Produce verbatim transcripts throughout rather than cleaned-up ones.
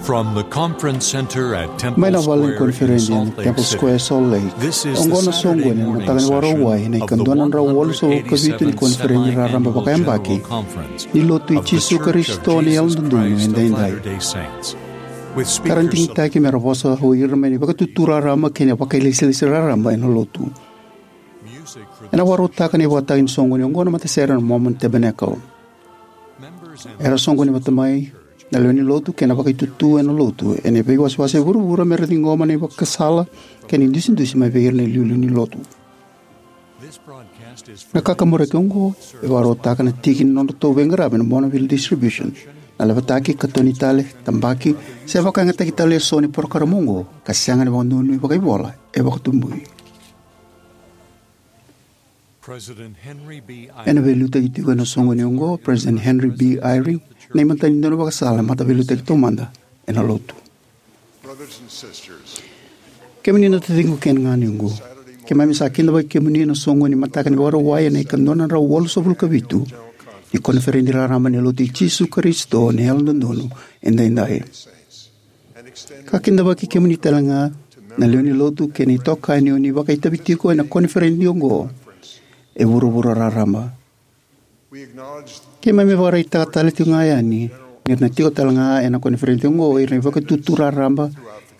From the conference center at Temple Mai na vale ni Square in koniferedi Salt ena Lake Temple City, Square, Salt Lake. This is the Oqo na Saturday soqoni ena morning mataka ni session Vakarauwai ena of the ika dua na drau walusagavulu ka vitu ni one hundred eighty-seventh koniferedi Saturday raraba Annual vakayabaki General Conference ni Lotu i of the Jisu Church of Karisito ni Jesus Yalododonu Christ of Edaidai. Latter-day Saints, with speakers of Ka ra digitaki me ra vosa o ira mai na Vakatutu Raraba kei na Vakailesilesi Raraba ena Lotu. Ena vakarautaka na ivakatagi ni soqoni oqo na matasere na Mormon Tabernacle. Era soqoni vata mai na lewe ni lotu kei na vakaitutu ena lotu ena veiwasewase e vuravura me ra ciqoma na ivakasala kei na idusidusi mai vei ira na iliuliu ni lotu. Na kakaburaki oqo e vakarautaka na tiki ni nodratou veiqaravi na Bonneville Distribution, na levetaki, katoni tale, tabaki, se vakayagataki tale eso ni porokaramu oqo ka sega ni vakadonuya vakaivola e vakatubui. President Henry B. Ena Eyring veiliutaki tiko ena soqoni oqo o President Henry B. Eyring, na imatai ni daunivakasala e mataveiliutaki taumada ena lotu. Brothers and sisters, Kemuni na taciqu kei na ganequ, keimami sa kidavaki kemuni ena soqoni mataka ni Vakarauwai ena ika dua na drau walusagavulu ka vitu ni koniferedi raraba ni Lotu i Jisu Karisito ni Yalododonu Edaidai. Ka kidavaki kemuni talega na lewe ni lotu kei na itokani o ni vakaitavi tiko ena koniferedi oqo e vuravura raraba. Keimami vakaraitaka tale tiko ga yani ni ra na tiko talega ena koniferedi oqo ira na Vakatutu Raraba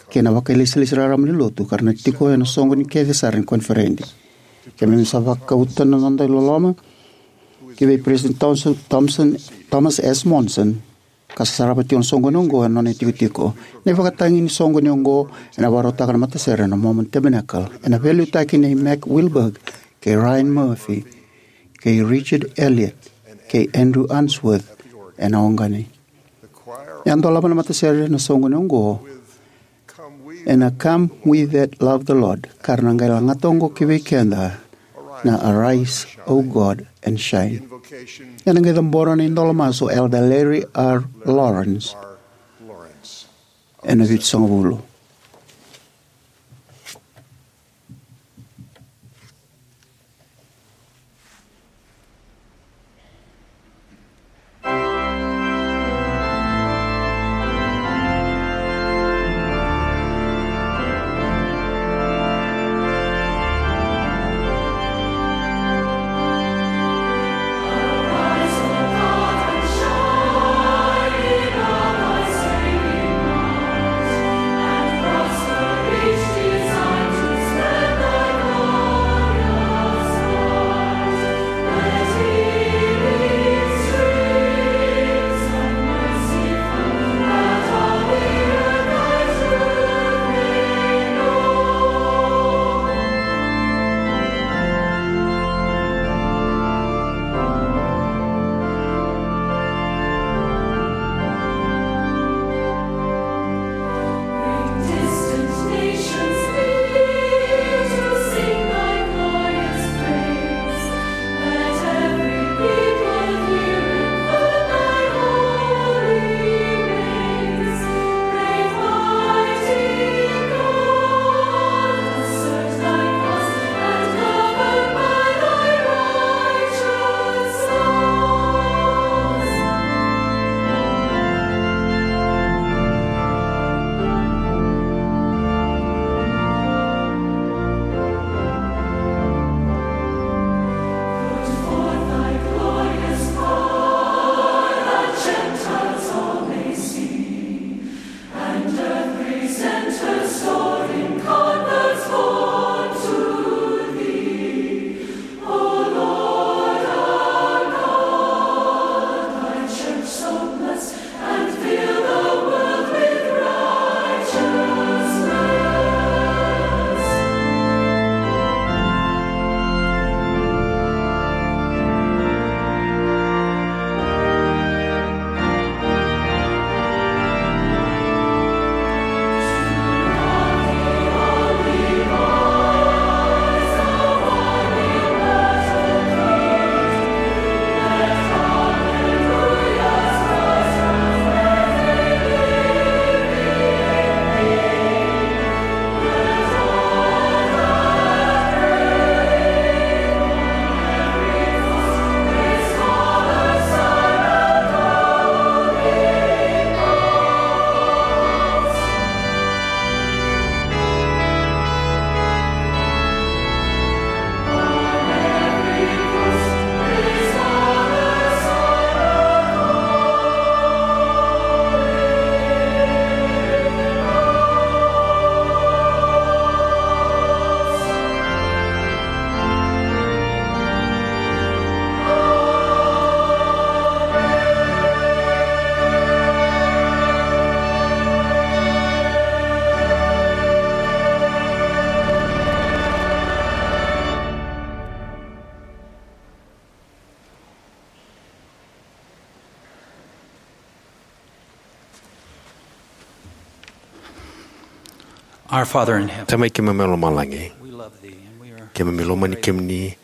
kei na Vakailesilesi Raraba ni Lotu ka ra na tiko ena soqoni kece sara ni koniferedi. Keimami sa vakauta na noda iloloma ki vei President Thompson, Thompson, Thomas S. Monson, ka sa sarava tiko na soqoni oqo ena nona itikotiko. Na ivakatagi ni soqoni oqo ena vakarautaka na matasere na Mormon Tabernacle ena veiliutaki nei Mac Wilberg kei Ryan Murphy kei Richard Elliott kei Andrew Unsworth ena oqani. E a dolava na matasere na soqoni oqo ena Come We That Love the Lord, ka ra na qai lagata oqo ki vei keda na Arise, O God, and Shine. Ena qai cabora na idola masu o Elder Larry R. Lawrence ena vitusagavulu. Our Father in heaven, Tamai keimami mai lomalagi, we love thee and we are keimami lomani kemuni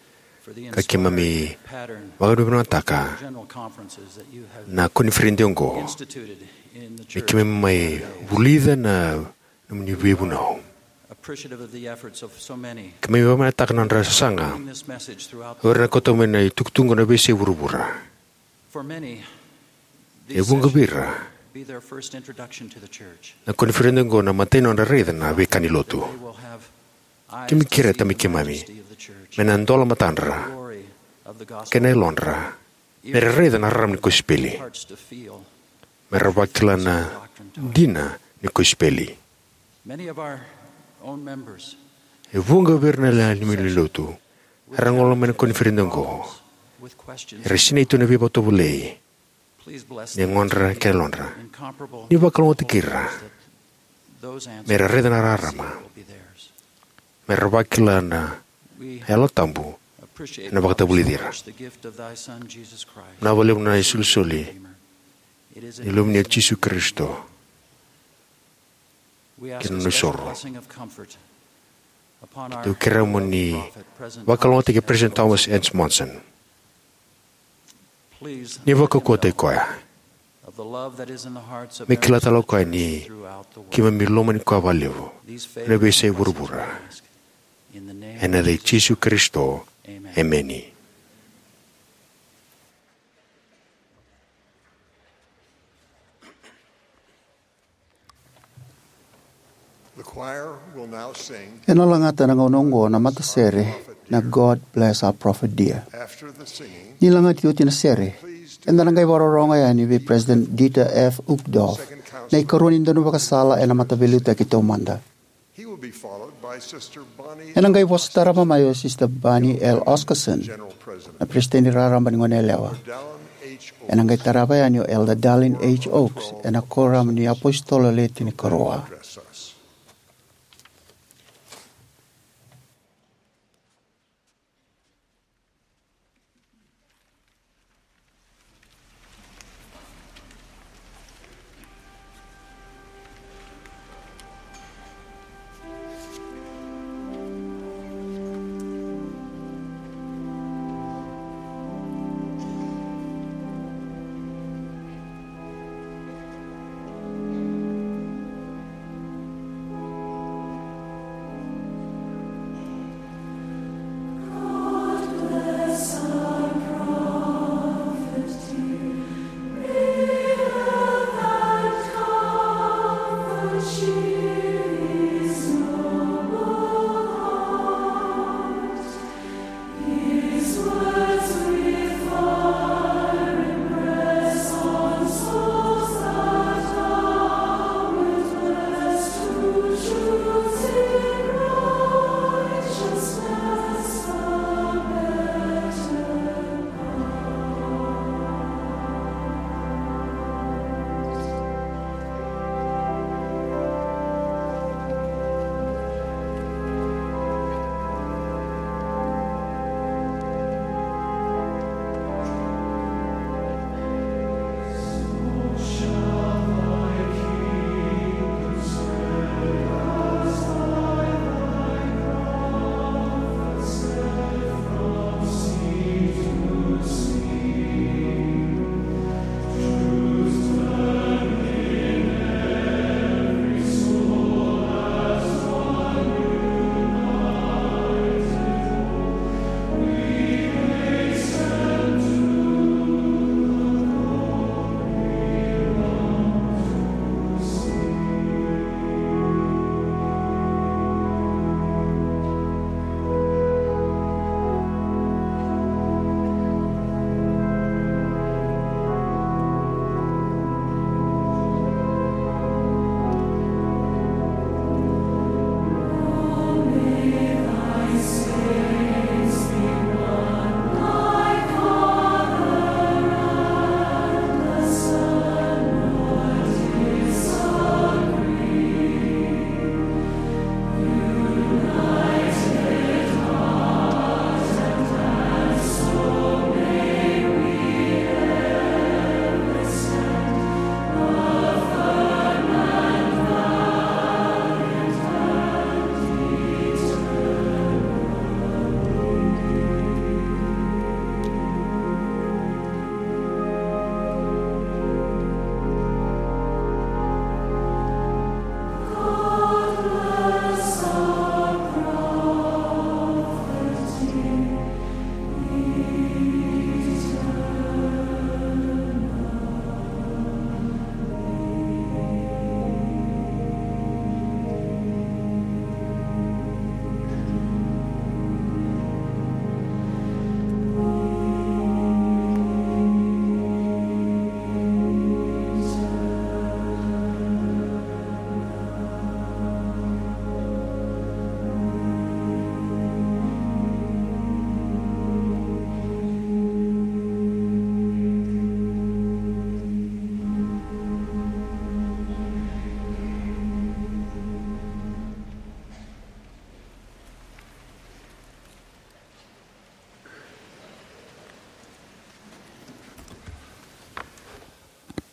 for the ka keimami inspired pattern vakavinakataka general conferences that you have na koniferedi oqo. Instituted in the me church keimami mai vulica na nomuni veivunau. Appreciative of the efforts of so many Keimami vakavinakataka na nodra sasaga bringing this message throughout the o ira na world. Kauta mai na itukutuku na veiyasai vuravura. For many, e these vuqa sessions vei ira be their first introduction to the church. Na koniferedi oqo na imatai ni nodra raica na veika ni lotu. They will have eyes to see the majesty of the church, me na dola matadra, glory of the gospel, kei na yalodra me ra raica na rarama ni kosipeli, hearts to feel me ra vakila na dina ni kosipeli. Many of our own members, e vuqa vei ira na lewenilotu era gole mai na koniferedi oqo, with questions, era sinai tu na veivakatovolei ni yagodra kei na yalodra. Ni vakalougatataki ira me ra raica na rarama, me ra vakila na Yalo Tabu ena vakatavulici ira. Na vakalevu na isolisoli ni Luveni o Jisu Karisito kei na nona isoro. Au kerea mo ni vakalougatataki President Thomas S. Monson. Ni vakaukauwataki koya. Me kila tale o koya ni keimami lomani koya vakalevu ena veiyasai vuravura. Ena yaca i Jisu Karisito, emeni. The choir will now sing. Ena lagata ena gauna oqo na matasere na God Bless Our Prophet Dear. After the singing, ni lagati oti na sere, eda na qai vakarorogo yani vei President Dieter F. Uchtdorf, na ikarua ni daunivakasala ena Mataveiliutaki Taumada. He will be followed by Sister Bonnie Ena qai vosa tarava mai o Sister Bonnie L. Oscarson, General President, na Peresitedi Raraba ni Goneyalewa. Dallin H. Ena qai tarava yani o Elder Dallin H. Oaks ena Koramu ni iApositolo Le Tinikarua. Address us.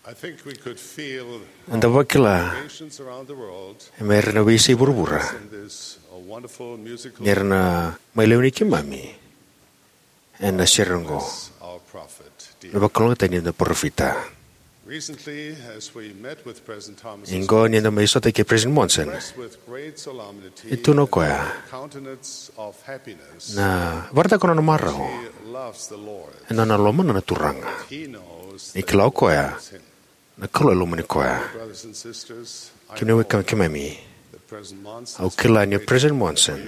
Eda vakila e mai ira na veiyasai vuravura ni ra na mai lewe ni keimami ena sere oqo, na vakalougatataki ni noda parofita. Oqo ni da mai sota kei President Monson, e tukuna o koya na vakaraitaka o nona marau ena nona lomana na Turaga. Ni kila o koya na Kalou e lomani koya. Kemuni na wekaqu keimami, au kila ni o President Monson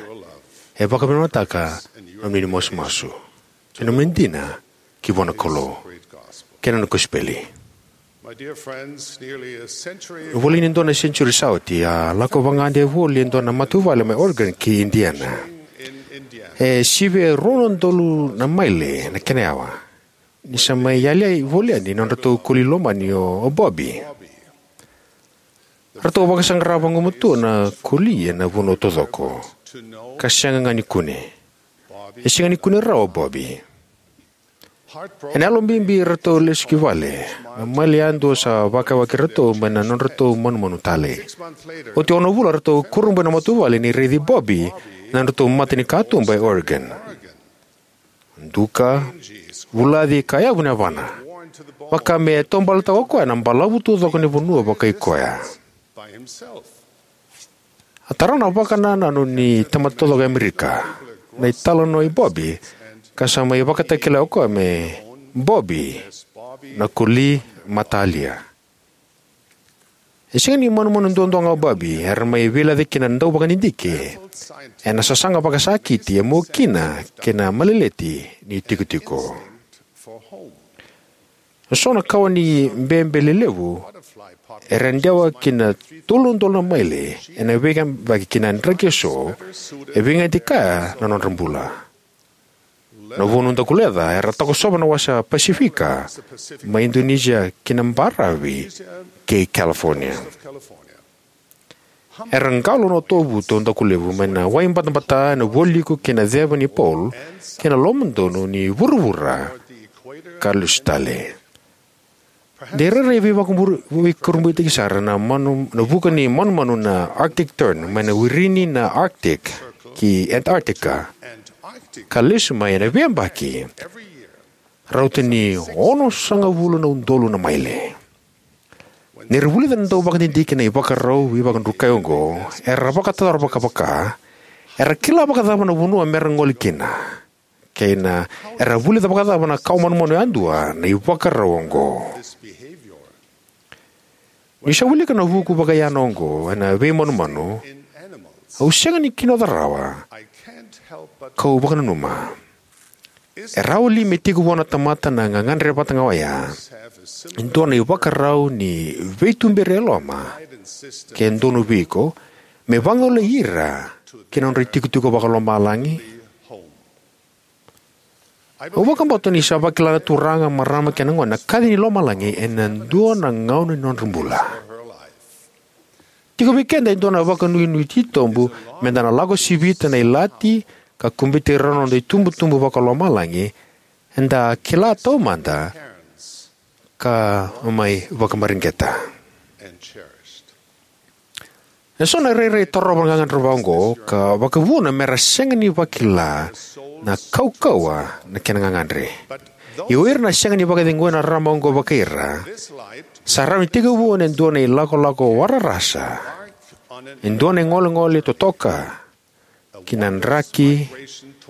e vakavinavinakataka na nomuni masumasu, na nomuni dina ki vua na Kalou kei na nona kosipeli. Voli ni dua na senitiuri sa oti, a lako vagade voli e dua na matavuvale mai Oregon ki Indiana. E sivia e rua na udolu na maile na kena yawa ni sa mai yali voli yani na nodratou koli lomani o Bobby. Ratou vakasaqara vagumatua na koli ena vanua taucoko, ka sega ga ni kune. E sega ni kune rawa o Bobby. Ena yalo bibi ratou lesu ki vale, na maile yadua sa vakayawaki iratou mai na nodratou manumanu talei. Oti ono vula ratou kurabui na matavuvale ni raici Bobby ena nodratou mata ni katuba e Oregon. Duka, vulaci, ka yavu na yavana, vaka me taubaletaka o koya na balavu taucoko ni vanua vakai koya. A tara na vakanananu ni tamata taucoko e Amerika na italanoa i Bobby, ka sa mai vakatakila o koya me Bobby na koli matalia. E sega ni manumanu duadua ga o Bobby, era mai veilaca kina na dauvakadidike ena sasaga vakasakiti e mua kina kei na maleleti ni tikotiko. Eso na kawa ni bebe lelevu era dewa ki na tolu na udolu na maile ena veiyabaki ki na draki eso, e veigati kaya na nodra bula. Na vunu dakuleca era takosova na wasa Pasifika, mai Indonesia ki na baravi kei California. Era qalo na otovuto dakulevu mai na wai batabata ena vualiku kei na ceva ni pole kei na lomadonu ni vuravura ka lesu tale. De rairai veivakabur-, veikurabuitaki sara na manu, na vuka ni manumanu na Arctic Tern mai na wirini na Arctic ki Antarctica, ka lesu mai ena veiyabaki rauta ni onosagavulu na udolu na maile. Ni ra vulica na dauvakadidike na ivakarau veivakadrukai oqo, era vakatotaro vakavaka, era kila vakacava na vanua mera gole kina, kei na era vulica vakacava na kawa manumanu yadua na ivakarau oqo. Niu sa wilika na vuku vakayana oqo ena veimanumanu, au sega ni kinoca rawa kau vakananuma. E rawa li me tiko vua na tamata na gagadre vata ga oya e dua na ivakarau ni veituberi e loma, ke donu vei iko, me vagolei ira ki na nodra itikotiko vakalomalagi? Au vakabauta ni sa vakila na turaga, marama kei na gone na kaci ni lomalagi ena dua na gauna ni nodra bula. Tiko vei keda e dua na vakanuinui titobu meda na lako sivita na ilati ka kubeti rau na noda itubutubu vakalomalagi eda kila taumada ka mai vakamareqeta. Eso na rairai torova na gagadre vaqo ka vakavuna mera sega ni vakila na kaukauwa na kena gagadre. Ia o ira na sega ni vakacegui na rarama oqo vakai ira, sa rawa ni tekivu ena dua na ilakolako wararasa, e dua na igolegole totoka ki na draki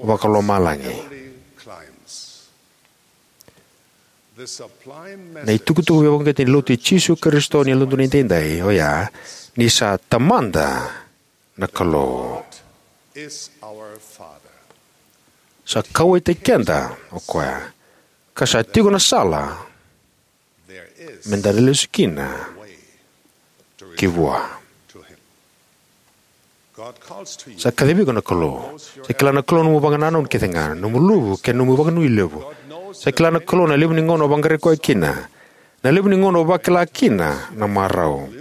vakalomalagi. Na itukutuku veivakauqeti ni Lotu i Jisu Karisito ni Yalododonu Edaidai oya ni sa Tamada na Kalou. Sa kauwaitaki keda o koya, ka sa tiko na sala meda lesu kina ki vua. Sa kacivi iko na Kalou. Sa kila na Kalou nomu vakanananu kece ga, nomu luvu kei na nomu vakanuilevu. Sa kila na Kalou na levu ni gauna o vaqarai koya kina, na levu ni gauna o vakila kina na marau,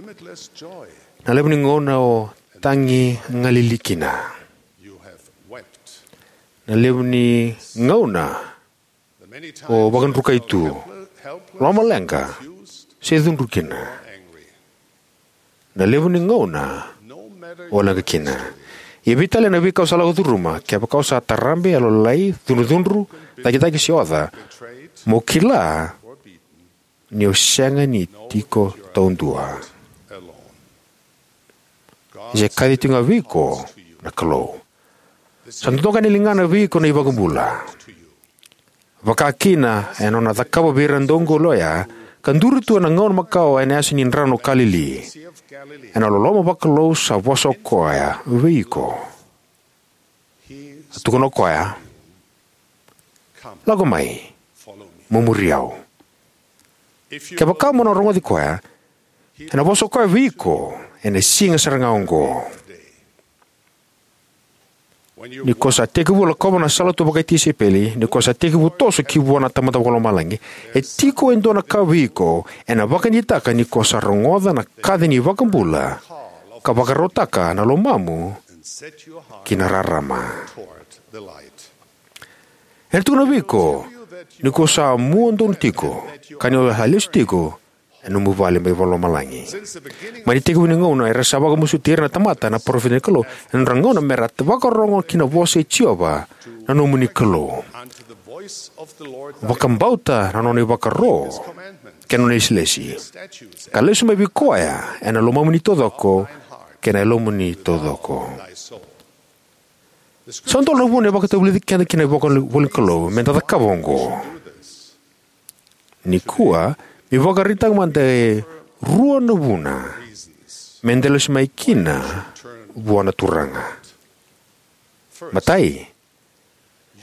na levu ni gauna o tagigalili kina, na levu ni gauna o vakadrukai tu, lomaleqa, se cudru kina. Na levu ni gauna o leqa kina. Ia vei tale na veika o sa lako curuma, kevaka o sa tarabe, yalolai, cudrucudru, cakicaki se oca, mo kila ni o sega ni tiko taudua. Se kaci tiko ga vei iko na Kalou. Sa dodoka na ligana vei iko na iVakabula. Vaka kina ena nona cakava vei ira na dauqoli oya, ka duri tu ena gauna makawa ena yasa ni Drano o Kalili. Ena loloma vakalou sa vosa o koya vei iko. A tukuna o koya, "Lako mai, mo muri au." Kevaka mo na rogoci koya, ena vosa o koya vei iko ena siga sara ga oqo. Ni ko sa tekivu lakova na salatu vakatisaipeli, ni ko sa tekivu toso ki vua na Tamada Vakalomalagi, e tiko e dua na ka vei iko ena vakadeitaka ni ko sa rogoca na kaci ni iVakabula ka vakarautaka na lomamu ki na rarama. Ena tukuna vei iko ni ko sa mua donu tiko, ka ni o sa lesu tiko ena nomu vale mai vakalomalagi. Mai na itekivu ni gauna era sa vakamasuti ira na tamata na parofita ni Kalou ena nodra gauna mera vakarorogo ki na vosa i Jiova na nomuni Kalou. Vakabauta na nona ivakaro kei na nona ilesilesi, ka lesu mai vei koya ena lomamuni taucoko kei na yalomuni taucoko. Sa dua na vuna e vakatavulici keda kina na ivolanikalou meda cakava oqo. Nikua, me vakaraitaka mada e rua na vuna meda lesu mai kina vua na Turaga. Matai,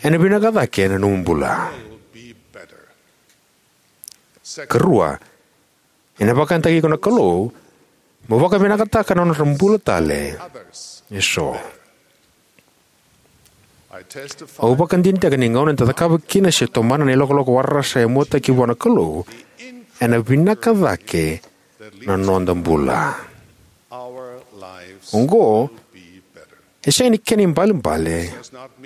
ena vinaka cake na nomu bula. Karua, ena vakayagataki iko na Kalou mo vakavinakataka na nodra bula tale eso. Au vakadinadinataka ni gauna eda cakava kina se tomana na ilakolako warasa e muataki vua na Kalou, ena vinaka cake na noda bula. Oqo e sega ni kena ibalebale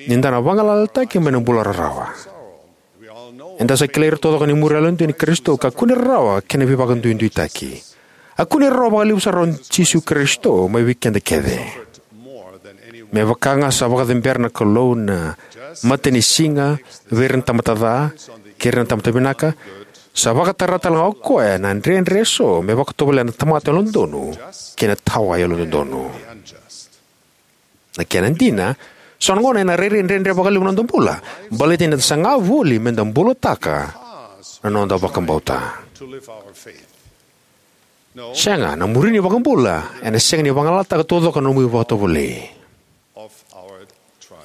ni da na vagalalataki mai na bula rarawa. Eda sa kilai ira taucoko ni muri yalodina i Karisito ka kune rarawa kei na veivakaduiduitaki. A kune rarawa vakalevu sara o Jisu Karisito mai vei keda kece. Me vaka ga sa vakacabera na Kalou na matanisiga vei ira na tamata ca kei ira na tamata vinaka, sa vakatara talega o koya na dredre eso me vakatovolea na tamata yalododonu kei na tawa yalododonu. Na kena dina, so na gauna ena rairai dredre vakalevu na noda bula baleta ni da saga voli meda bulataka na noda vakabauta. Sega, na muri ni vakabula ena sega ni vagalalataka taucoko na nomu ivakatovolei.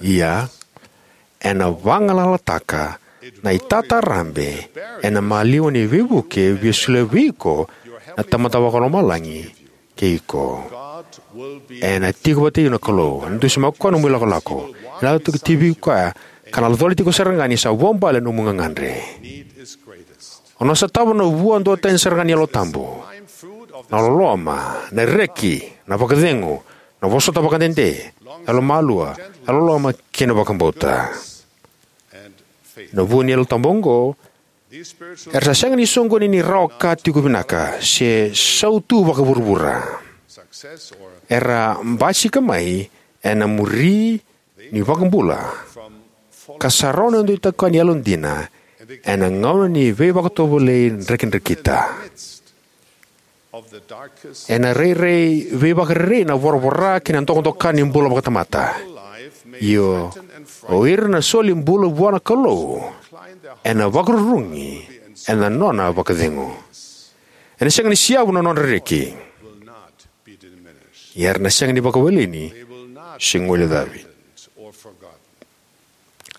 Ia, ena vagalalataka na itatarabe ena maliwa ni veivuke e via solia vei iko na Tamada Vakalomalagi kei iko. Ena tiko vata kei iko na Kalou, ena dusimaka o koya na nomu ilakolako, ena lako tiko vei koya, ka na colati iko sara ga ni sa vuabale na nomu gagadre. O na sotava na vua duatani sara ga ni Yalo Tabu: na loloma, na reki, na vakacegu, na vosota vakadede, yalomalua, yalololoma kei na vakabauta. Na vua ni Yalo Tabu oqo era sa sega ni soqoni ni rawa ka tiko vinaka se sautu vakavuravura. Era basika mai ena muri ni vakabula ka sa rawa na dau itokani yalodina ena gauna ni veivakatovolei drekidrekita. Ena rairai veivakarerei na voravora kei na dokadoka ni bula vakatamata. Io, o ira na soli bula vua na Kalou ena vakarurugi ena nona vakacegu. Ena sega ni siavu na nodra reki, ia era na sega ni vakawaleni se guilecavi.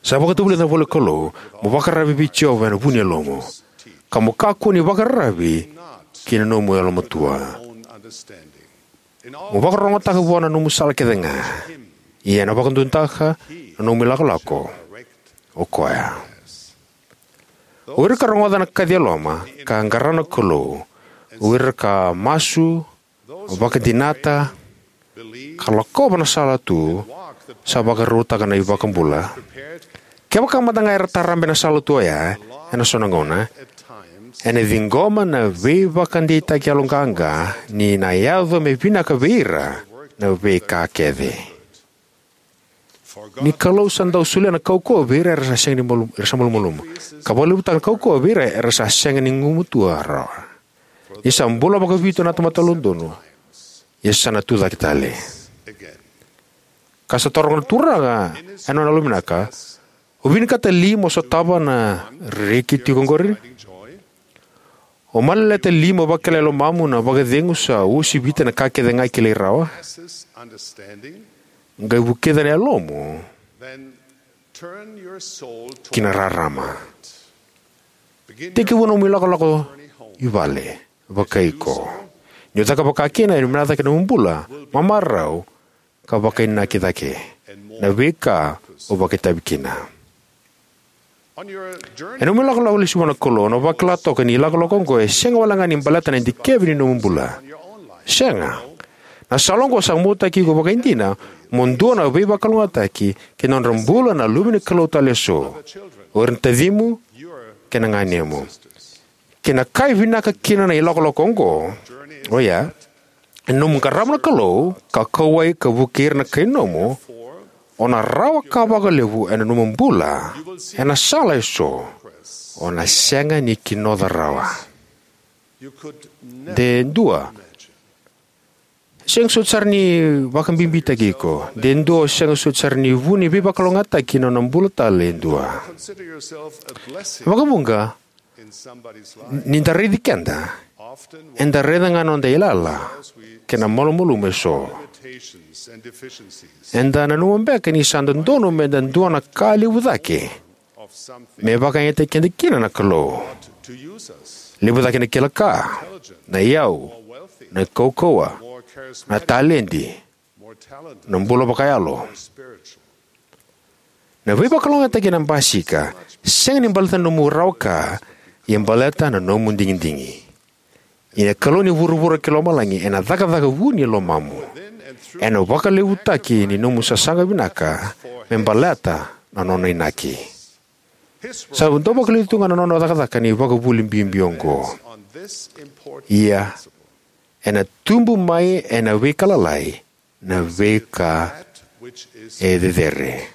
Sa vakatavulica na ivolanikalou mo vakararavi vei Jiova ena vu ni yalomu, ka mo kakua ni vakararavi ki na nomu yalomatua. Mo vakarorogotaka vua na nomu sala kece ga, ia ena vakadodonutaka na nomu ilakolako o koya. O ira ka rogoca na kaci e loma ka qara na Kalou, o ira ka masu, vakadinata, ka lakova na sala tu sa vakarautaka na iVakabula. Kevaka mada ga era tarabe na sala tu oya ena so na gauna, Ena ciqoma na veivakadeitaki yaloqaqa ni na yaco me vinaka vei ira na veika kece. Ni Kalou sa dau solia na kaukauwa vei ira era sa sega ni malu, era sa malumalumu, ka vakalevutaka na kaukauwa vei ira era sa sega ni gumatua rawa. Ni sa bula vakavitu na tamata yalododonu, ia sa na tucake tale. Ka sa taroga na Turaga ena nona yalovinaka, o vinakata li mo sotava na reki tiko oqori? O malalata li mo vakila e lomamu na vakacegu sa uasivita na ka kece ga e kilai rawa? Qai vukica na yalomu ki na rarama. Tekivu nomu ilakolako i vale, vakai iko. Ni o caka vaka kina, ena vinaka cake na nomu bula, mamarau, ka vakainaki cake na veika o vakaitavi kina. Ena nomu ilakolako lesu vua na Kalou, o na vakila toka ni ilakolako oqo e sega wale ga ni baleta na dikevi ni nomu bula. Sega. Na sala oqo sa muataki iko vakaidina mo dua na veivakalougatataki ki na nodra bula na luve ni Kalou tale eso, o ira na tacimu kei na ganemu. Ke na ka e vinaka kina na ilakolako oqo, oya, ena nomu qarava na Kalou ka kauwai ka vukei ira na kai nomu, o na rawa ka vakalevu ena nomu bula ena sala eso o na sega ni kinoca rawa. De dua sega soti sara ni vakabibitaki iko. De dua o sega soti sara ni vu ni veivakalougatataki ena nona bula tale e dua. Vakavuqa, ni da raici keda, eda raica ga na noda yalayala kei na malumalumu eso. Eda nanuma beka ni sa dodonu me da dua na ka levu cake me vakayagataki keda kina na Kalou. Levu cake na kila ka, na iyau, na kaukauwa, na taledi, na bula vakayalo. Na veivakalougatataki ena basika sega ni baleta na nomu rawa ka, ia baleta na nomu digidigi. Ia na Kalou ni vuravura kei lomalagi ena cakacaka vuni e lomamu ena vakalevutaki ni nomu sasaga vinaka me baleta na nona inaki. Sa dau vakaliuci tu ga na nona cakacaka na ivakavuvuli bibi oqo. Ia, ena tubu mai ena veika lalai na veika e cecere.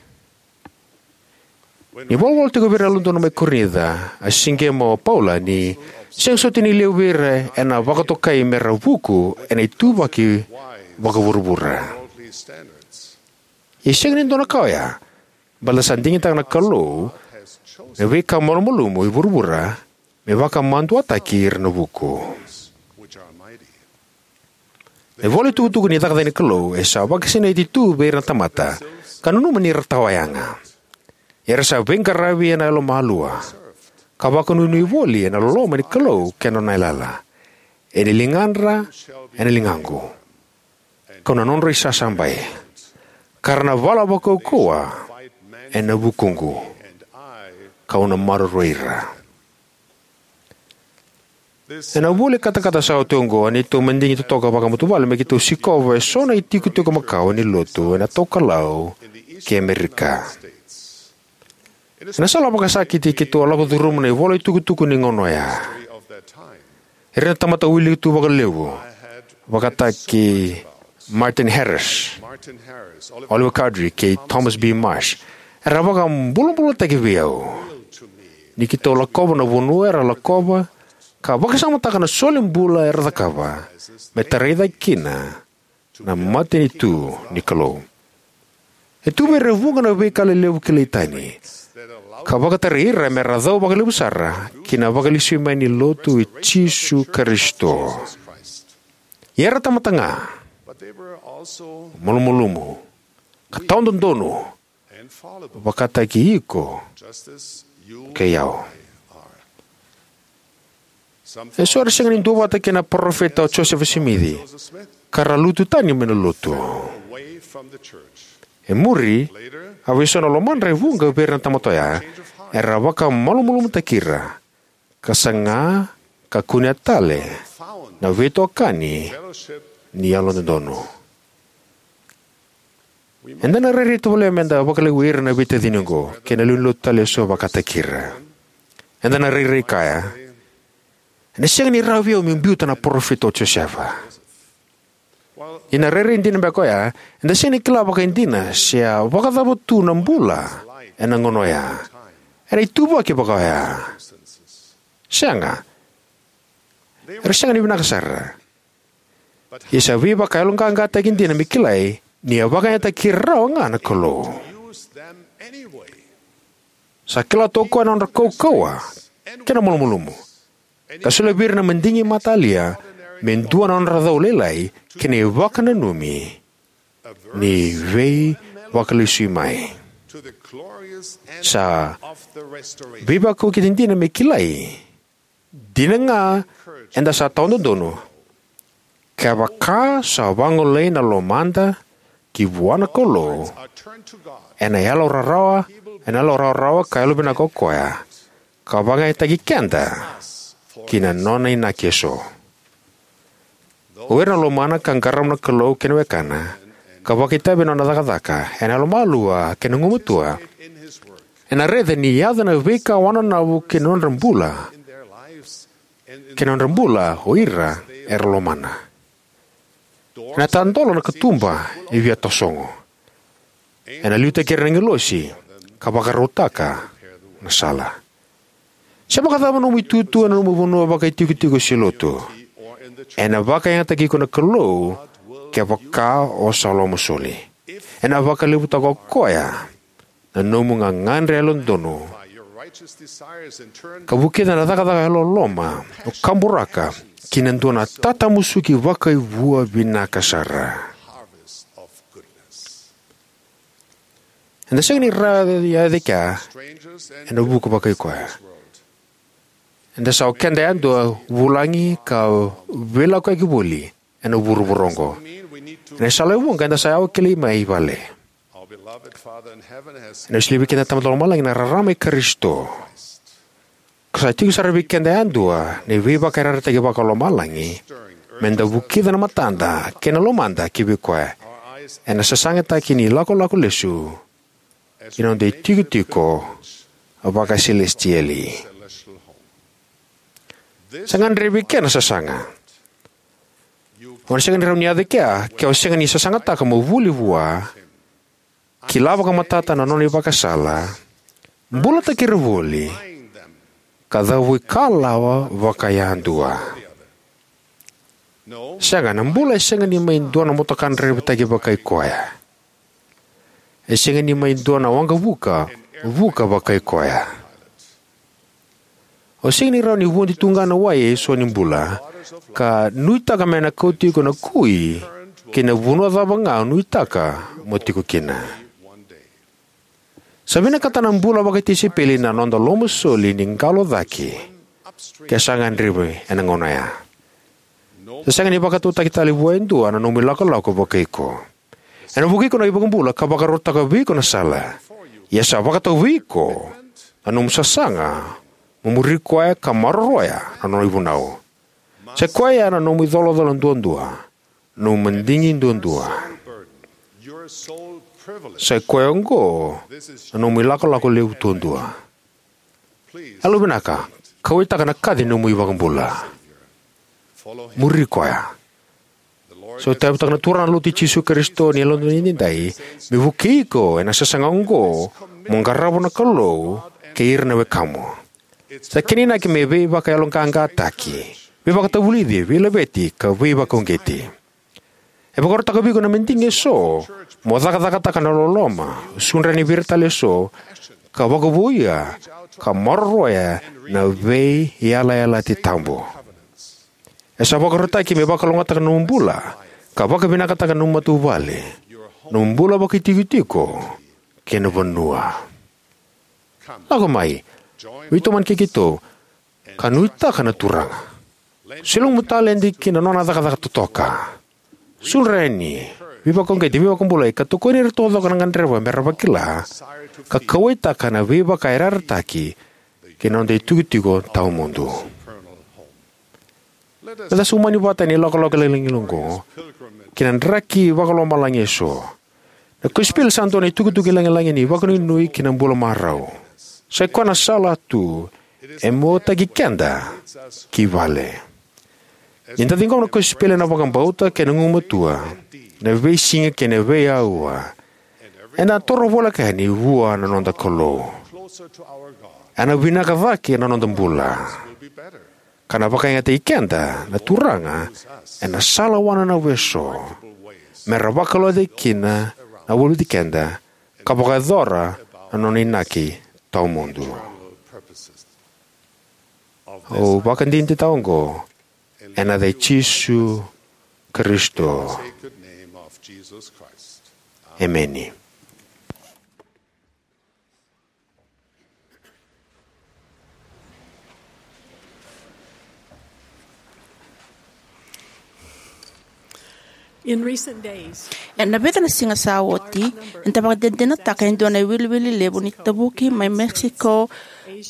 Ni volavola tiko vei ira na Yalododonu mai Korinica, a siqema o Paula ni sega soti ni levu vei ira ena vakatokai me ra vuku ena ituvaki vakavuravura. E sega ni dua na ka oya, baleta sa digitaka na Kalou na veika malumalumu e vuravura me vakamaduataki ira na vuku. Na ivola itukutuku ni cakacaka ni Kalou e sa vakasinaiti tu vei ira na tamata ka nanuma ni ra tawa yaga. Era sa veiqaravi ena yalomalua ka vakanuinui voli ena loloma ni Kalou kei na nona yalayala. Ena ligadra, ena ligaqu, kau na nodra isasabai, ka ra na vala vakaukauwa ena vukuqu, kau na maroroi ira. Ena vula ni katakata sa oti oqo, a neitou madigi totoka vakamatavuvale me keitou sikova eso na itikotiko makawa ni lotu ena Tokalau kei Amerika. Ena sala vakasakiti keitou a lako curuma na ivola itukutuku ni gauna oya. Ira na tamata wili tu vakalevu, vakataki Martin Harris, Oliver Cowdery, kei Thomas B. Marsh, era vakabulabulataki vei au ni keitou lakova na vanua era lakova ka vakasamataka na solibula era cakava me tarai cake kina na matanitu ni Kalou. E tu vei ira e vuqa na veika lelevu kilai tani ka vakatarai ira me ra cau vakalevu sara ki na vakalesuimai ni Lotu i Jisu Karisito. Ia era tamata ga, malumalumu, ka tawadodonu, vakataki iko kei au. Eso era sega ni duavata kei na Parofita o Josefa Simici ka ra lutu tani mai na Lotu. E muri, a vei so na lomadra e vuqa vei ira na tamata oya era vakamalumalumutaki ira ka saga ka kunea tale na veitokani ni Yalododonu. Eda na rairai tovolea me da vakaleqai ira na veitacini oqo kei na lewe ni Lotu tale eso vakataki ira. Eda na rairai kaya, Ena sega ni rawa vei au meu biuta na parofita o Josefa. Ia na rairai dina beka oya, eda sega ni kila vakaidina se a vakacava tu na bula ena gauna oya, ena ituvaki vaka oya. Sega. Era sega ni vinaka sara. Ia sa veivakayaloqaqataki dina me kilai ni a vakayagataki ira rawa ga na Kalou. Sa kila tu o koya na nodra kaukauwa kei na malumalumu, ka solia vei ira na madigi matalia me dua na nodra cau lailai kei na ivakananumi ni veivakalesui mai. Sa veivakauqeti dina me kilai dina ga eda sa tawadodonu, kevaka sa vagolei na lomada ki vua na Kalou ena yalo rarawa, ena yalo rawarawa ka yalovinaka o koya, ka vakayagataki keda ki na nona inaki eso. O ira na lomana ka qarava na Kalou kei na wekana, ka vakaitavi ena nona cakacaka ena yalomalua kei na gugumatua, ena raica ni yaco na veika wananavu ki na nodra bula, ki na nodra bula o ira era lomana. Ena tadola na katuba e via tasogo. Ena liutaki ira na agilosi ka vakarautaka na sala. Se vakacava nomu itutu ena nomu vanua vakaitikotiko se lotu, ena vakayagataki iko na Kalou kevaka o sa lomasoli. Ena vakalevutaka o koya na nomu gagadre yalododonu, ka vukica na cakacaka yalololoma o kaburaka ki na dua na tatamusuki vakaivua vinaka sara. Eda sega ni rawa ni yaco e kea ena vuku vakai koya. Eda sa o keda yadua vulagi ka veilakoyaki voli ena vuravura oqo. Ena sala e vuqa eda sa yawa kilai mai vale. Ena solia vei keda na Tamada Lomalagi na rarama i Karisito. Ka sa tiko sara vei keda yadua na veivakayarayarataki vakalomalagi, meda vukica na matada kei na lomada ki vei koya ena sasagataki ni lakolako lesu ki na noda itikotiko vakasilesitieli. Sa gadrevi kei na sasaga. O na sega ni rawa ni yaco e kea ke o sega ni sasagataka mo vuli vua, kila vakamatata na nona ivakasala, bulataki ira voli, ka cavuikalawa vakayadua. Sega, na bula e sega ni mai dua na motoka draivataki vakai koya. E sega ni mai dua na waqavuka vuka vakai koya. O sega ni rawa ni vodi tu ga na wai eso ni bula ka nuitaka me na kauti iko na kui ki na vanua cava ga o nuitaka mo tiko kina. Sa vinakata na bula vakatisaipeli na noda lomasoli ni qalo cake ke sa gadrevi ena gauna oya. Sa sega ni vakatautaki tale vua e dua na nomu ilakolako vakai iko. Ena vukei iko na iVakabula ka vakarautaka vei iko na sala. Ia sa vakatau vei iko na nomu sasaga mo muri koya ka maroroya na nona ivunau. Sa i koya ya na nomu icolacola duadua, na nomu madigi duadua. Sa i koya oqo na nomu ilakolako levu duadua. Yalovinaka, kauwaitaka na kaci ni nomu iVakabula. Muri koya. Sa tauyavutaka na Turaga na Lotu i Jisu Karisito ni Yalododonu Edaidai me vukei iko ena sasaga oqo mo qarava na Kalou kei ira na wekamu. Sa kena inaki me veivakayaloqaqataki, veivakatavulici, veilaveti ka veivakauqeti. E vakarautaka vei iko na madigi eso mo cakacakataka na loloma, sudra yani vei ira tale eso, ka vakavouya ka maroroya na veiyalayalati tabu. E sa vakarautaki me vakalougatataka na nomu bula ka vakavinakataka na nomu matavuvale, nomu bula vakaitikotiko kei na vanua. Lako mai, veitomani kei keitou ka nuitaka na Turaga. Solia nomu taledi ki na nona cakacaka totoka. Sudra yani, veivakauqeti, veivakabulai ka tokoni ira taucoko na gadreva me ra vakila ka kauwaitaka na veivakayarayarataki ki na noda itikotiko tawamudu. Meda sa umani vata ena ilakolako lagilagi oqo ki na draki vakalomalagi eso. Na kosipeli sa dua na itukutuku lagilagi ni vakanuinui ki na bula marau. Sa i koya na sala tu E muataki keda ki vale. Ni da ciqoma na kosipeli ena vakabauta kei na gugumatua, na veisiga kei na veiaua, eda na toro voleka yani vua na noda Kalou. Ena vinaka cake na noda bula, ka na vakayagataki keda na Turaga ena sala wananavu eso, me ra vakalougatataki kina na vulici keda ka vakayacora na nona inaki tawamudu. Au vakadinadinataka oqo ena yaca i Jisu Karisito. Emeni. In recent days, ena vica na siga sa oti, eda vakadinadinataka e dua na iwiliwili levu ni tavuki mai Mexico,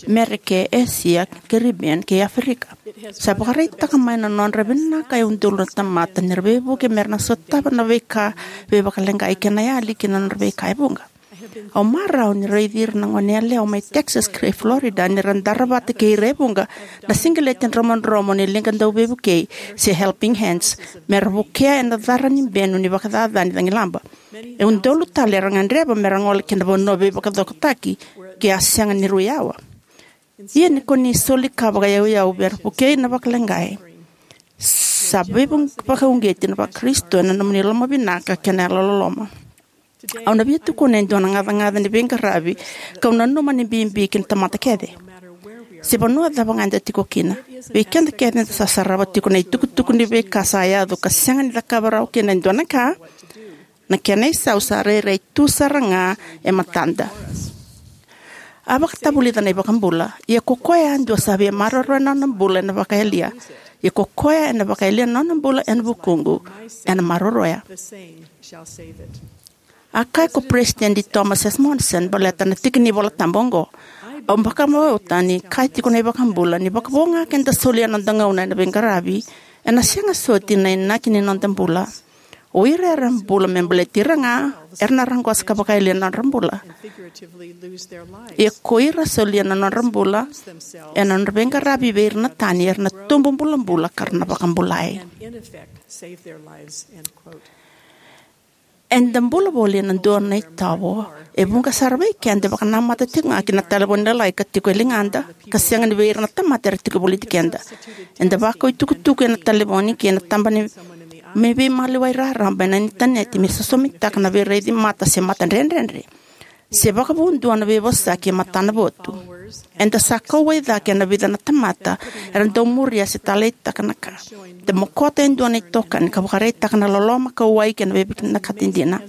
Merika, Asia, Caribbean kei Aferika. Sa vakaraitaka mai na nodra vinaka e udolu na tamata ni ra veivuke me ra na sotava na veika veivakaleqai kei na yali ki na nodra veika e vuqa. Au marau ni raici ira na goneyalewa mai Texas kei Florida ni ra dara vata kei ira e vuqa na siqeleti dromodromo ni liga dauveivukei, se helping hands, me ra vukea ena cara ni benu ni vakacacani cagilaba. E udolu tale era gadreva me ra gole ki na vanua veivakacokotaki ke a sega ni rui yawa. Ia ni ko ni soli ka vakayauyau me ra vukei na vakaleqai, sa veivakauqeti na Vakarisito ena nomuni lomavinaka kei na yalololoma. Au na via tukuna e dua na gacagaca ni veiqaravi kau nanuma ni bibi ki na tamata kece. Se vanua cava ga eda tiko kina, vei keda kece eda sa sarava tiko na itukutuku ni veika sa yaco ka sega ni cakava rawa kina e dua na ka, na kena isau sa rairai tu sara ga e matada. A vakatavulica na iVakabula, ia ko koya yadua sa via maroroya na nona bula ena vakayalia. Ia ko koya ena vakayalia na nona bula ena vukuqu, ena maroroya. A kaya ko Peresitedi Thomas S. Monson baleta na tiki ni Vola Tabu oqo: Au vakabauta ni kaya tiko na iVakabula ni vakavo ga ke da solia na noda gauna ena veiqaravi, ena sega soti na inaki ni noda bula. O ira era bula me baleti ira ga era na raqosa ka vakayalia na nodra bula. Ia ko ira solia na nodra bula ena nodra veiqaravi vei ira na tani, era na tubu bulabula ka ra na vakabulai. Eda bula voli ena dua na itovo e vuqa sara vei keda e vakanamata tiko ga ki na talevoni lalai ka tiko e ligada, ka sega ni vei ira na tamata era tiko voliti keda. Eda vakau itukutuku ena talevoni kei na taba ni me veimaliwai raraba ena initaneti me sosomitaka na veiraici mata se matadredredre, se vakavudua na veivosaki e matanavotu. Eda sa kauwai cake ena vica na tamata era dau muria se taleitaka na ka. Eda mokota e dua na itokani ka vakaraitaka na loloma, kauwai kei na veivinakati dina.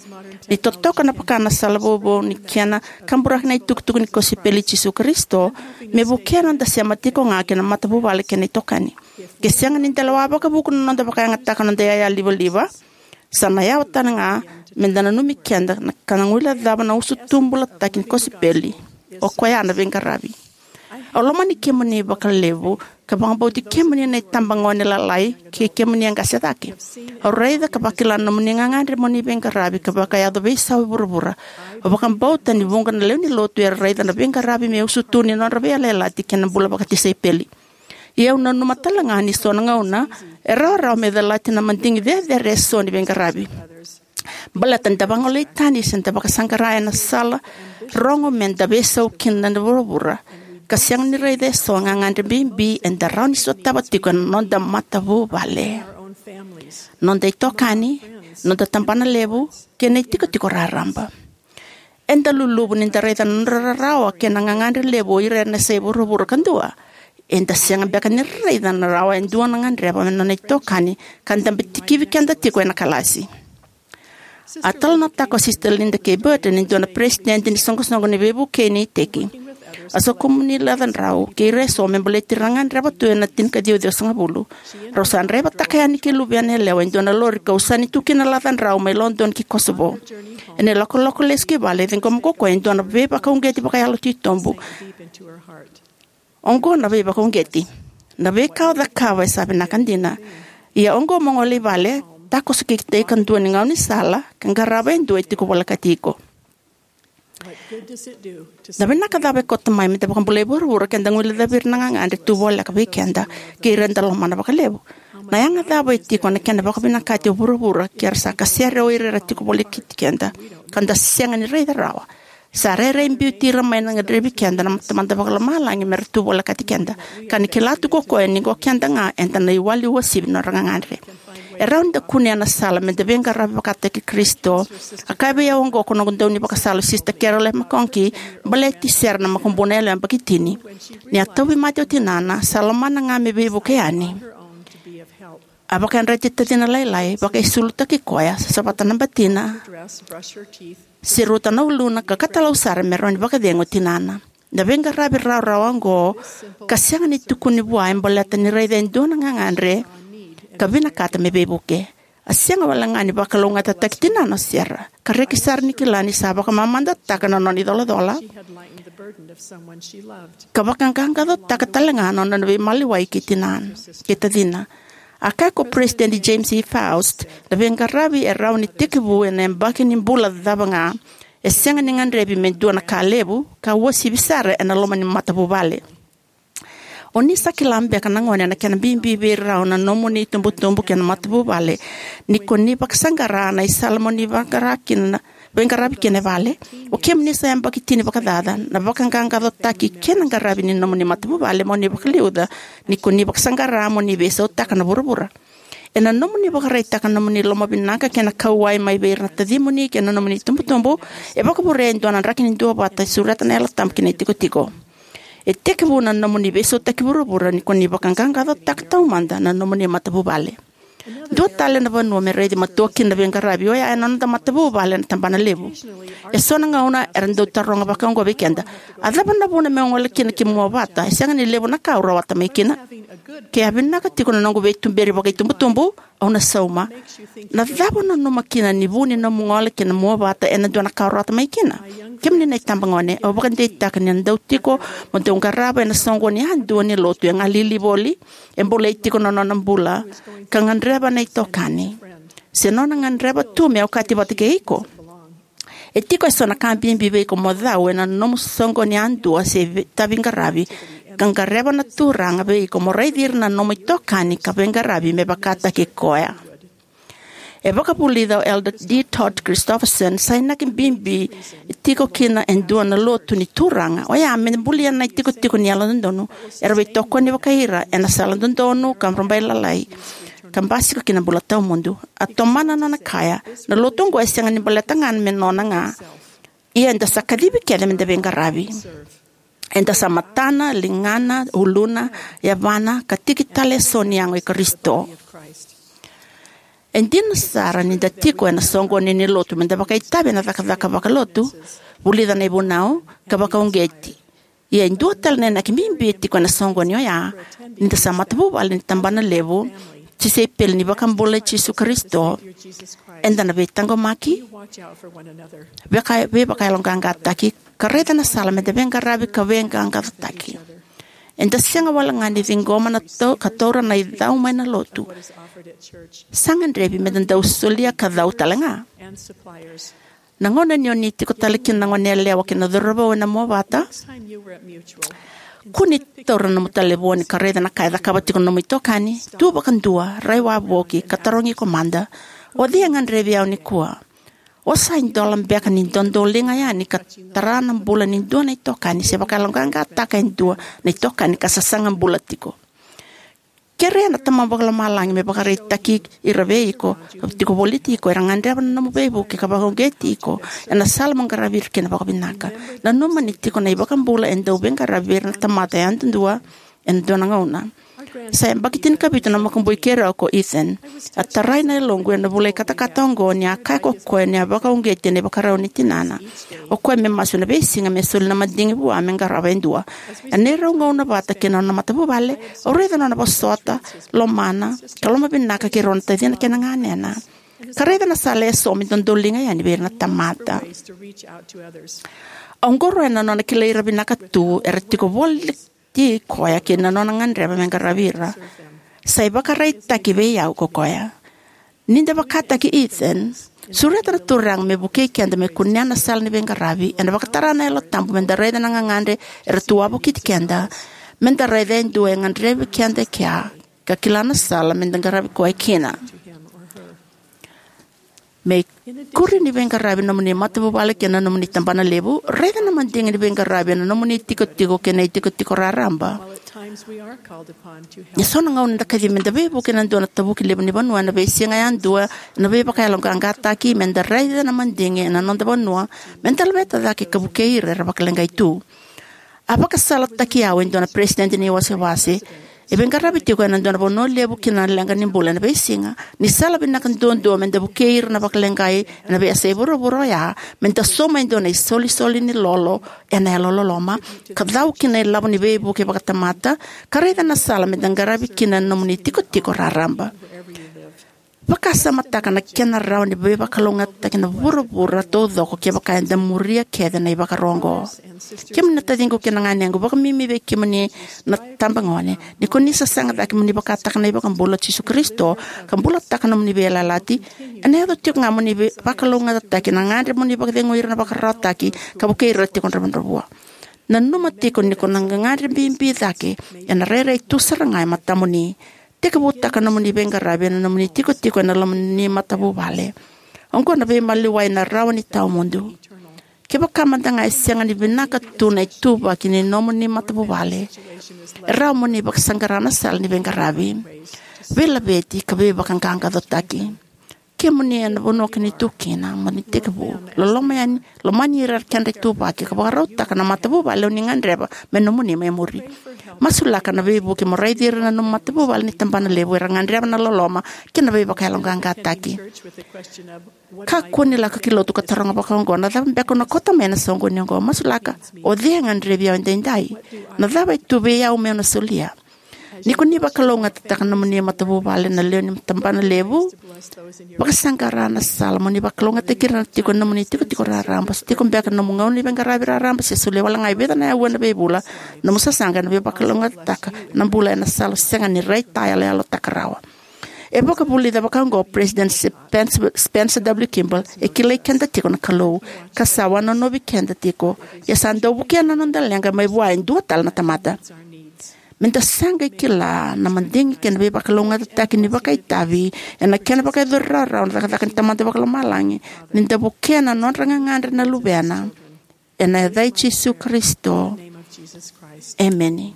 Ni totoka na vaka na sala vovo ni kena kaburaki na itukutuku ni kosipeli i Jisu Karisito, me vukea na noda sema tiko ga kei na matavuvale kei na itokani. Ke sega ni da lewa vakavuku na noda vakayagataka na noda iyaya livaliva, sa na yawa tale ga me da nanumi keda ka na guilecava na usutu bulataki ni kosipeli, o koya na veiqaravi. Au lomani kemuni vakalevu ka vakabauti kemuni na itabagone lalai kei kemuni e qase cake. Au raica ka vakila na nomuni gagadre mo ni veiqaravi ka vakayaco veisau e vuravura. Au vakabauta ni vuqa na lewe ni lotu era raica na veiqaravi me usutu ni nodra veiyalayalati kei na bula vakatisaipeli. Ia au nanuma tale ga ni so na gauna e rawarawa me calati na madigi cecere eso ni veiqaravi. Baleta ni da vagolei tani se da vakasaqara ena sala rogo me da veisau kina na vuravura, ka sega ni raica eso na gagadre bibi eda rawa ni sotava tiko ena noda matavuvale, noda itokani, noda tabanalevu, kei na itikotiko raraba. Eda luluvu ni da raica na nodra rarawa kei na gagadre levu o ira era na yasai vuravura kadua. Eda sega beka ni raica na rawa e dua na gadreva me nona itokani ka dabe tikivi keda tiko ena kalasi. A talanoataka o Sister Linda K. Burton, e dua na peresitedi ni soqosoqo ni veivukei ni iteki: A soqoni ni lacadrau kei ira eso me baleti ira na gadreva tu ena tinikaciwa ciwasagavulu. Rau sa draivataka yani kei luvena yalewa e dua na lori ka usani tu kina na lacadrau mai Lodoni ki Kosovo. Ena ilakolako lesu ki vale, e ciqoma ko koya e dua na veivakauqeti vakayalo titobu. Oqo na veivakauqeti: Na veika o cakava e sa vinaka dina. Ia oqo mo gole i vale, takoso ki itei kadua ni gaunisala ka qarava e dua e tiko volekati iko. Na vinaka cava e kauta mai me da vakabulai vuravura ke da guilecavi ira na gagadre tu voleka vei keda kei ira eda lomana vakalevu? Na yaga cava e tiko na kena vakavinakati o vuravura ke ra sa kasere o ira era tiko volekati keda ka da sega ni raica rawa? Sa rairai biuti ira mai na gadrevi keda na Tamada Vakalomalagi me ra tu volekati keda, ka ni kila tu ko koya ni ko keda ga eda na iwali uasivi na nodra gagadre. E rawa ni da kunea na sala me da veiqaravi vakataki Karisito. A kaya vei au oqo ko noqu daunivakasala, Sisita Carol McConkie, baleti Sera, na makubuna yalewa yabaki tini. Ni a tauvimate o tinana, sa lomana ga me veivuke yani. A vakayadrati tacina lailai, vakaisulutaki koya, savata na batina, seruta na uluna, ka katalau sara me rawa ni vakacegu o tinana. Na veiqaravi rawarawa oqo, ka sega ni tukuni vua, e baleta ni raica e dua na gagadre ka vinakata me veivuke. A sega wale ga ni vakalougatataki tinana o Sera, ka reki sara ni kila ni sa vakamamadataka na nona icolacola ka vakaqaqacotaka tale ga na nona veimaliwai kei tinana, kei tacina. A kaya ko Peresitedi James E. Faust, na veiqaravi e rawa ni tekivu ena yabaki ni bula cava ga, e sega ni gadrevi me dua na ka levu ka uasivi sara ena loma ni matavuvale. O ni sa kila beka na gone na kena bibi vei rau na nomuni itubutubu kei na matavuvale ni ko ni vakasaqara na isala mo ni vaqara kina, veiqaravi kina e vale. O kemuni sa yabaki tini vakacaca, na vakaqaqacotaki kei na qaravi ni nomuni matavuvale mo ni vakaliuca ni ko ni vakasaqara mo ni veisautaka na vuravura. Ena nomuni vakaraitaka na nomuni lomavinaka kei na kauwai mai vei ira na tacimuni kei na nomuni itubutubu, e vakavurea e dua na draki ni duavata e sureta na Yalo Tabu ki na itikotiko. E tekivu na nomuni veisautaki vuravura ni ko ni vakaqaqacotaka taumada na nomuni matavuvale. Dua tale na vanua me raici matua kina na veiqaravi oya ena noda matavuvale ena tabana levu. E so na gauna era dau taroga vaka oqo vei keda: "A cava na vuna meu gole kina ki Muavata? E sega ni levu na ka au rawata mai kina. Ke a vinaka tiko na noqu veituberi vakaitubutubu, au na sauma. Na cava o nanuma kina ni vu ni nomu gole ki na Muavata ena dua na ka o rawata mai kina?" Kemuni na itabagone, au vakadeitaka ni na dau tiko mo dau qarava ena soqoni yadua ni lotu e galili voli, e bolei tiko na nona bula, ka gadreva na itokani, se nona gadreva tu me okati vata kei iko. E tiko eso na ka bibi vei iko mo cau ena nomu soqoni yadua se vei-, itaviqaravi, ka qareva na Turaga vei iko mo raici ira na nomu itokani ka veiqaravi me vakataki koya. E vakavulica o Elder D. Todd Christofferson, sa inaki bibi tiko kina e dua na lotu ni Turaga, oya me bulia na itikotiko ni yalododonu. Era veitokoni vakai ira ena sala dodonu ka rabailalai, ka basika ki na bula tawamudu. A tomana na nona kaya, na lotu oqo e sega ni baleta ga me nona ga, ia eda sa kacivi kece me da veiqaravi. Eda sa matana, ligana, uluna, yavana, ka tiki tale eso ni yago i Karisito. E dina sara ni da tiko ena soqoni ni lotu me da vakaitavi ena cakacaka vakalotu, vulica na ivunau, ka vakauqeti. Ia e dua tale na inaki bibi e tiko ena soqoni oya, ni da sa matavuvale ni tabana levu, tisaipeli ni iVakabula i Jisu Karisito, eda na veitaqomaki, vaka-, veivakayaloqaqataki, ka raica na sala me da veiqaravi ka veiqaqacotaki. Eda sega wale ga ni ciqoma na tau-, ka taura na icau mai na lotu. Sa gadrevi me da dau solia ka cau tale ga. Na gauna ni o ni tiko tale kina na goneyalewa kei na cauravou ena Muavata, kua ni taura na nomu talevoni ka raica na ka e cakava tiko na nomu itokani. Tu vakadua, rai wavoki, ka tarogi iko mada: "O cei e gadrevi au nikua?" O sa idola beka ni dodoliga yani ka tara na bula ni dua na itokani se vakayaloqaqataka e dua na itokani ka sasaga bula tiko? Kerea na Tamamu Vakalomalagi me vakaraitaki ira vei iko, tiko voliti iko, era gadreva na nomu veivuke ka vakauqeti iko ena sala mo qaravi ira kina vakavinaka. Nanuma ni tiko na iVakabula e dau veiqaravi vei ira na tamata yadudua ena dua na gauna. Sa yabaki tinikavitu na makubui keirau ko Ethan. A tarai na yaloqu ena vula ikatakata oqo ni a kaya ko koya ni a vakauqeti ena ivakarau ni tinana. O koya me masu ena veisiga me soli na madigi vua me qarava e dua. Ena neirau gauna vata kei na nona matavuvale, au raica na nona vosota, lomana, ka lomavinaka kei rau na tacina kei na ganena. Ka raica na sala eso me dodoliga yani vei ira na tamata. Au qoroya na nona kilai ira vinaka tu era tiko voli ti koya kei na nona gadreva me qaravi ira. Sa ivakaraitaki vei au ko koya. Ni da vakataki Ethan, sureta na Turaga me vukei keda me kunea na sala ni veiqaravi, ena vakatara na Yalo Tabu me da raica na gagadre era tu wavokiti keda, me da raica e dua e gadrevi keda e kea, ka kila na sala me da qaravi koya kina. Me ikuri ni veiqaravi na nomuni matavuvale kei na nomuni tabana levu, raica na madigi ni veiqaravi ena nomuni itikotiko kei na itikotiko raraba. E so na gauna eda kacivi me da veivuke ena dua na tavuki levu ni vanua ena veisiga yadua ena veivakayaloqaqataki, me da raica na madigi ena noda vanua, me da laveta cake ka vukei ira era vakaleqai tu. A vakasalataki au e dua na peresitedi ni wasewase e veiqaravi tiko ena dua na vanua levu ki na leqa ni bula ena veisiga, ni sala vinaka duadua me da vukei ira na vakaleqai ena veiyasai vuravura oya, me da sauma e dua na isolisoli ni lolo ena yalololoma, ka cau ki na ilavo ni veivuke vakatamata, ka raica na sala me da qaravi kina na nomuni itikotiko raraba. Vakasamataka na kena rawa ni veivakalougatataki na vuravura taucoko kevaka eda muria kece na ivakaro oqo. Kemuni na taciqu kei na ganequ, vakamimi vei kemuni na tabagone, ni ko ni sasaga cake mo ni vakataka na iVakabula o Jisu Karisito ka bulataka na nomuni veiyalayalati, ena yaco tiko ga mo ni veivakalougatataki na gadre mo ni vakacegui ira na vakararawataki ka vukei ira tiko dravudravua. Nanuma tiko ni ko na gagadre bibi cake ena rairai tu sara ga e matamuni. Tekivutaka na nomuni veiqaravi ena nomuni tikotiko ena loma ni matavuvale. Oqo na veimaliwai na rawa ni tawamudu. Kevaka mada ga e sega ni vinaka tu na ituvaki ni nomuni matavuvale, e rawa mo ni vakasaqara na sala ni veiqaravi, veilaveti ka veivakaqaqacotaki. Kemuni ena vanua ko ni tu kina, mo ni tekivu loloma yani, lomani ira keda ituvaki ka vakarautaka na matavuvale o ni gadreva me nomuni mai muri. Masulaka na veivuke mo raici ira na nomu matavuvale ni tabana levu era gadreva na loloma kei na veivakayaloqaqataki. Kakua ni lako ki lotu ka taroga vakaoqo: "Na cava beka au na kauta mai ena soqoni oqo?" Masulaka: "O cei e gadrevi au edaidai? Na cava e tu vei au meu na solia?" Ni ko ni vakalougatataka na nomuni matavuvale na lewe ni tabana levu, vakasaqara na sala mo ni vakalougatataki ira na tiko ena nomuni tikotiko raraba. Se tiko beka na nomu gauna ni veiqaravi raraba, se solia wale ga e vica na aua ena veivula, nomu sasaga ena veivakalougatataka na bula ena sala sega ni raitayaloyalotaka rawa. E vakavulica vakaoqo o President Spencer, Spencer W. Kimball: "E kilai keda tiko na Kalou, ka sa wanonovi keda tiko, ia sa dau vukea na noda leqa mai vua e dua tale na tamata." Me da sa qai kila na madigi kei na veivakalougatataki ni vakaitavi ena kena vakayacori rawarawa na cakacaka ni Tamada Vakalomalagi, ni da vukea na nodra gagadre na Luvena. Ena yaca i Jisu Karisito, emeni.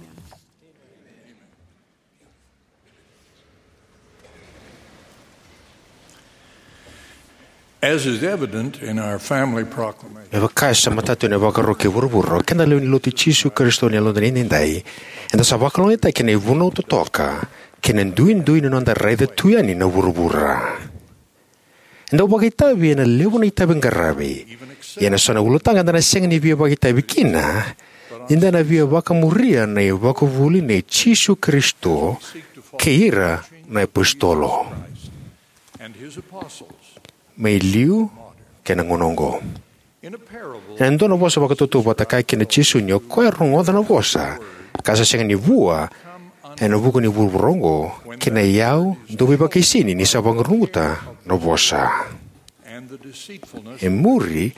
As is evident in our family proclamation, me vaka e sa matata ena ivakaro kei vuravura, o keda lewe ni Lotu i Jisu Karisito ni Yalododonu Edaidai, eda sa vakalougatataki ena ivunau totoka kei na duidui ni noda raica tu yani na vuravura. Eda dau vakaitavi ena levu na itavi qaravi, ia ena so na ulutaga eda na sega ni via vakaitavi kina ni da na via vakamuria na ivakavuvuli nei Jisu Karisito kei ira na iapositolo, me liu kei na gauna oqo. Ena dua na vosa vakatautauvata, kaya kina o Jisu ni o koya e rogoca na vosa ka sa sega ni vua ena vuku ni vuravura oqo, kei na iyau dau veivakaisini ni sa vakaruguta na vosa. E muri,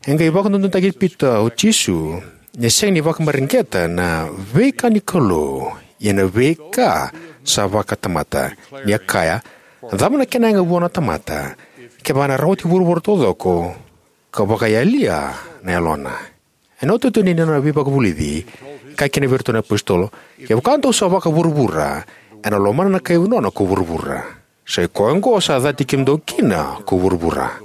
e qai vakadodonutaki Pita o Jisu ni a sega ni vakamareqeta na veika ni Kalou, ia na veika sa vakatamata, ni a kaya: "Na cava na kena yaga vua na tamata, kevaka ena rawati vuravura taucoko ka vakayalia na yalona?" Ena iotioti ni nona veivakavulici, e kaya kina vei iratou na iapositolo: "Kevaka dou sa vakavuravura, ena lomana na kai nona ko vuravura. Sa i koya oqo sa cati kemudou kina ko vuravura."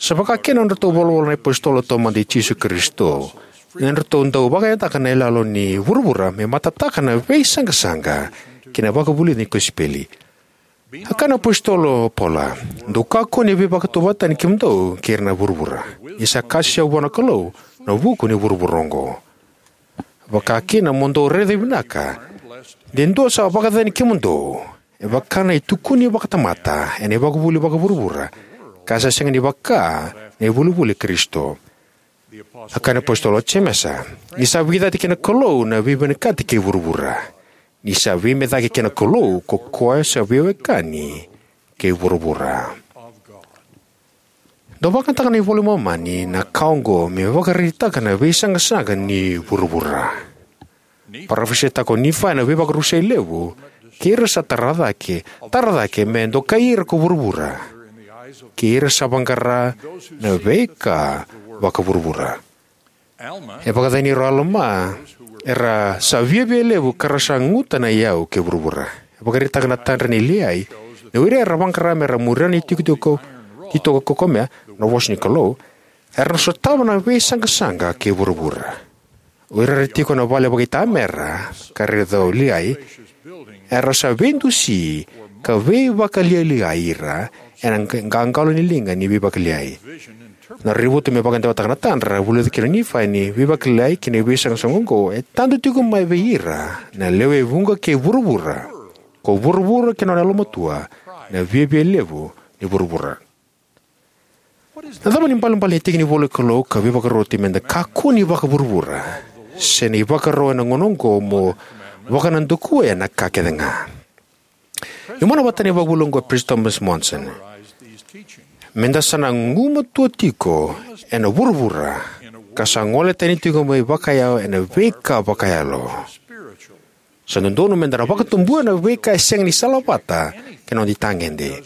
Sa vaka kina na nodratou volavola na iapositolo taumada i Jisu Karisito, ni nodratou dau vakayagataka na iyaloyalo ni vuravura me matataka na veisaqasaqa kei na vakavulici ni kosipeli. A kaya na iapositolo o Paula: "Dou kakua ni veivakatauvatani kemudou kei ira na vuravura, ni sa kasisia vua na Kalou na vuku ni vuravura oqo." Vaka kina, mo dou raica vinaka de dua sa vakacacani kemudou, e vaka na itukuni vakatamata ena ivakavuvuli vakavuravura, ka sa sega ni vaka na ivulivuli i Karisito. A kaya na iapositolo o Jemesa: "Ni sa veicati kei na Kalou na veivinakati kei vuravura, Ni sa veimecaki kei na Kalou ko koya sa veiwekani kei vuravura. Dau vakayagataka na iVola i Momani na ka oqo me vakaraitaka na veisaqasaqa ni vuravura. Parofisaitaka o Nifai na veivakarusai levu kei ira sa tara cake, tara cake me dokai ira ko vuravura, kei ira sa vaqara na veika vakavuravura. E vakacacani ira o Alama, era sa viavialevu ka ra sa guta na iyau kei vuravura. E vakaraitaka na tadra nei Liai ni o ira era vaqara me ra muria na itikotiko titoka kaukamea, na vosa ni Kalou, era na sotava na veisaqasaqa kei vuravura. O ira era tiko ena vale vakaitamera, ka raica o Liai, era sa veidusi ka veivakalialiai ira ena qa-, qaqalo ni liga ni veivakalialiai. Na raivotu me vakadewataka na tadra, vulica kina o Nifai ni veivakalialiai kei na veisaqasaqa oqo e tadu tiko mai vei ira na lewe e vuqa kei vuravura, ko vuravura kei na nona yalomatua, na viavialevu ni vuravura. Na cava na ibalebale ni tiki ni ivola ni Kalou ka veivakaroti me da kakua ni vakavuravura, se na ivakarau ena gauna oqo mo vakanadakuya na ka kece ga? Meu mana vata na ivakavuvuli oqo o Peresitedi Thomas Monson. Me da sa na gumatua tiko ena vuravura, ka sa gole tani tiko mai vakayalo ena veika vakayalo. Sa dodonu me da na vakatubuya na veika e sega ni salavata kei na noda itagede,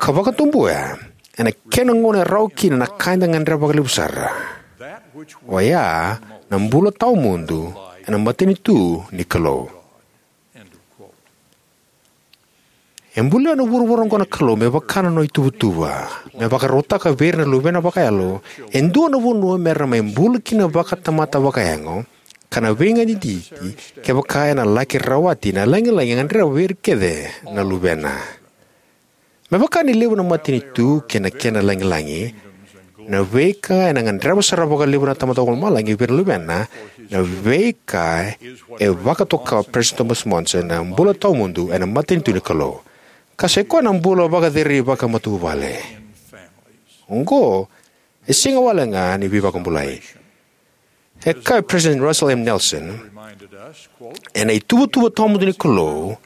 ka vakatubuya ena kena gauna e rawa kina na ka eda gadreva vakalevu sara. Oya na bula tawamudu ena matanitu ni Kalou. E bulia na vuravura oqo na Kalou me vaka na nona ituvatuva, me vakarautaka vei ira na luvena vakayalo e dua na vanua me ra mai bula kina vakatamata vakayago, ka na veiganiti kevaka ena laki rawati na lagilagi e gadreva vei ira kece na luvena. Me vaka ni levu na matanitu kei na kena lagilagi, na veika ena gadreva sara vakalevu na Tamada Vakalomalagi vei ira na luvena, na veika e vakatoka o Peresitedi Thomas Monson na bula tawamudu ena matanitu ni Kalou. Ka sa i koya na bula vakacerei vakamatavuvale. Oqo e sega walega ni veivakabulai. E kaya o Peresitedi Russell M. Nelson, ena ituvatuva tawamudu ni Kalou,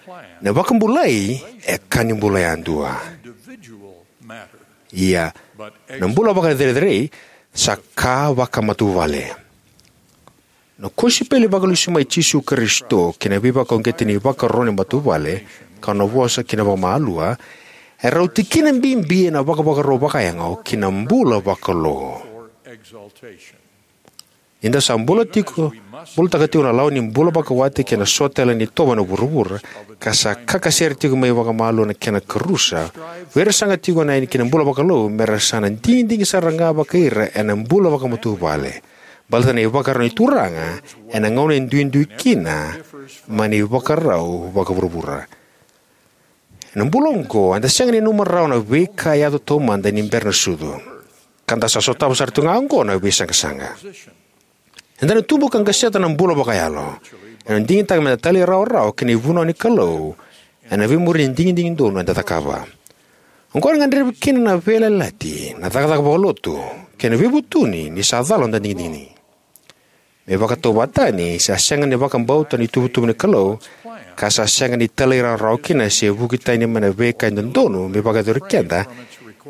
na vakabulai e ka ni bula yadua. Ia, na bula vakacerecerei sa ka vakamatavuvale. Na kosipeli vakalesuimai i Jisu Karisito kei na veivakauqeti ni ivakaro ni matavuvale, ka nona vosa kina vakamalua, e rauti kina bibi ena vakavakarau vakayago ki na bula vakalou. Ni da sa bula tiko, bulataka tiko na lawa ni bula vakawati kei na so tale ni itovo ena vuravura, ka sa kakasere tiko mai vakamalua na kena karusa, vei ira saga tiko na yani ki na bula vakalou, me ra sa na digidigi sara ga vakai ira ena bula vakamatavuvale. Baleta na ivakarau ni Turaga ena gauna e duidui kina mai na ivakarau vakavuravura. Ena bula oqo, eda sega ni nanuma rawa na veika e yaco taumada ni bera na sucu. Ka da sa sotava sara tu ga oqo na veisaqasaqa. Eda na tubu ka qaseta na bula vakayalo. Ena digitaka me da talairawarawa ki na ivunau ni Kalou ena veimuri ni digidigi donu eda cakava. Oqo ena gadrevi kina na veiyalayalati, na cakacaka vakalotu, kei na veivutuni ni sa cala noda digidigi. Me vakatauvatani, sa sega ni vakabauta na ituvatuva ni Kalou, ka sa sega ni talairawarawa kina se vuki tani mai na veika e dodonu me vakayacori keda,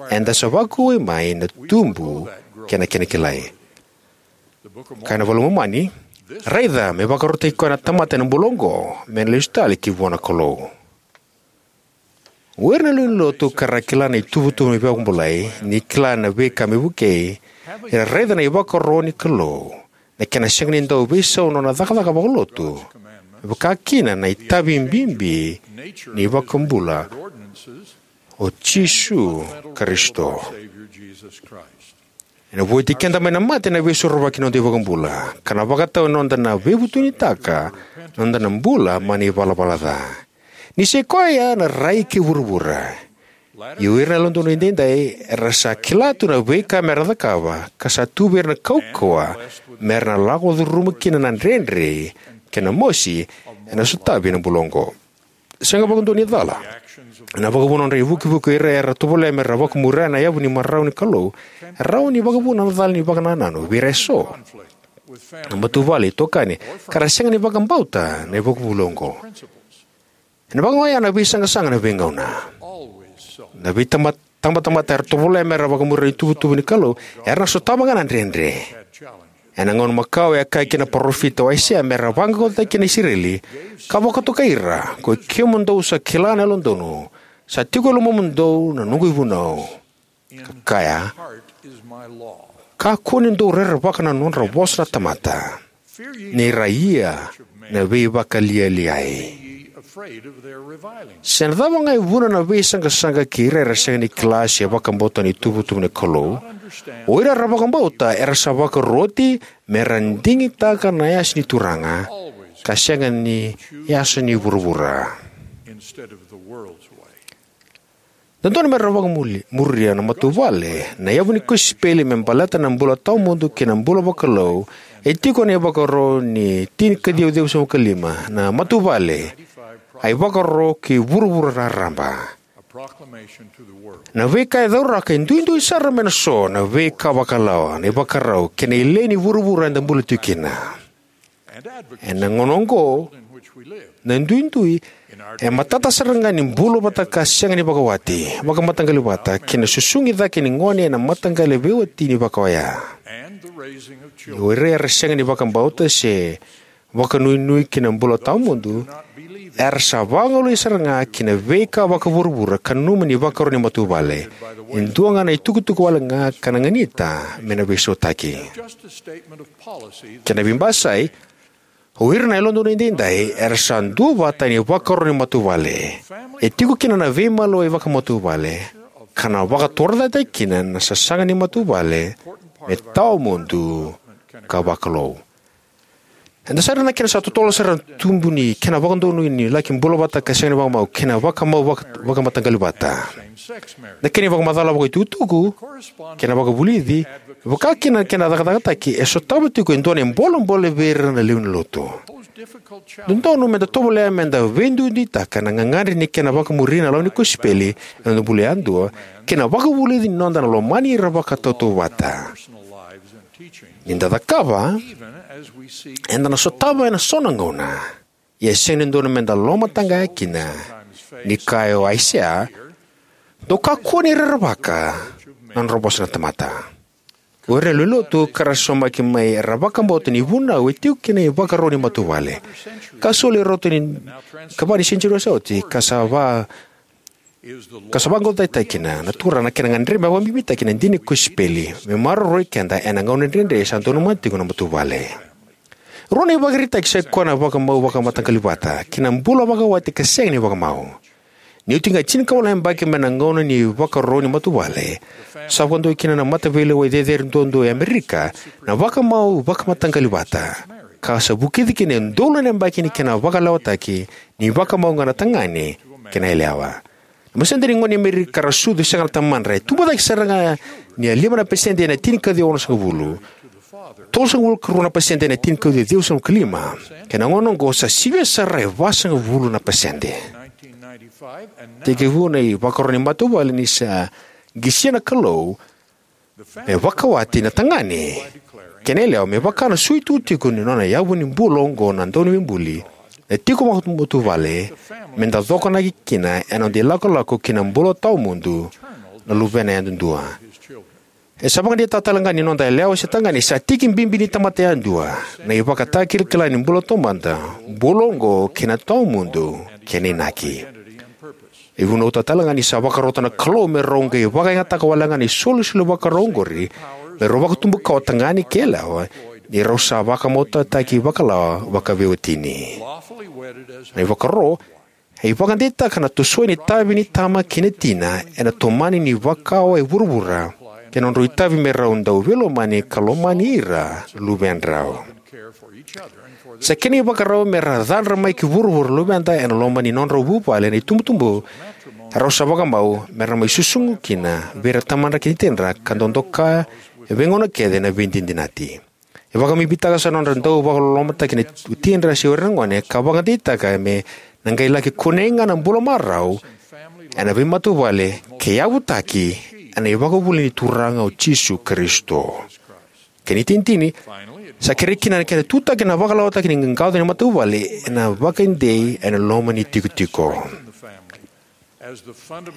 eda sa vakauwai mai na tubu kei na kena kilai. Kaya na iVola i Momani, raica, me vakarautaki koya na tamata ena bula oqo, me na lesu tale ki vua na Kalou. O ira na lewe ni lotu ka ra kila na ituvatuva ni veivakabulai, ni kila na veika me vukei, era raica na ivakaro ni Kalou, na kena sega ni dau veisau na nona cakacaka vakalotu, me vaka kina na itavi bibi ni iVakabula o Jisu Karisito. Ena vueti keda mai na mate na Veisorovaki ni noda iVakabula, ka na vakatau ena noda na veivutunitaka na noda na bula mai na ivalavala ca. Ni sa i koya na rai kei vuravura. Ia o ira na yalododonu edaidai era sa kila tu na veika me ra cakava, ka sa tu vei ira na kaukauwa me ra na lako curuma kina na dredre kei na mosi ena sotavi ena bula oqo. Sega vakadua ni cala na vakavuna nodra ivukivuki o ira era tovolea me ra vakamuria na yavu ni marau ni Kalou, e rawa ni vakavuna na cala ni vakanananu vei ira eso. Na matavuvale, itokani, ka ra sega ni vakabauta na ivakavuvuli oqo. Ena vakaoya na veisaqasaqa na veigauna. Na veitabatamata era tovolea me ra vakamuria na ituvatuva ni Kalou era na sotava ga na dredre. Ena gauna makawa e kaya kina na parofita o Aisea me ra vaqaqacotaki na Isireli, ka vakatokai ira, ko i kemudou sa kila na yalododonu, sa tiko e lomamudou na noqu ivunau. Ka kaya, kakua ni dou rerevaka na nodra vosa na tamata, ni ra ia na veivakalialiai. Se na cava ga e vuna na veisaqasaqa kei ira era sega ni kila se vakabauta na ituvatuva ni Kalou, o ira era vakabauta era sa vakaroti me ra digitaka na yasa ni Turaga ka sega ni yasa ni vuravura. Dodonu me ra vakamuria na matavuvale na yavu ni kosipeli me baleta na bula tawamudu kei na bula vakalou. E tiko ena ivakaro ni tini ka ciwa ciwasagavulu ka lima, na matavuvale, a ivakaro ki vuravura raraba. Na veika e cauraka e duidui sara mai na so na veika vakalawa, na ivakarau kei na ilei ni vuravura eda bula tiko kina. Ena gauna oqo, na duidui e matata sara ga ni bula vata ka sega ni vakawati, vakamataqali vata, kei na susugi cake ni gone ena mataqali veiwatini vakaoya. O ira era sega ni vakabauta se vakanuinui ki na bula tawamudu era sa vagolei sara ga ki na veika vakavuravura ka nanuma ni vakaro ni matavuvale e dua ga na itukutuku wale ga ka na ganita me na veisautaki. Kena veibasai, o ira na yalododonu edaidai era sa duavata ena ivakaro ni matavuvale. E tiko kina na veimaliwai vakamatavuvale ka na vakatorocaketaki kina na sasaga ni matavuvale me tawamudu ka vakalou. Eda sa raica na kena sa totolo sara na tubu ni kena vakadonui ni laki bula vata ka sega ni vakamau kei na vakamau vaka- vakamataqali vata. Na kena ivakamacala vakaitukutuku kei na vakavulici, vaka kina na kena cakacakataki, e sotava tiko e dua na ibolebole vei ira na lewe ni lotu. Dodonu meda tovolea meda veiduiduitaka na gagadre ni kena vakamuri na lawa ni kosipeli ena noda bula yadua kei na vakavulici ni noda na lomani ira vakatautauvata. Ni da cakava, eda na sotava ena so na gauna, ia e sega ni dodonu meda lomataqaya kina. Ni kaya o Aisea, dou kakua ni rerevaka na nodra vosa na tamata. O ira na lewe ni lotu ka ra saumaki mai era vakabauta ni vunau e tiko kina ivakaro ni matavuvale ka soli e rauta ni ikava ni senitiuri sa oti, ka sa va ka sa vaqoqocotaki kina na Turaga na kena gadrevi me vakabibitaki na dina ni kosipeli me maroroi keda ena gauna dredre sa donumaka tiko na matavuvale. Rua na ivakaraitaki sai koya na vakamau vakamataqali vata kei na bula vakawati ka sega ni vakamau. Ni oti ga e tinikawalu na yabaki mai na gauna ni vakaro ni matavuvale, sa vakadua kina na mataveilewai cecere duadua e Amerika na vakamau vakamataqali vata, ka sa vukici kina e udolu na yabaki ni kena vakalewataki ni vakamau ga na tagane kei na yalewa. Na pasede ni gone ni Amerika ra sucu sega na tamadra e tubu cake sara ga ni a lima na pasede ena tinikaciwa onosagavulu, tolusagavulu ka rua na pasede ena tinikaciwa ciwasagavulu ka lima, kei na gauna oqo sa sivia sara e vasagavulu na pasede. Tekivu na ivakaro ni matavuvale ni sa qisia na Kalou me vakawati na tagane kei na yalewa me vaka na suitu tiko ni nona yavu ni bula oqo na Dauniveibuli. Na tiko vakamatavuvale meda cokonaki kina ena noda ilakolako ki na bula tawamudu na luvena yadudua. E sa vakadeitaka tale ga ni noda yalewa se tagane sa tiki bibi ni tamata yadua, na ivakatakilakila ni bula taumada, bula oqo kei na tawamudu kei na inaki. E vunautaka tale ga ni sa vakarota na Kalou me rau qai vakayagataka wale ga na isolisoli vakarau oqori me rau vakatubukawa tagane kei yalewa, ni rau sa vakamautaki vakalawa vakaveiwatini. Na ivakaro e vakadeitaka na tosoya ni itavi ni tama kei na tina ena tomani ni vakawa e vuravura kei na nodrau itavi me rau dau veilomani ka lomani ira na luvedrau. Sa kena ivakarau me ra cadra mai ki vuravura na luveda ena loma ni nodrau vuvale na itubutubu erau sa vakamau me ra mai susugi kina vei ira na tamadra kei na tinadra ka dau doka e veigauna kece na veidinadinati. E vakabibitaka sara na nodra dau vakalolomataki na watidra se o ira na gone ka vakadeitaka me na qai laki kunei ga na bula marau ena veimatavuvale ke yavutaki ena ivakavuvuli ni Turaga o Jisu Karisito. Kena itinitini, Sa kerei kina na kena tutaki na vakalawataki ni qaqaco ni matavuvale ena vakaidei ena loma ni tikotiko.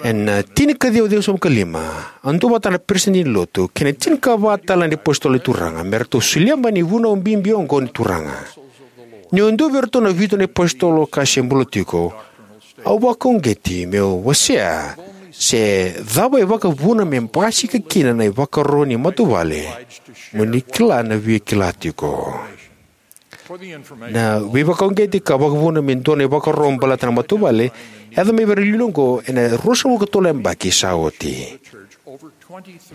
Ena tinikaciwa ciwasagavulu ka lima, a duavata na peresitedi ni lotu kei na tinikava tale na iApositolo ni Turaga me ratou solia mai na ivunau bibi oqo ni Turaga. Niu dua vei iratou na vitu na iApositolo ka se bula tiko, au vakauqeti meu wasea se cava e vakavuna me basika kina na ivakaro ni matavuvale, mo ni kila na via kila tiko. Na veivakauqeti ka vakavuna me dua na ivakaro baleta na matavuvale e yaco mai vei ira na iliuliu oqo ena ruasagavulu ka tolu na yabaki sa oti.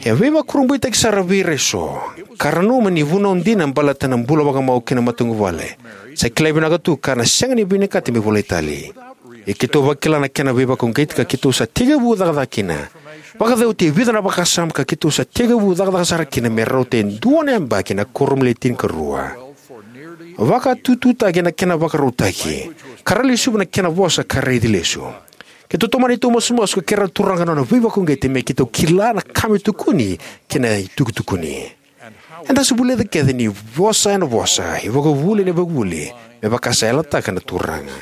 E veivakurabuitaki sara vei ira eso, ka ra nanuma ni vunau dina baleta na bula vakamau kei na matavuvale sa kilai vinaka tu ka na sega ni vinakati me volai tale. Ia keitou vakila na kena veivakauqeti ka keitou sa tekivu cakacaka kina. Vakacauti e vica na vakasama ka keitou sa tekivu cakacaka sara kina me rauta e dua na yabaki na kuoramu ni Le Tinikarua. Vakatututaki ena kena vakarautaki, ka ra lesuva na kena vosa ka raici lesu. Keitou tomana neitou masumasu ka kerea na Turaga na nona veivakauqeti me keitou kila na ka me tukuni kei na itukutukuni. Eda sa vulica kece ni vosa ena vosa, ivakavuvuli ena ivakavuvuli, me vaka sa yalataka na Turaga.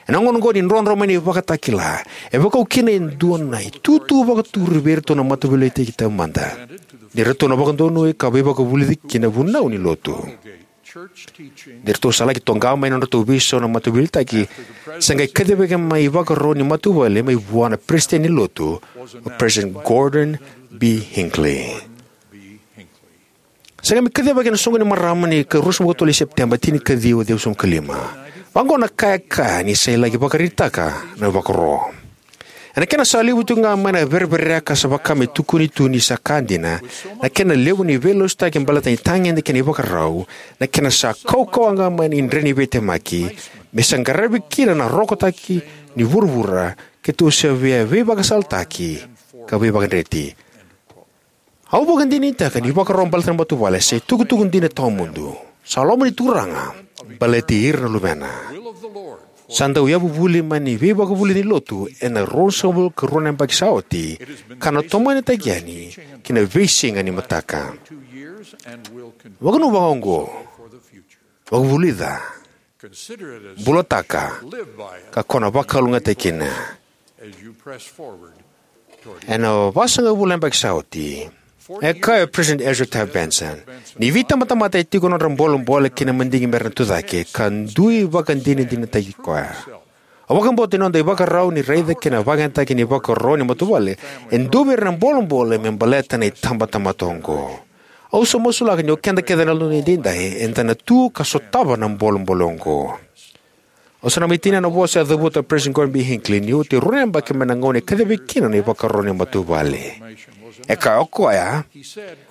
Ena gauna oqo ni drodro mai na ivakatakila, e vakaukina e dua na itutu vakaturi vei iratou na mataveiliutaki taumada ni ratou na vakadonui ka veivakavulici ki na vunau ni lotu. Ni ratou sa laki toqa mai na nodratou veisau na mataveiliutaki, sa qai kacivaki mai ivakaro ni matavuvale mai vua na peresitedi ni lotu, o President Gordon B. Hinckley. Sa qai mai kacivaki ena soqo ni marama ni ka ruasagavulu ka tolu ni Sepiteba, tinikaciwa ciwasagavulu ka lima. Vaqo na ka e kaya ni sa laki vakaraitaka na ivakaro. Ena kena sa levu tiko ga mai na vereverea ka sa vaka me tukuni tu ni sa ka dina, na kena levu ni veilasutaki baleta na itagede kei na ivakarau, na kena sa kaukauwa ga mai na idre ni veitemaki, me sa qaravi kina na rokotaki ni vuravura, keitou sa via veivakasalataki ka veivakadreti. Au vakadinadinataka ni ivakaro baleta na matavuvale sa itukutuku dina tawamudu. Sa loma ni Turaga baleti ira na luvena. Sa dau yavuvuli mai na veivakavulici ni lotu ena ruasagavulu ka rua na yabaki sa oti, ka na tomanitaki yani ki na veisiga ni mataka. Vakanuinui vakaoqo, vakavulica, bulataka, ka ko na vakalougatataki kina. Ena vasagavulu na yabaki sa oti, e kaya o President Ezra Taft Benson ni veitabatamata e tiko na nodra bolebole kei na madigi mera na tucake, ka dui vakadinadinataki koya. Au vakabauta ni noda ivakarau ni raica kei na vakayagataki ni ivakaro ni matavuvale e dua vei ira na bolebole me baleta na itabatamata oqo. Au sa masulaka ni o keda kece na Yalododonu Edaidai eda na tu ka sotava na bolebole oqo. Au sa na mai tinia na vosa e cavuta o President Gordon B. Hinckley ni oti e rua na yabaki mai na gauna e kacivaki kina na ivakaro ni matavuvale. E kaya o koya,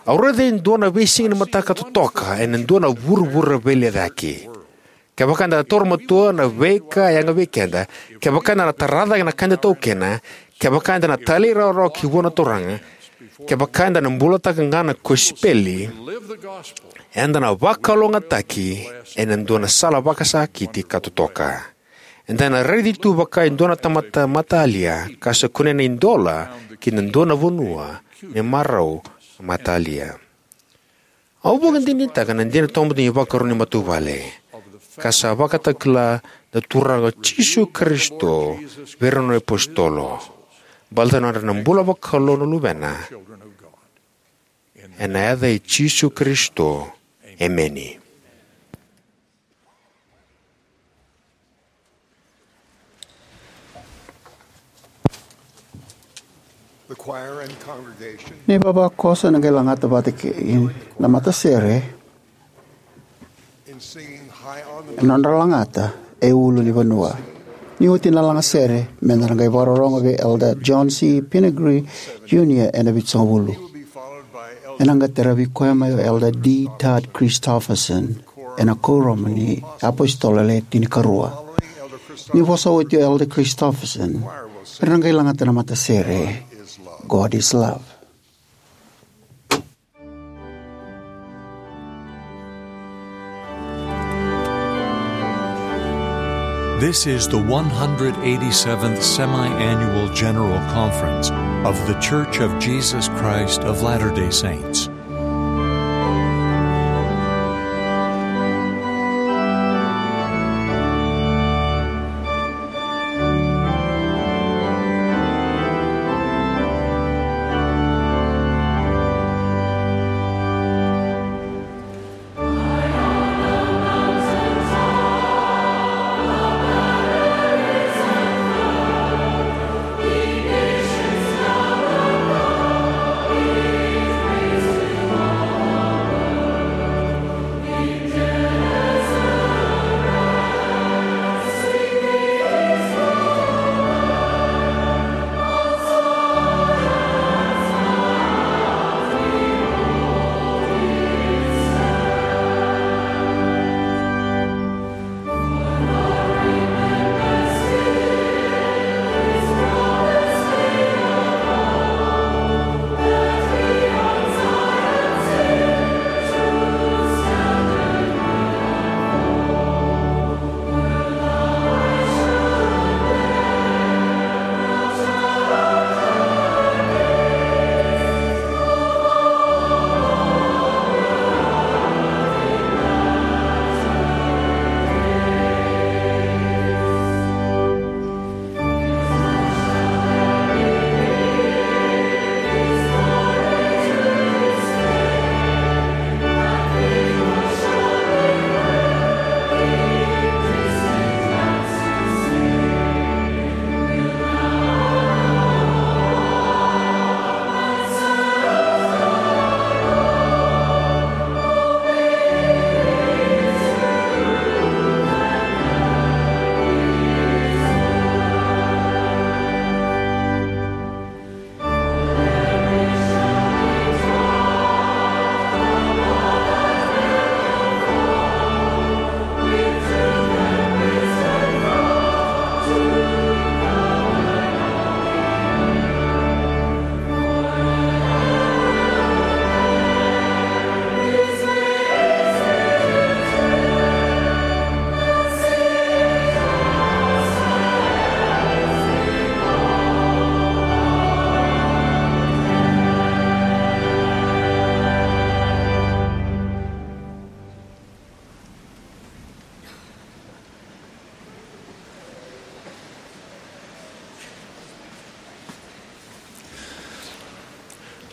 au raica e dua na veisiga ni mataka totoka ena dua na vuravura veilecayaki. Kevaka eda na taura matua na veika e yaga vei keda, kevaka eda na tara cake na ka eda taukena, kevaka eda na talairawarawa ki vua na Turaga, kevaka eda na bulataka ga na kosipeli, eda na vakalougatataki ena dua na sala vakasakiti ka totoka. Eda na raici tu vaka e dua na tamata matalia ka sa kunea na idola ki na dua na vanua me marau matalia. Au vakadinadinataka na dina tawamudu ni ivakaro ni matavuvale, ka sa vakatakila na Turaga o Jisu Karisito vei ira na nona iapositolo, baleta na nodra na bula vakalou na luvena. Ena yaca i Jisu Karisito, emeni. The choir and congregation Na ivavakoso ena qai lagata vata kei na matasere in singing High on the ena nodra lagata E Ulu ni Vanua. Ni oti na lagasere, meda na qai vakarorogo vei Elder John C. Pingree Junior ena Vitusagavulu. Ena qai taravi koya mai o Elder D. Todd Christofferson ena Kuoramu ni iApositolo Le Tinikarua. Ni vosa oti o Elder Christofferson, era na qai lagata na matasere God is Love. This is the one hundred eighty-seventh Semi-Annual General Conference of The Church of Jesus Christ of Latter-day Saints.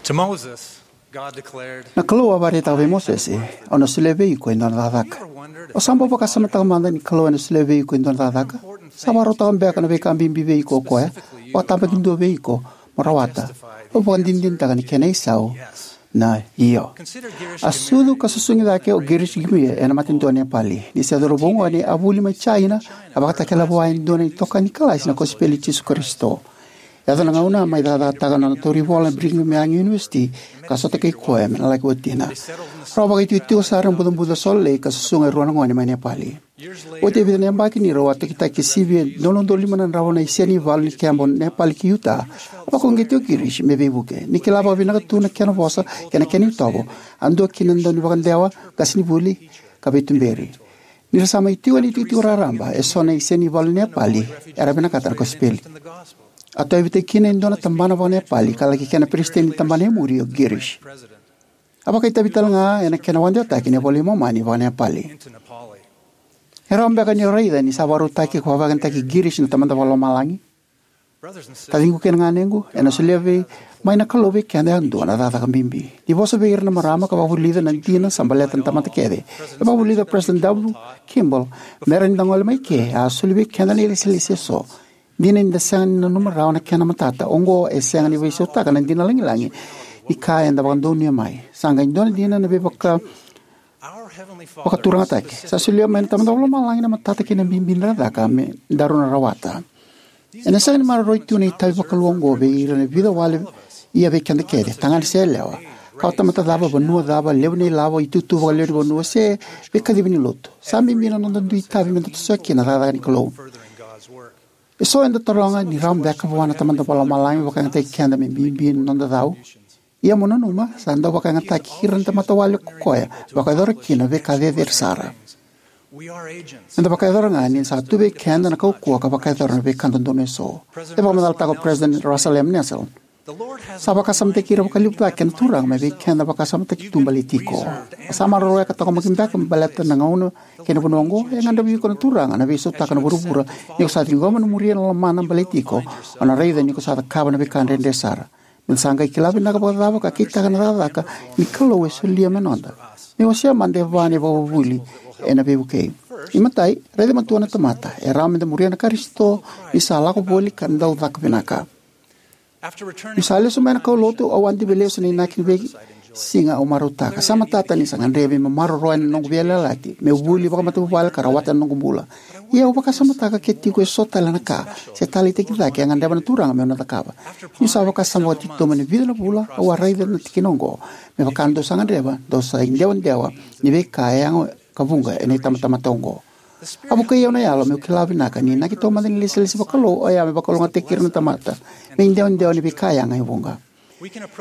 To Moses, God declared, Na Kalou a vakaraitaka vei Mosese, "Au na solia vei iko e dua na cakacaka." O sa bau vakasamataka mada ni Kalou ena solia vei iko e dua na cakacaka? Sa vakarautaka beka na veika bibi vei iko o koya, vakatabakidua vei iko mo rawata? Au vakadinadinataka ni kena isau na io. A sucu ka susugi cake o Girish Gimie ena matanitu o Nepali. Ni se cauravou gone, a vuli mai China, a vakatakila vua e dua na itokani kalasi na kosipeli i Jisu Karisito. Yaco na gauna, a mai cakacakataka na nona tauri vola na Brigham Young University, ka sota kei koya me na laki watina. Rau vakaitikotiko sara ena bucabuca Salt Lake ka susuga e rua na gone mai Nepali. Oti e vica na yabaki, ni rau a tokitaki sivi e dua na udolu lima na drau na isenivalu ni keba o Nepali ki Utah, a vakauqeti o Girish me veivuke. Ni kila vakavinaka tu na kena vosa kei na kena itovo, a dua kina na daunivakadewa, qasenivuli, ka veituberi. Ni ra sa mai tiko ena itikotiko raraba, eso na isenivalu ni Nepali era vinakata na kosipeli. A tauyavutaki kina e dua na tabana vakaNepali ka laki kena peresitedi ni tabana e muri o Girish. A vakaitavi tale ga ena kena vakadewataki na iVola i Momani vakaNepali. E rawa beka ni o raica ni sa vakarautaki ka vakayagataki Girish na Tamada Vakalomalagi? Taciqu kei na ganequ, ena solia vei, mai na Kalou vei keda yadua na cakacaka bibi. Ni vosa vei ira na marama ka vakavulica na dina sa baleta na tamata kece, e vakavulica o President W. Kimball, me rawa ni da gole mai ke, a soli vei keda na ilesilesi eso. Dina ni da sega ni nanuma rawa na kena matata, oqo e sega ni veisautaka na dina lagilagi ni ka eda vakadonuya mai. Sa qai dua na dina na veivaka vakaturagataki. Sa solia mai na Tamada Vakalomalagi na matata kei na bibi ni cakacaka me daru na rawata. Ena sega ni maroroi tu na itavi vakalou oqo vei ira na vica wale, ia vei keda kece, tagane se yalewa, ka o tamata cava, vanua cava, levu na ilavo, itutu vakalewe ni vanua, se veikacivi ni lotu. Sa bibi na noda dui itavi me da tosoya kina na cakacaka ni Kalou. Eso eda taroga ni rawa beka vua na Tamada Vakalomalagi me vakayagataki keda me bibi na noda cau. Ia mo nanuma, sa dau vakayagataki ira na tamata wale ko koya, vakayacora kina veika cecere sara. Eda vakayacora ga ni sa tu vei keda na kaukauwa ka vakayacora na veika dodonu eso. E vakamacalataka o President Russell M. Nelson, sa vakasamataki ira vakalevu cake na Turaga mai vei keda vakasamataki tu baleti iko. Sa maroroya ka taqomaki beka me baleta na gauna kei na vanua oqo, e gadrevi iko na Turaga na veisautaka na vuravura, ni ko sa ciqoma na muria na lomana baleti iko, o na raica ni ko sa cakava na veika dredre sara. Me sa qai kila vinaka vakacava ka kitaka na cakacaka ni Kalou e solia me noda. Me wasea mada e va na ivakavuvuli ena veivukei. Imatai, raica matua na tamata, e rawa me da muria na Karisito ni sa lako voli ka dau caka vinaka. Niu sa lesu mai na kaulotu, au a divi lesu na inaki ni veisiga au marautaka. Sa matata ni sa gadrevi me maroroya na noqu veiyalayalati, meu vuli vakamatavuvale ka rawata na noqu bula. Ia au vakasamataka ke tiko eso tale na ka se taleitaki cake e gadreva na Turaga meu na cakava. Niu sa vakasama vakatitobu ena vica na vula, au a raica na tikina oqo, me vaka dou sa gadreva, dou sa idewadewa ni veika e yaga ka vuqa ena itabatamata oqo. A vukei au na Yalo meu kila vinaka ni inaki taumada ni ilesilesi vakalou oya me vakalougatataki ira na tamata me idewadewa ni veika yaga e vuqa.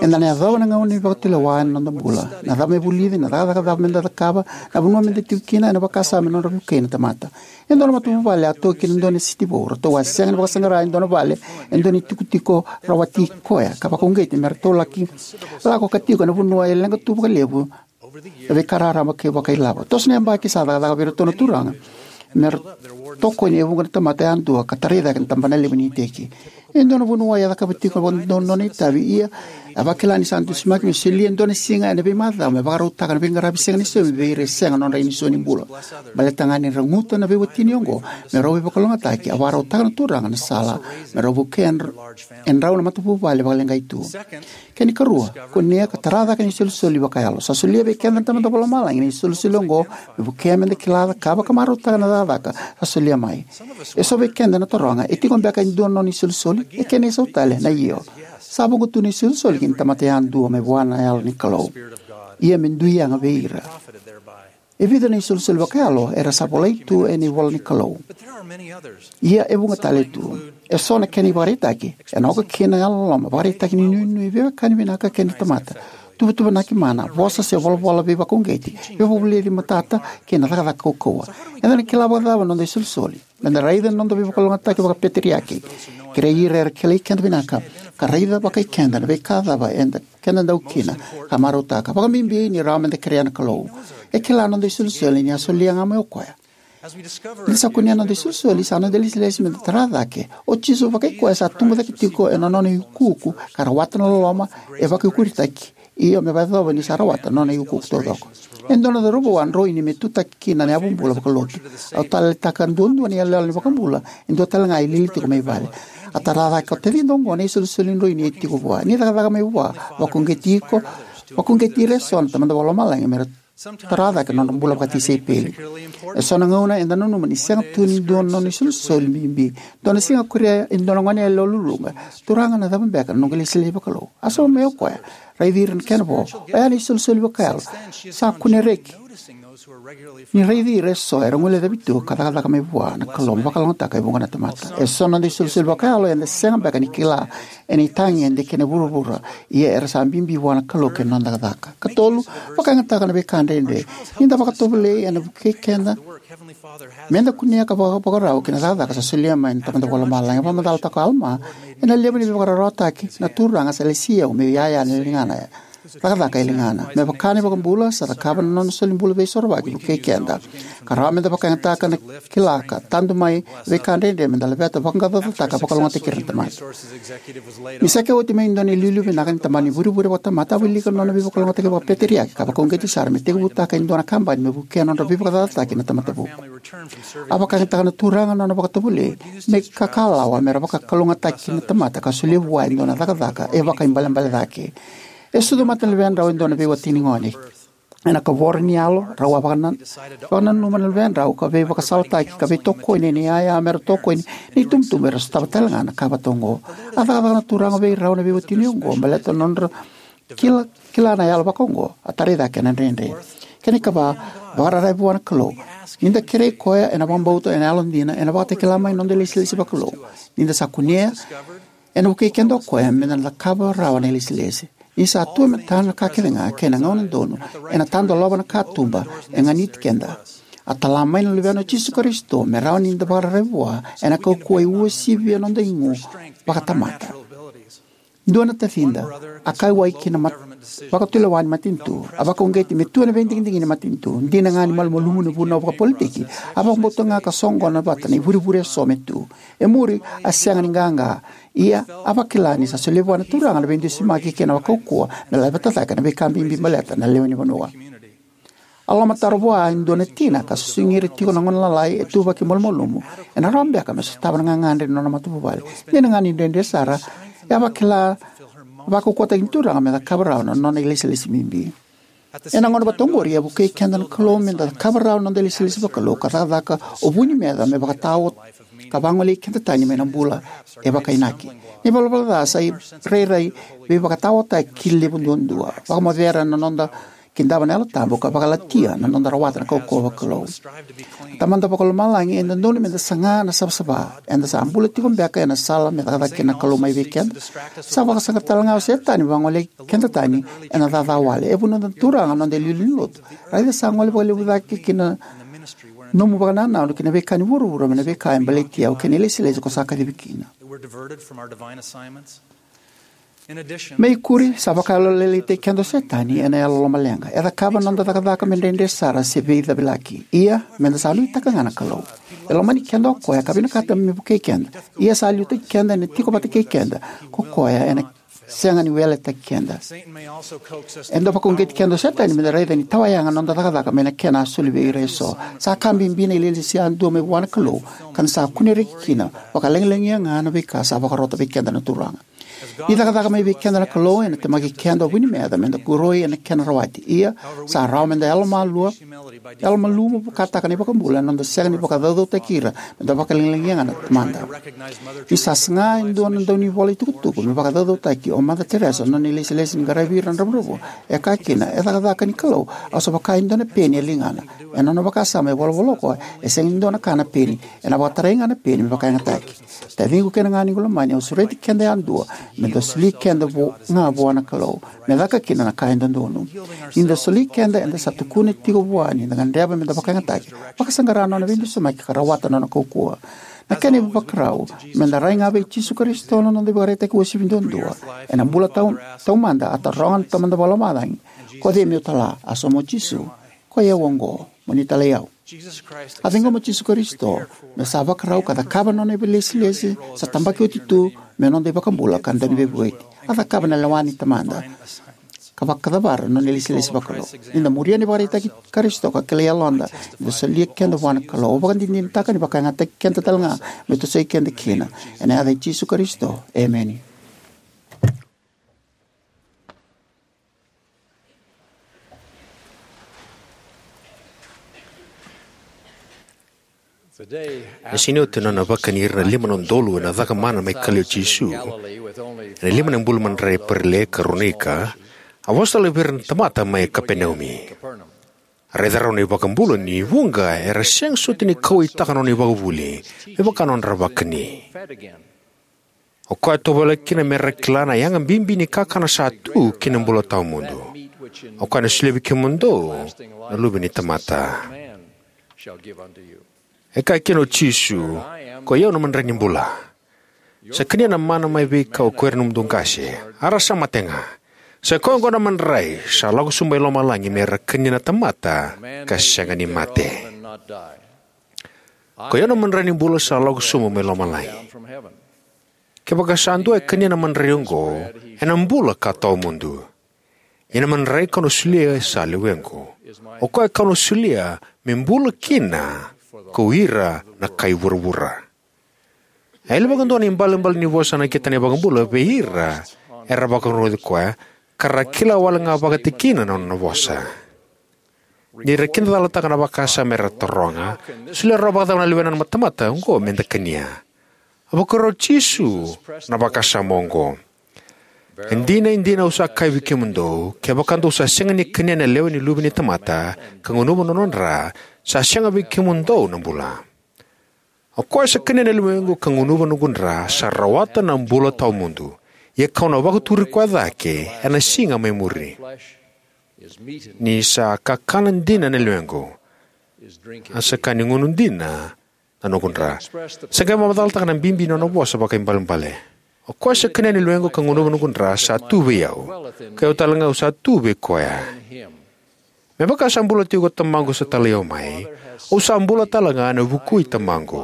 Eda na yacova na gauna ni vakatulewa ena noda bula. Na cava me vulici, na cakacaka cava me da cakava, na vanua me da tiko kina, ena vakasama me nodra vukei na tamata. E dua na matavuvale a toki ena dua na siti vou, ratou a sega ni vakasaqara e dua na vale, e dua na itikotiko rawati koya, ka vakauqeti me ratou laki lako ka tiko ena vanua e leqa tu vakalevu na veika raraba kei vakailavo. Toso na yabaki sa cakacaka vei iratou na turaga me ra tokoni e vuqa na tamata yadua ka tarai cake na tabana levu ni iteki. E dua na vuniwai a cakava tiko vakadodonu na nona itavi, ia a vakila ni sa dusimaki me solia e dua na siga ena veimacawa me vakarautaka na veiqaravi sega ni saumi vei ira e sega nodra inisoni bula. Baleta ga ni ra guta na veiwatini oqo me rau veivakalougatataki, a vakarautaka na Turaga na sala me rau vukea e drau na matavuvale vakaleqai tu. Kena ikarua, kunea ka tara cake na isolisoli vakayalo. Sa solia vei keda na Tamada Vakalomalagi na isolisoli oqo me vukea me da kila, cakava ka marautaka na cakacaka sa solia mai. Eso vei keda na taroga, e tiko beka e dua na nona isolisoli? E kena isau tale na io. Sa vuqa tu na isolisoli ki na tamata yadua mai vua na Yalo ni Kalou. Ia me dui yaga vei ira. E vica na isolisoli vakayalo era sa volai tu ena ivola ni Kalou. Ia e vuqa tale tu. Eso na kena ivakaraitaki, ena oka kina na yalololoma, vakaraitaki ni nuinui, veiwekani vinaka kei na tamata, tuvatuvanaki mana, vosa se volavola veivakauqeti, veivakavulici matata, kei na cakacaka kaukauwa. Eda na kila vakacava na noda isolisoli? Meda raica na noda veivakalougatataki vakapeteriaki, kerei ira era kilai keda vinaka, ka raica vakai keda na veika cava eda keda dau kina ka marautaka, vakabibi ni rawa meda kerea na Kalou. E kila na noda isolisoli ni a solia ga mai o koya. Ni sa kunea na noda isolisoli, sa noda ilesilesi me da tara cake. O Jisu vakai koya sa tubu cake tiko ena nona iukuuku ka rawata na loloma e vakaikuritaki, io me vakayacova ni sa rawata na nona iukuuku taucoko. E dua na cauravou a droini me tutaki kina na yavubula vakalotu. Au taleitaka duadua na iyaloyalo ni iVakabula e dua tale ga e lili tiko mai vale. A tara cake o tacida oqo na isolisoli droini e tiko vua. Ni cakacaka mai vua, vakauqeti iko, vakauqeti ira eso na Tamada Vakalomalagi me ra tara cake na nodra bula vakatisaipeli. E so na gauna eda nanuma ni sega tu ni dua na nona isolisoli bibi. Dua na siga a kuria e dua na gone yalewa luluqa, "Turaga, na cava beka na noqu ilesilesi vakalou?" A sauma mai o koya, "Raici ira na kena vo. Oya na isolisoli vakayalo. Sa kune reki ni raici ira eso era guilecavi tu ka cakacaka mai vua na Kalou me vakalougatataka e vuqa na tamata." E so na noda isolisoli vakayalo eda sega beka ni kila ena itagede kei na vuravura, ia era sa bibi vua na Kalou kei na noda cakacaka. Katolu, vakayagataka na veika dredre. Ni da vakatovolei, ena vukei keda me da kunea ka vakavakarau ki na cakacaka sa solia mai na Tamada Vakalomalagi. Vakamacalataka o Alama, "Ena levu ni veivakararawataki, na Turaga sa lesi au meu iyaya ena ligana, cakacaka e ligana." Me vaka na iVakabula, sa cakava na nona solibula veisorovaki vukei keda. Ka rawa me da vakayagataka na kila ka tadu mai veika dredre me da laveta, vaqaqacotaka, vakalougatataki ira na tamata. Ni sa qai oti mai e dua na iliuliu vinaka ni tabana ni vurevure vakatamata, a wilika na nona veivakalougatataki vakapeteriaki ka vakauqeti sara me tekivutaka e dua na kabani me vukea na nodra veivakacacataki na tamata vuku. A vakayagataka na Turaga na nona vakatovolei me kakalawa me ra vakalougatataki na tamata ka solia vua e dua na cakacaka e vakaibalebale cake. E sucu mata na luvedrau e dua na veiwatini gone. Ena kavoro ni yalo, rau a vakana-, vakananuma na luvedrau ka veivakasalataki ka veitokoni ena iyaya me ra tokoni na itubutubu era sotava tale ga na ka vata oqo. A cakacaka na Turaga vei rau na veiwatini oqo baleta na nodra kila, kila na yalo vaka oqo, a tarai cake na dredre. Kena ikava, vakararavi vua na Kalou. Ni da kerei koya ena vakabauta, ena yalodina, ena vakatakila mai na noda ilesilesi vakalou. Ni da sa kunea, ena vukei keda o koya me da na cakava rawa na ilesilesi. Ni sa tu e matana na ka kece ga kei na gauna donu, ena tadolava na katuba e ganiti keda. A tala mai na Luvena o Jisu Karisito me rawa ni da vakararavi vua ena kaukauwa e uasivia na noda igu vakatamata. Dua na tacida a kauwai ki na mat-, vakatulewa ni matanitu, a vakauqeti me tu ena veidigidigi ni matanitu. Dina ga ni malumalumu na vunau vakapolitiki, a vakabauta ga ka soqona vata na ivurevure eso me tu. E muri, a sega ni qaqa. Ia, a vakila ni sa solia vua na Turaga na veidusimaki kei na kaukauwa me laveta cake na veika bibi baleta na lewe ni vanua. A lomataro vua e dua na tina ka susugi ira tiko na gone lalai e tuvaki malumalumu, ena rawa beka me sotava na gagadre ni nona matavuvale. Dina ga ni dredre sara, e a vakila, vakaukauwataki ni Turaga me cakava rawa na nona ilesilesi bibi. Ena gauna vata oqori, e vukei keda na Kalou me da cakava rawa na noda ilesilesi vakalou ka cakacaka o vu ni meca me vakatao ka vagolei keda tani mai na bula e vakainaki. Na ivalavala ca sa irairai veivakataotaki levu duadua, vakamocera na noda kidava na Yalo Tabu ka vakalatia na noda rawata na kaukauwa vakalou. Tamada Vakalomalagi, e dodonu me da saga na savasava. Eda sa bula tiko beka ena sala me cakacaka kina na Kalou mai vei keda? Sa vakasaqara tale ga o Setani me vagolei keda tani ena caca wale. E vunautaka na Turaga na noda iliuliu ni lotu. Raica sa gole vakalevu cake ki na nomu vakanananu ki na veika ni vuravura mai na veika e baleti au kei na ilesilesi ko sa kacivi kina. Me ikuri, sa vakayalolailaitaki keda o Setani ena yalo lomaleqa. E cakava na noda cakacaka me dredre sara se veicavilaki. Ia, me da sa nuitaka ga na Kalou. E lomani keda o koya ka vinakata me vukei keda. Ia sa liutaki keda ena tiko vata kei keda ko koya, ena sega ni weletaki keda. Eda vakauqeti keda o Setani me da raica ni tawayaga na noda cakacaka mai na kena a soli vei ira eso. Sa ka bibi na ilesilesi yadua mai vua na Kalou, ka da sa kune reki kina, vakalagilagia ga na veika sa vakarota vei keda na Turaga. Ni cakacaka mai vei keda na Kalou, ena temaki keda o vu ni meca me da koroi ena kena rawati. Ia, sa rawa me da yalomalua, yalomalumu vakataka na iVakabula ena noda sega ni vakacaucautaki ira me da vakalagilagia ga na Tamada. Ni sa saga e dua na daunivola itukutuku me vakacaucautaki o Mother Teresa ena nona ilesilesi ni qaravi ira na dravudravua, e kaya kina, e cakacaka ni Kalou, au sa vaka e dua na peni e ligana. Ena nona vakasama, e volavola o koya, e sega ni dua na ka na peni, ena vakatarai ga na peni me vakayagataki. Taciqu kei na ganequ lomani, au sureti keda yadua me da soli keda vo-, ga vua na Kalou me caka kina na ka e dodonu. Ni da soli keda, eda sa tukuna tiko vua ni da gadreva me da vakayagataki, vakasaqara na nona veidusimaki ka rawata na nona kaukauwa. Na kena ivakarau, me da rai ga vei Jisu Karisito na noda ivakaraitaki uasivi duadua. Ena bula tau-, taumada, a taroga na Tamada Vakalomalagi, "Ko cei meu tala?" A sauma o Jisu, "Koi au oqo, mo ni talai au." A ciqoma o Jisu Karisito me sa vakarau ka cakava na nona ilesilesi sa tabaki oti tu me noda iVakabula ka Dauniveivueti. A cakava na lewa ni Tamada ka vakacavara na nona ilesilesi vakalou. Ni da muria na ivakaraitaki i Karisito ka kilai yaloda ni da solia keda vua na Kalou, au vakadinadinataka ni vakayagataki keda talega me tosoi keda kina. Ena yaca i Jisu Karisito, emeni. Na siga ni oti na nona vakani ira na lima na udolu ena cakamana mai Kalili o Jisu, ena lima na bula madrai e Perelia ka Veronika, a vosa tale vei ira na tamata mai Kapenaumi. A raica rawa na iVakabula ni vuqa era sega soti ni kauwaitaka na nona ivakavuvuli me vaka na nodra vakani. O koya e tovolea kina me ra kila na yaga bibi ni kakana sa tu ki na bula tawamudu. O koya ena solia vei kemudou na Luve ni tamata. E kaya kina o Jisu, "Koi au na madrai ni bula. Sa kania na mana mai veikau ko ira na nomudou qase, a ra sa mate ga. Sa koya oqo na madrai sa lako sobu mai lomalagi me ra kania na tamata ka sega ni mate. Koi au na madrai ni bula sa lako sobu mai lomalagi. Kevaka sa dua e kania na madrai oqo, ena bula ka tawamudu. Ia na madrai kau na solia sa lewequ. O koya kau na solia me bula kina ko ira na kai vuravura." E yali vakadua na ibalebale ni vosa a nakita na iVakabula vei ira era vakarogoci koya, ka ra kila wale ga vakatikina na nona vosa. Ni ra kidacalataka na vakasama era taroga, "Solia rawa vakacava na lewena na tamata oqo me da kania?" A vakarau o Jisu na vakasama oqo. "E dina, e dina au sa kaya vei kemudou, kevaka dou sa sega ni kania na lewe ni Luve ni tamata, ka gunuva na nona dra, sa sega vei kemudou na bula. O koya sa kania na lewequ ka gunuva na noqu dra, sa rawata na bula tawamudu. Ia kau na vakaturi koya cake ena siga mai muri. Ni sa kakana dina na lewequ, a sa ka ni gunu dina na noqu dra." Sa qai vakamacalataka na bibi ni nona vosa vakaibalebale. "O koya sa kania na lewequ ka gunuva na noqu dra sa tu vei au, kei au talega au sa tu vei koya. Me vaka sa bula tiko ko Tamaqu sa talai au mai, au sa bula talega ena vuku i Tamaqu.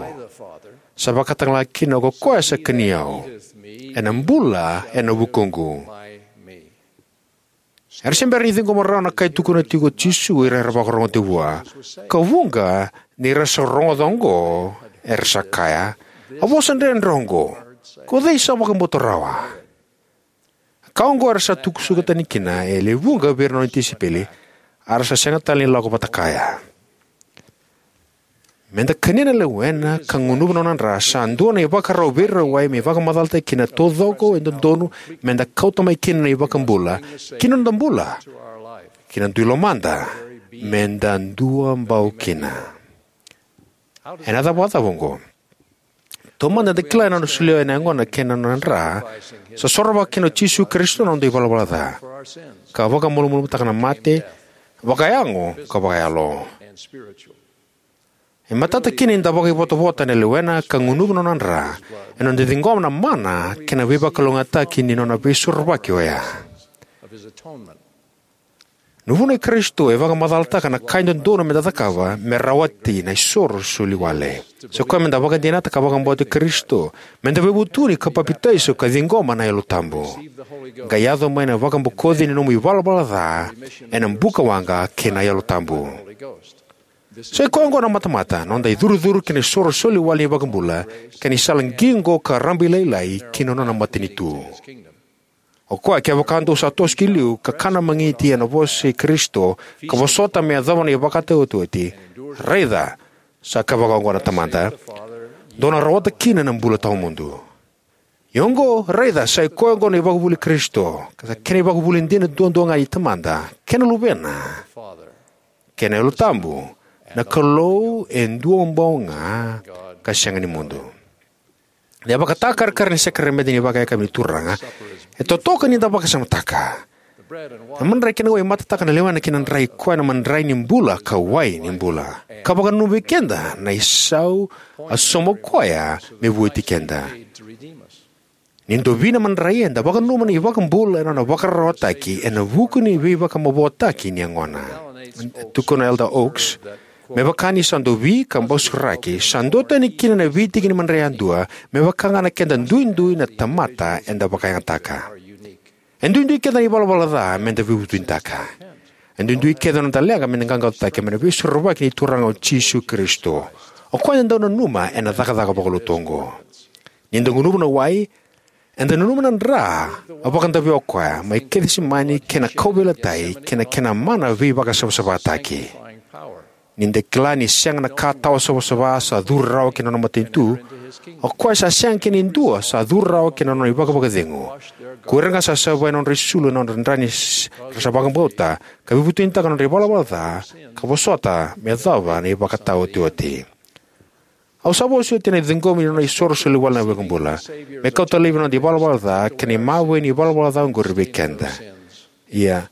Sa vakatalega kina ko koya sa kania au, ena bula ena vukuqu." Era se bera ni ciqoma rawa na ka e tukuna tiko o Jisu o ira era vakarogoca vua. Ka vuqa ni ra sa rogoca oqo, era sa kaya, "A vosa dredre oqo, ko cei sa vakabauta rawa?" Ka oqo era sa tukusuka tani kina e lewe vuqa vei ira na nona tisaipeli, a ra sa sega tale ni lako vata kaya. Me da kania na lewena ka gunuva na nona dra sa dua na ivakarau veirawai me vakamacalataki kina taucoko e dodonu me da kauta mai kina na iVakabula ki na noda bula, ki na dui lomada, me da dua bau kina. Ena cava vakacava oqo? Taumada eda kila na nona solia na yagona kei na nona dra, sa sorovaka kina o Jisu Karisito na noda ivalavala ca, ka vakamalumalumutaka na mate, vakayago ka vakayalo. E matata kina ni da vakaivotavota ena lewena ka gunuva na nona dra, ena noda ciqoma na mana kei na veivakalougatataki ni nona veisorovaki oya. Na vunau i Karisito e vakamacalataka na ka e dodonu me da cakava me rawati na isoro soli wale. Sa koya me da vakadinata ka vakabauti Karisito, me da veivutuni ka papitaiso ka ciqoma na Yalo Tabu. Qai yaco mai na vakabokoci ni nomu ivalavala ca ena bukawaqa kei na Yalo Tabu. Sa i koya oqo na matamata, noda icurucuru ki na isoro soli wale ni iVakabula, kei na isala qiqo ka rabailailai ki na nona matanitu. O koya, kevaka dou sa toso ki liu, ka kana magiti ena vosa i Karisito, ka vosota me yacova na ivakataotioti, raica, sa kaya vaka oqo na Tamada, dou na rawata kina na bula tawamudu. Ia oqo, raica, sa i koya oqo na ivakavuvuli i Karisito, ka sa kena ivakavuvuli dina duadua ga i Tamada, kei na Luvena, kei na Yalo Tabu, na Kalou e dua bau ga, ka sega ni mudu. Na ivakatakarakara ni sakaramede ni vakayakavi ni Turaga e totoka ni da vakasamataka. Na madrai kei na wai e matataka na lewena kei na dra, i koya na madrai ni bula ka wai ni bula, ka vakananuma vei keda na isau a sauma o koya me vueti keda. Ni dovi na madrai, eda vakananuma na iVakabula ena nona vakararawataki ena vuku ni veivakamavoataki ni yagona. Tukuna o Elder Oaks, Me vaka ni sa dovi ka bausuraki, sa duatani kina na veitiki ni madrai yadua, me vaka ga na keda duidui na tamata eda vakayagataka. E duidui keda na ivalavala ca me da veivutunitaka. E duidui keda na noda leqa me da qaqacotaki mai na Veisorovaki ni Turaga o Jisu Karisito. O koya eda dau nanuma ena cakacaka vakalotu oqo. Ni da gunuva na wai, eda nanuma na dra a vakadavea o koya mai Kecisemani kei na kauveilatai kei na kena mana veivakasavasavataki. Ni da kila ni sega na ka tawa savasava sa curu rawa ki na nona matanitu, o koya sa sega kina e dua sa curu rawa ki na nona ivakavakacegu. Ko ira ga sa savai na nodra isulu ena nodra dra ni s- ra sa vakabauta, ka veivutunitaka na nodra ivalavala ca, ka vosota me yacova na ivakataotioti. Au sa vosoti ena ciqomi ni nona isoro soli wale na iVakabula, me kauta laivi na noda ivalavala ca kei na imawi ni ivalavala ca oqori vei keda. Ia,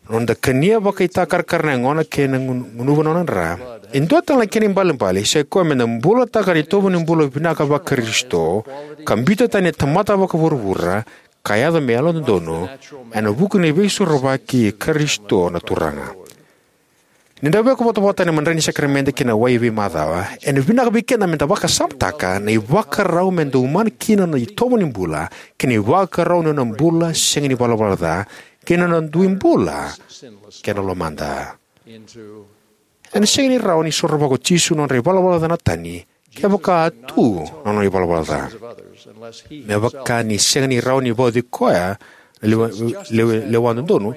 noda kania vakaitakarakara na yagona kei na gun- gunuva na nona dra, e dua tale na kena ibalebale sa i koya me da bulataka na itovo ni bula vinaka vaKarisito, ka biuta tani na tamata vakavuravura, ka yaco me yalododonu ena vuku ni Veisorovaki i Karisito na Turaga. Ni da veikovotavota ena madrai ni sakaramede kei na wai e veimacawa, ena vinaka vei keda me da vakasamataka na ivakarau me da umana kina na itovo ni bula, kei na ivakarau ni nona bula sega ni valavala ca, kei na nona dui bula kei na lomada. Ena sega ni rawa ni sorovaka o Jisu na nodra ivalavala ca na tani, kevaka a tu na nona ivalavala ca. Me vaka ni sega ni rawa ni vauci koya na lewa, lewa, lewa dodonu,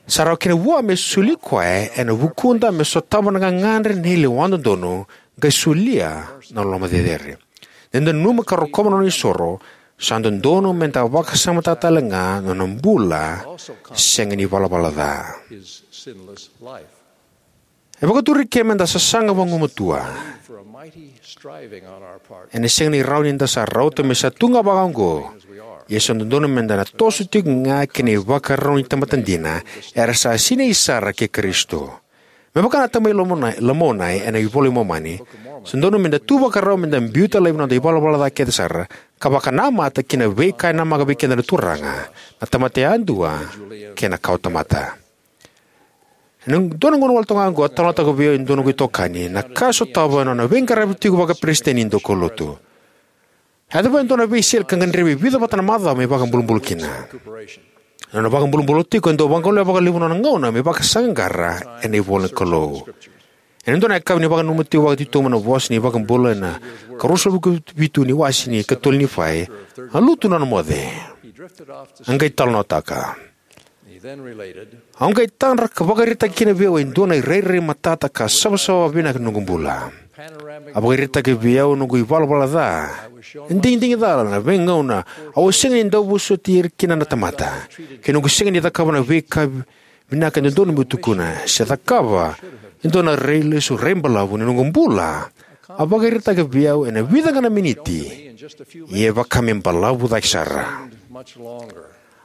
sa rawa kina vua me soli koya ena vukuda me sotava na gagadre ni lewa dodonu, qai solia na loloma cecere. Ni da nanuma ka rokova na nona isoro, sa dodonu me da vakasamataka tale ga na nona bula sega ni valavala ca. E vakaturi eke me da sasaga vagumatua. Ena sega ni rawa ni da sa rauta me sa tu ga vaka oqo. Ia sa dodonu me da na toso tiko ga kei na ivakarau ni tamata dina, era sa sinai sara kei Karisito. Me vaka na tamai Lamonai, Lamonai ena iVola i Momani, sa dodonu me da tu vakarau me da biuta laivi na noda ivalavala ca kece sara, ka vakanamata ki na veika e namaka vei keda na Turaga, na tamata yadua kei na kawatamata. Ena dua na gauna wale toka ga oqo, a talanoataka vei au e dua noqu itokani na ka e sotava ena nona veiqaravi tiko vakaperesitedi ni daukaulotu. A yacova e dua na veisele ka gadrevi e vica vata na macawa me vakabulubulu kina. Ena nona vakabulubulu tiko, e dau vagolea vakalevu na nona gauna me vakasaqaqara ena ivola ni Kalou. Ena dua na yakavi ni vakananuma tiko vakatitobu na vosa ni iVakabula ena ikaruasagavulu ka vitu ni wase ni katolu ni Nifai, a lutu na nona moce. A qai talanoataka. Au qai tadra ka vakaraitaka kina vei au e dua na irairai matata ka savasava vinaka ni noqu bula. A vakaraitaka vei au noqu ivalavala ca, na digidigi cala, na veigauna au a sega ni dau vosoti ira kina na tamata, kei noqu sega ni cakava na veika vinaka e dodonu meu tukuna se cakava e dua na rai lesu, rai balavu ni noqu bula. A vakaraitaka vei au ena vica ga na miniti, ia e vaka me balavu cake sara.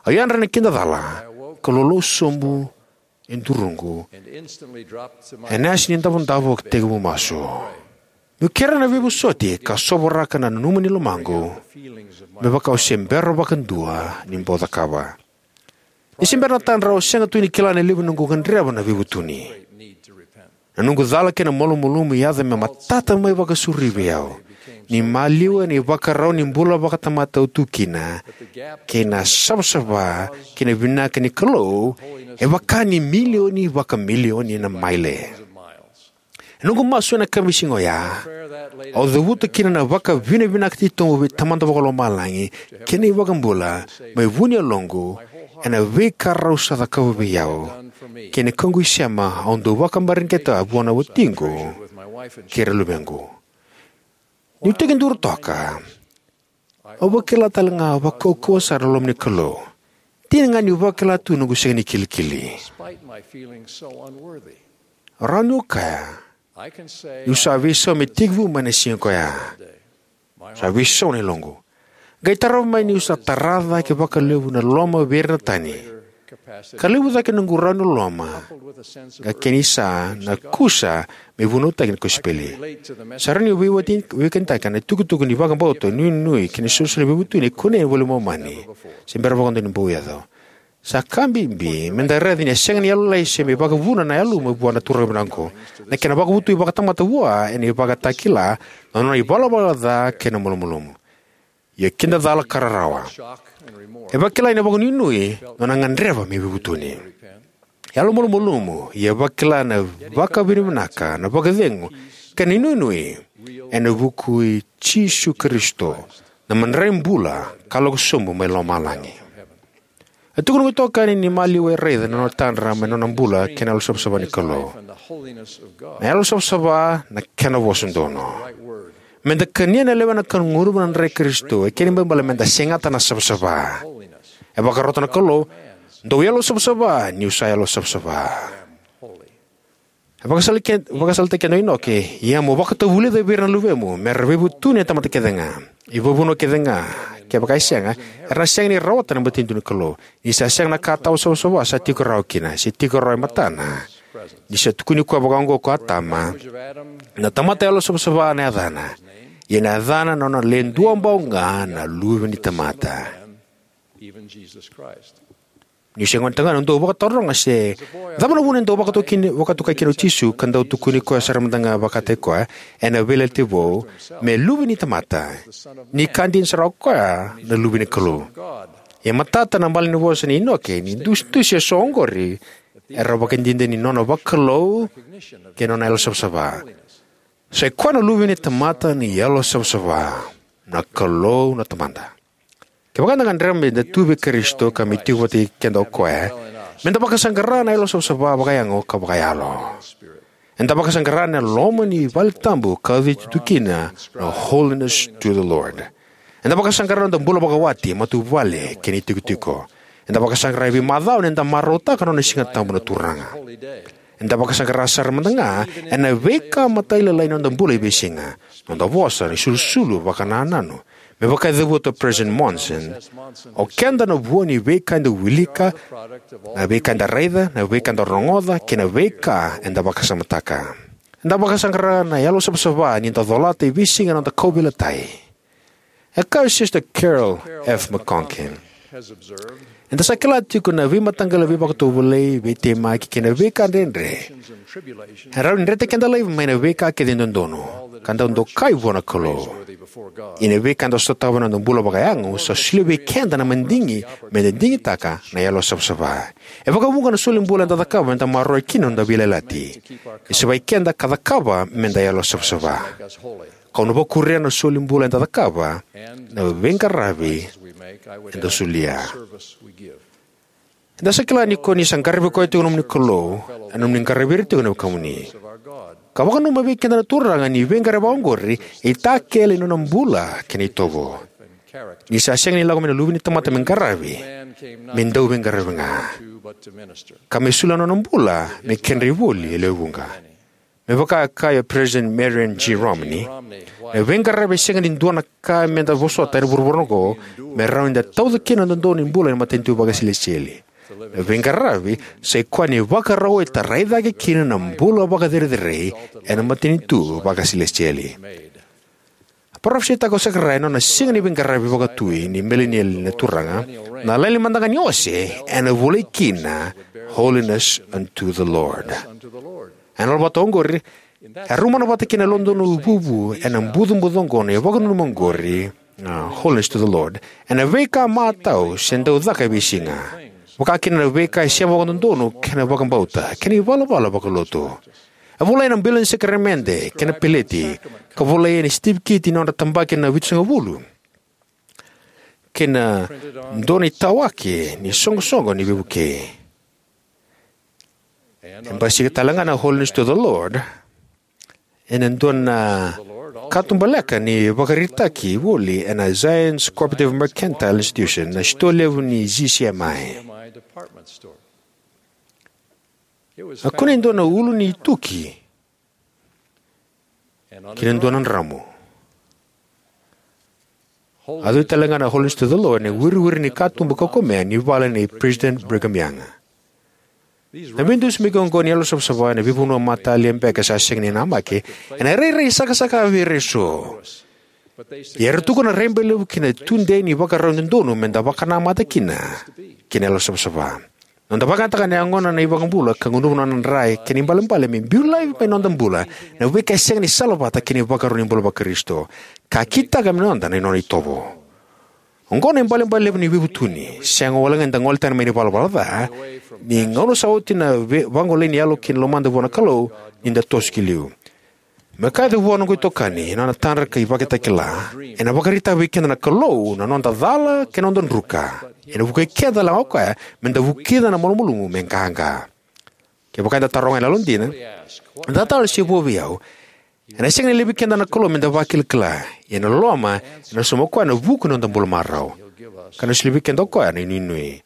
Au yadra ena kidacala, ka lolou sobu e duruqu ena yasa ni davodavo ka tekivu masu. Meu kerea na veivosoti ka sovaraka na nanuma ni lomaqu, me vaka au se bera vakadua ni bau cakava. Ni se bera na tadra, au sega tu ni kila na levu ni noqu gadreva na veivutuni. Na noqu cala kei na malumalumu e yaco me matata mai vakasauri vei au. Ni maliwa ena ivakarau ni bula vakatamata au tu kina, kei na savasava kei na vinaka ni Kalou, e vaka ni milioni vakamilioni na maile. Ena noqu masu ena yakavi ni siga oya, au cavuta kina na vakavinavinaka titobu vei Tamada Vakalomalagi kei na iVakabula mai vu ni yaloqu, ena veika rau sa cakava vei au kei na noqu isema au dau vakamareqeta vua na watiqu kei ira luvequ. Niu tekiduru toka, au vakila tale ga vakaukauwa sara na loma ni Kalou. Dina ga niu vakila tu noqu sega ni kilikili. Rawa niu kaya niu sa veisau me tekivu mai na siga koya. Sa veisau na yaloqu. Qai tarava mai niu sa tara cake vakalevu na loloma vei ira na tani, ka levu cake na noqu rawa ni loloma, ka kena isa na kusa me vunautaki na kosipeli. Sa rawa niu veiwati, veiwekanitaka na itukutuku ni vakabauta, inuinui kei na isolisoli ni veivutuni e kunei ena iVola i Momani se bera vakadua ni bau yaco. Sa ka bibi me da raica ni a sega ni yalolai se me vakavuna na yaluma vua na turaga vinaka oqo. Na kena vakavotui vakatamata vua ena ivakatakila, na nona ivalavala ca kei na malumalumu. Ia kidacala ka rarawa. E vakila ena vakanuinui na nona gadreva me veivutuni. Yalomalumalumu, ia vakila na vakavinavinaka, na vakacegu, kei na inuinui ena vuku i Jisu Karisito, na madrai bula ka lako sobu mai lomalagi. E tukuna ga itokani ni maliwa e raica na nona tadra mai na nona bula kei na yalo savasava ni Kalou. Na yalo savasava na kena vosa donu. Me da kania na lewe na kanu gunuva na dra i Karisito, e kena ibalebale me da segata na savasava. E vakarota na Kalou, dou yalo savasava, niu sa yalo savasava. E vakasala ke-, vakasalataki keda o Inoke, ia mo vakatavulica vei ira na luvemu, me ra veivutuni na tamata kece ga. I vavanua kece ga, kevaka e sega, era na sega ni rawata na matanitu ni Kalou. Ni sa sega na ka tawa savasava sa tiko rawa kina, se tiko rawa e matana. Ni sa tukuni koya vaka oqo ko Atama, na tamata yalo savasava na yacana. Ia na yacana na nona le dua bau ga na luve ni tamata. Niu se gone tagane, au dau vakataroga se cava na vuna e dau vakatokai kina, vakatokai kina o Jisu ka dau tukuni koya sara mada ga vakataki koya ena veiyalayalati vou me luve ni tamata. Ni ka dina sara o koya na luve ni Kalou. E matata na malanivosa nei Inoke ni dusidusi eso oqori era vakadidike ni nona vakalou kei na nona yalo savasava. Sa i koya na luve ni tamata ni yalo savasava, na Kalou na Tamada. Kevaka eda gadreva me da tu vei Karisito ka me tiko vata kei keda o koya, me da vakasaqara na yalo savasava vakayago ka vakayalo. Eda vakasaqara na loma ni vale tabu ka uciti tu kina na Holiness to the Lord. Eda vakasaqara na noda bula vakawati, matavuvale kei na itikotiko. Eda vakasaqara e veimacawa ni da marautaka na nona siga tabu na Turaga. Eda vakasaqara sara mada ga ena veika matailalai ni noda bula e veisiga, noda vosa, na isulusulu, vakanananu. Me vaka e cavuta o President Monson, o keda na vua ni veika eda wilika, na veika eda raica, na veika eda rogoca, kei na veika eda vakasamataka. Eda vakasaqara na yalo savasava ni da colata e veisiga na noda kauveilatai. E kaya o Sister Carol F. McConkie, eda sa kila tiko na veimataqali veivakatovolei, veitemaki kei na veika dredre e rawa ni dreti keda laivi mai na veika kece e dodonu ka dau dokai vua na Kalou. Ia na veika eda sotava ena noda bula vakayago sa solia vei keda na madigi me da digitaka na yalo savasava. E vakavuqa na solibula eda cakava me da maroroya kina na noda veiyalayalati. E savai keda ka cakava me da yalo savasava. Kau na vakuria na solibula eda cakava, na veiqaravi eda solia. Eda sa kila ni ko ni sa qaravi koya tiko na nomuni Kalou, ena nomuni qaravi ira tiko na wekamuni. Ka vakananuma vei keda na Turaga ni veiqaravi oqori e itakele ni nona bula kei na itovo. Ni sa sega ni lako mai na Luve ni tamata me qaravi, me dau veiqaravi ga, ka me solia na nona bula me kedra ivoli e lewe vuqa. Me vaka e kaya o President Marion G. Romney, na veiqaravi e sega ni dua na ka me da vosota ena vuravura oqo me rawa ni da tauca kina na dodonu ni bula ena matanitu vakasilesitieli. Na veiqaravi sa i koya na ivakarau e tarai cake kina na bula vakacerecerei ena matanitu vakasilesitieli. A parofisaitaka o Sakaraia na nona siga ni veiqaravi vakatui ni milenieli na Turaga, na laini mada ga ni ose ena volai kina Holiness unto the Lord. Ena lolovata oqori, e rau mana vata kei na yalododonu vuvu ena bucabuca oqo na ivakananuma oqori, a, Holiness to the Lord. Ena veika matau se dau caka e veisiga. Vaka kina na veika e sema vakadodonu kei na vakabauta kei na ivalavala vakalotu. E volai ena bilo ni sakaramede kei na peleti, ka volai ena sitiviketi ni nodra tabaki na vitusagavulu, kei na dua na itawaki ni soqosoqo ni veivukei. E basika tale ga na Holiness to the Lord ena dua na katubaleka ni vakaraitaki voli ena Zion's Cooperative Mercantile Institution, na sitoa levu ni Z C M I. A kune e dua na ulu ni tuki kei na dua na dramu. A cui tale ga na Holiness to the Lord ena wiriwiri ni katuba kaukamea ni vale nei President Brigham Young. Na veidusimaki oqo ni yalo savasava ena veivanua matalia beka sa sega ni namaki, ena rairai sakasaka vei ira eso. Ia era tukuna raibailevu kina tudei ni ivakarau dodonu me da vakanamata kina kei na yalo savasava. Noda vakayagataka na yagona na iVakabula ka gunuva na nona dra kei na ibalebale me biu laivi mai noda bula na veika e sega ni salavata kei na ivakarau ni bula vaKarisito, ka kitaka me noda na nona itovo. Oqo na ibalebale levu ni veivutuni, sega walega ni da gole tani mai na ivalavala ca, ni gauna sa oti na vagolei ni yalo kina lomada vua na Kalou, ni da toso ki liu. Me kaya vua noqu itokani, ena nona tadra ka ivakatakila, ena vakaraitaka vei keda na Kalou na noda cala kei na noda druka. Ena vukei keda talega o koya me da vukica na malumalumu me qaqa. Kevaka eda taroga ena yalodina, "E cava tale se vo vei au?" Ena sega ni laivi keda na Kalou me da vakilakila, ia ena loloma ena sauma o koya na vuku ni noda bula marau, ka na solia vei keda o koya na inuinui.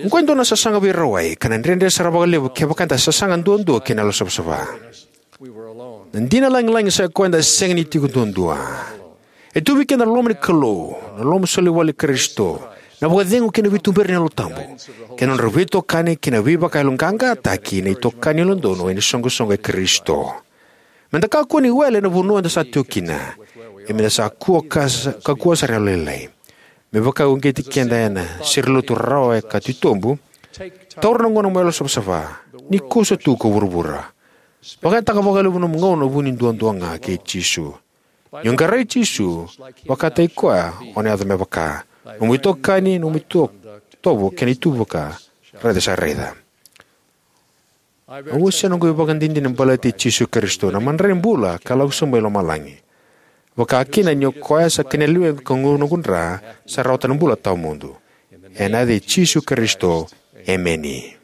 Oqo e dua na sasaga veirawai, ka na dredre sara vakalevu kevaka eda sasaga duadua kei na yalo savasava. Na dina lagilagi sa koya eda sega ni tiko duadua. E tu vei keda na loma ni Kalou, na loma soli wale i Karisito, na vakacegu kei na veituberi ni Yalo Tabu, kei na nodra veitokani kei na veivakayaloqaqataki na itokani yalododonu ena isoqosoqo i Karisito. Me da kakua ni wele ena vanua eda sa tiko kina, ia me da sa kua ka, kakua sara yalolailai. Me vaka e uqeti keda ena serenilotu rawarawa ka titobu, taura na gauna mo yalo savasava, ni kosova tu ko vuravura. Vakayagataka vakalevu nomu gauna vuni duadua ga kei Jisu. Ni o qarai Jisu, vakataki koya, o na yaco me vaka. Nomu itokani, nomu ito-, itovo kei na itubuka, raica sa raica. Au wasea noqu ivakadinadina baleti Jisu Karisito, na madrai bula ka lako sobu mai lomalagi. Vaka kina ni o koya sa kania na lewequ ka gunuva noqu dra, sa rawata na bula tawamudu. Ena yaca i Jisu Karisito, emeni.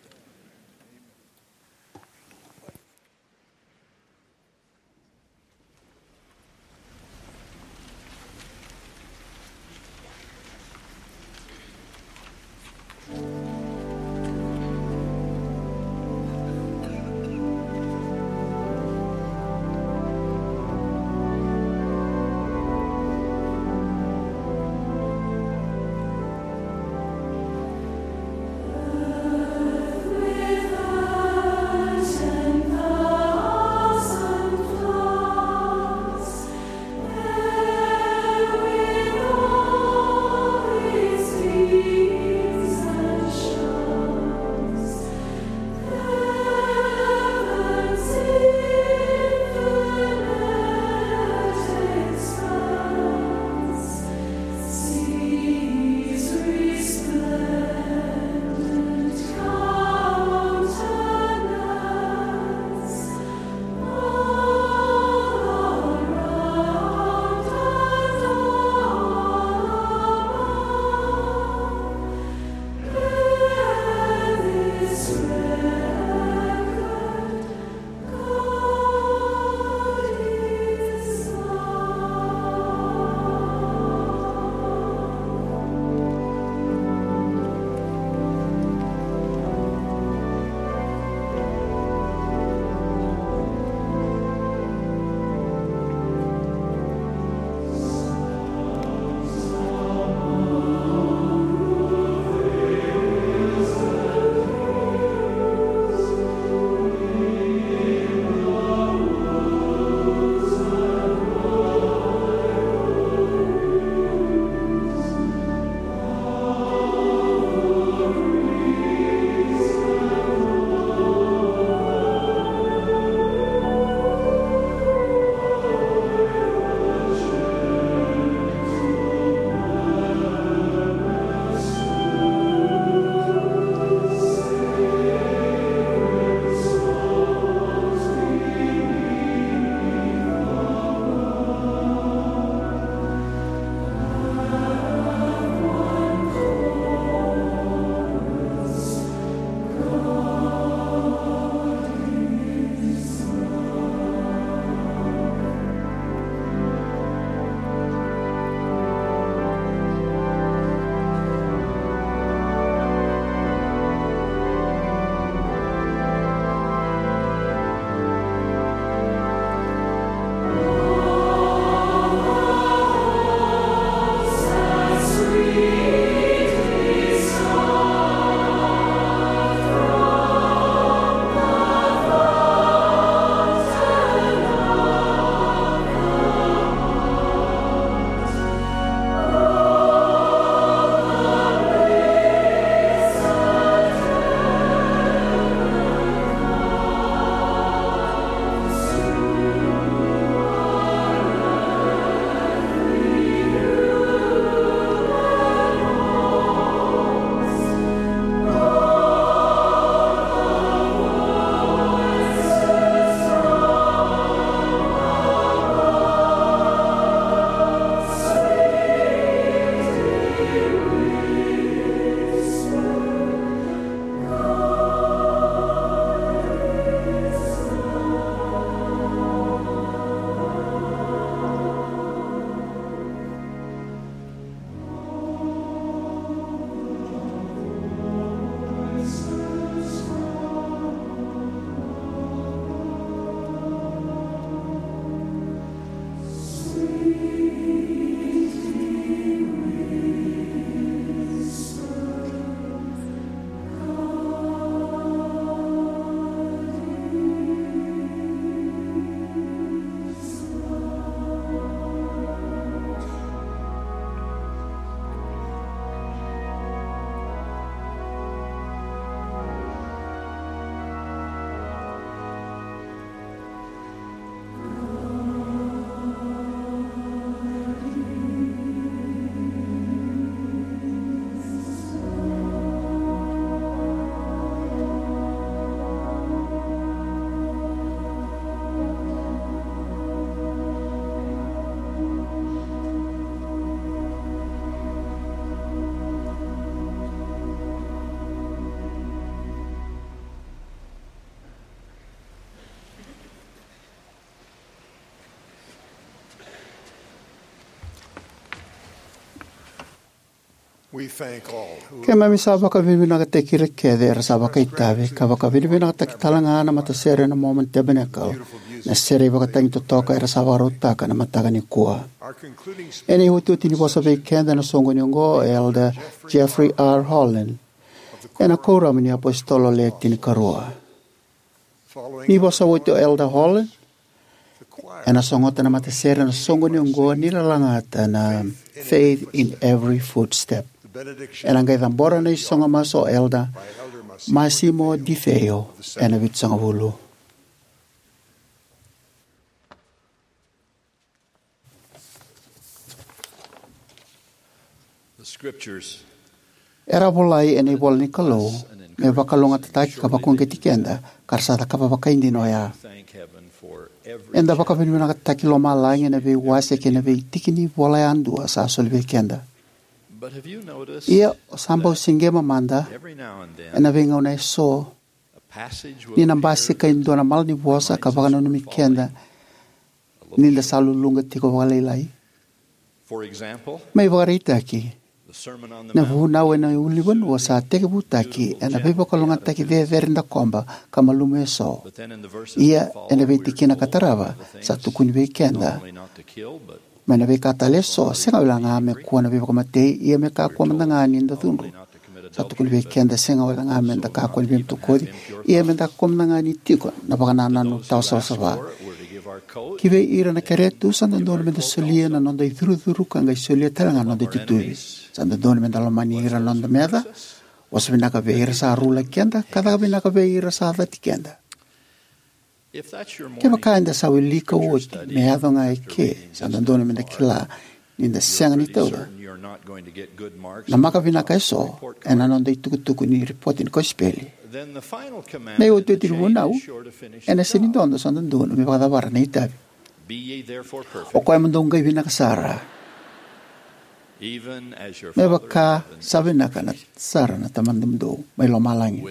Keimami sa vakavinavinakataki ira kece era sa vakaitavi, ka vakavinavinakataki tale ga na matasere na Mormon Tabernacle, na sere ivakatagi totoka era sa vakarautaka na mataka nikua. Ena iotioti ni vosa vei keda ena soqoni oqo o Elder Jeffrey R. Holland, ena Kuoramu ni iApositolo Le Tinikarua. Ni vosa oti o Elder Holland, ena sogota na matasere ena soqoni oqo ni lalagata na Faith in Every Footstep. Ena qai cabora na isogo masu o Elder Massimo Di Feo ena Vitusagavulu. Era volai ena ivola ni Kalou me vakalougatataki ka vakauqeti keda, ka ra sa cakava vakaidina oya. Eda vakavinavinakataki lomalagi ena veiwase kei na veitiki ni vola yadua sa soli vei keda. Ia, o sa bau siqema mada ena veigauna eso ni na basika e dua na malanivosa ka vakananumi keda ni da sa luluqa tiko vakalailai. Me ivakaraitaki, na vunau ena ulunivanua sa tekivutaki ena veivakalougatataki cecere dakoba ka malumu eso. Ia, ena veitikina ka tarava, sa tukuni vei keda mai na veika tale eso, sega wale ga me kua na veivakamatei, ia me kakua mada ga ni da cudru. Sa tukuni vei keda sega wale ga me da kakua ni veimatakoci, ia me da kakua mada ga ni tiko na vakanananu tawasavasava. Ki vei ira na kerea tu, sa dodonu me da solia na noda icurucuru ka qai solia tale ga na noda itutuvi. Sa dodonu me da lomani ira na noda meca, vosa vinaka vei ira sa rulaki keda, ka caka vinaka vei ira sa cati keda. Kevaka eda sa wilika oti me yaco ga e ke, sa dodonu me da kila ni da sega ni tauca na maka vinaka eso ena noda itukutuku ni ripoti ni kosipeli. Na iotioti ni vunau ena sega ni dodo, sa dodonu me vakacavara na itavi. O koya mo dou qai vinaka sara, me vaka sa vinaka na, sara na Tamamudou mai lomalagi.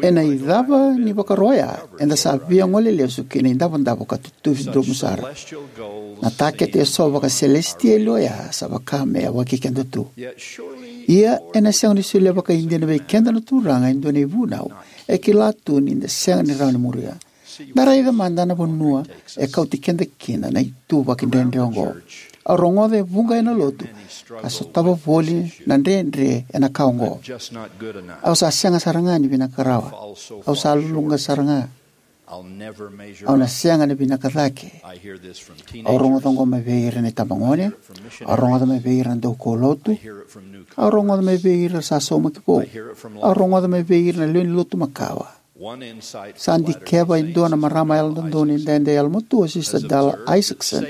Ena icava ni vakaro oya, eda sa via gole lesu ki na idavodavo ka tutuvi dromu sara. Na takete eso vakaselesitieli oya sa vaka me yawaki keda tu. Ia, ena sega ni solia vakaidina vei keda na Turaga e dua na ivunau e kila tu ni da sega ni rawa ni muria. Da raica mada na vanua e kauti keda kina na ituvaki dredre oqo. Au rogoca e vuqa ena lotu ka sotava voli na dredre ena ka oqo. Au sa sega sara ga ni vinaka rawa. Au sa luluqa sara ga. Au na sega ni vinaka cake. Au rogoca oqo mai vei ira na itabagone. Au rogoca mai vei ira na daukaulotu. Au rogoca mai vei ira sa saumaki vou. Au rogoca mai vei ira na lewe ni lotu makawa. Sa dikeva e dua na marama yalododonu edaidai yalomatua, o Sister Dalla Isackson,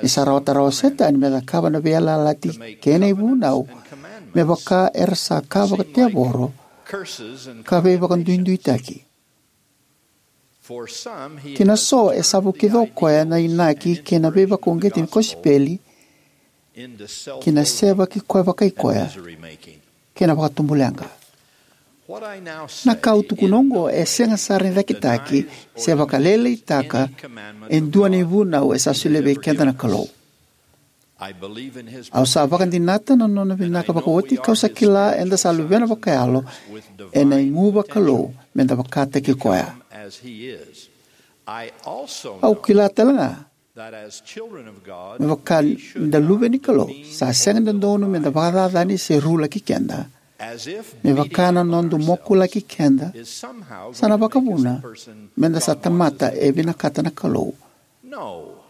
ni sa rawata rawa o Setani me cakava na veiyalayalati kei na ivunau me vaka era sa ka vakatevoro ka veivakaduiduitaki. Ki na so, e sa vukica o koya na inaki kei na veivakauqeti ni kosipeli ki na sevaki koya vakai koya kei na vakatubuleqa. Na ka au tukuna oqo e sega sara ni cakitaki se vakalailaitaka e dua na ivunau e sa solia vei keda na Kalou. Au sa vakadinata na nona vinaka vakaoti, kau sa kila eda sa luvena vakayalo ena igu vakalou me da vakataki koya. Au kila tale ga me vaka ni da luve ni Kalou, sa sega ni dodonu me da vakacacani se rulaki keda, me vaka na noda mokulaki keda sa na vakavuna me da sa tamata e vinakata na Kalou,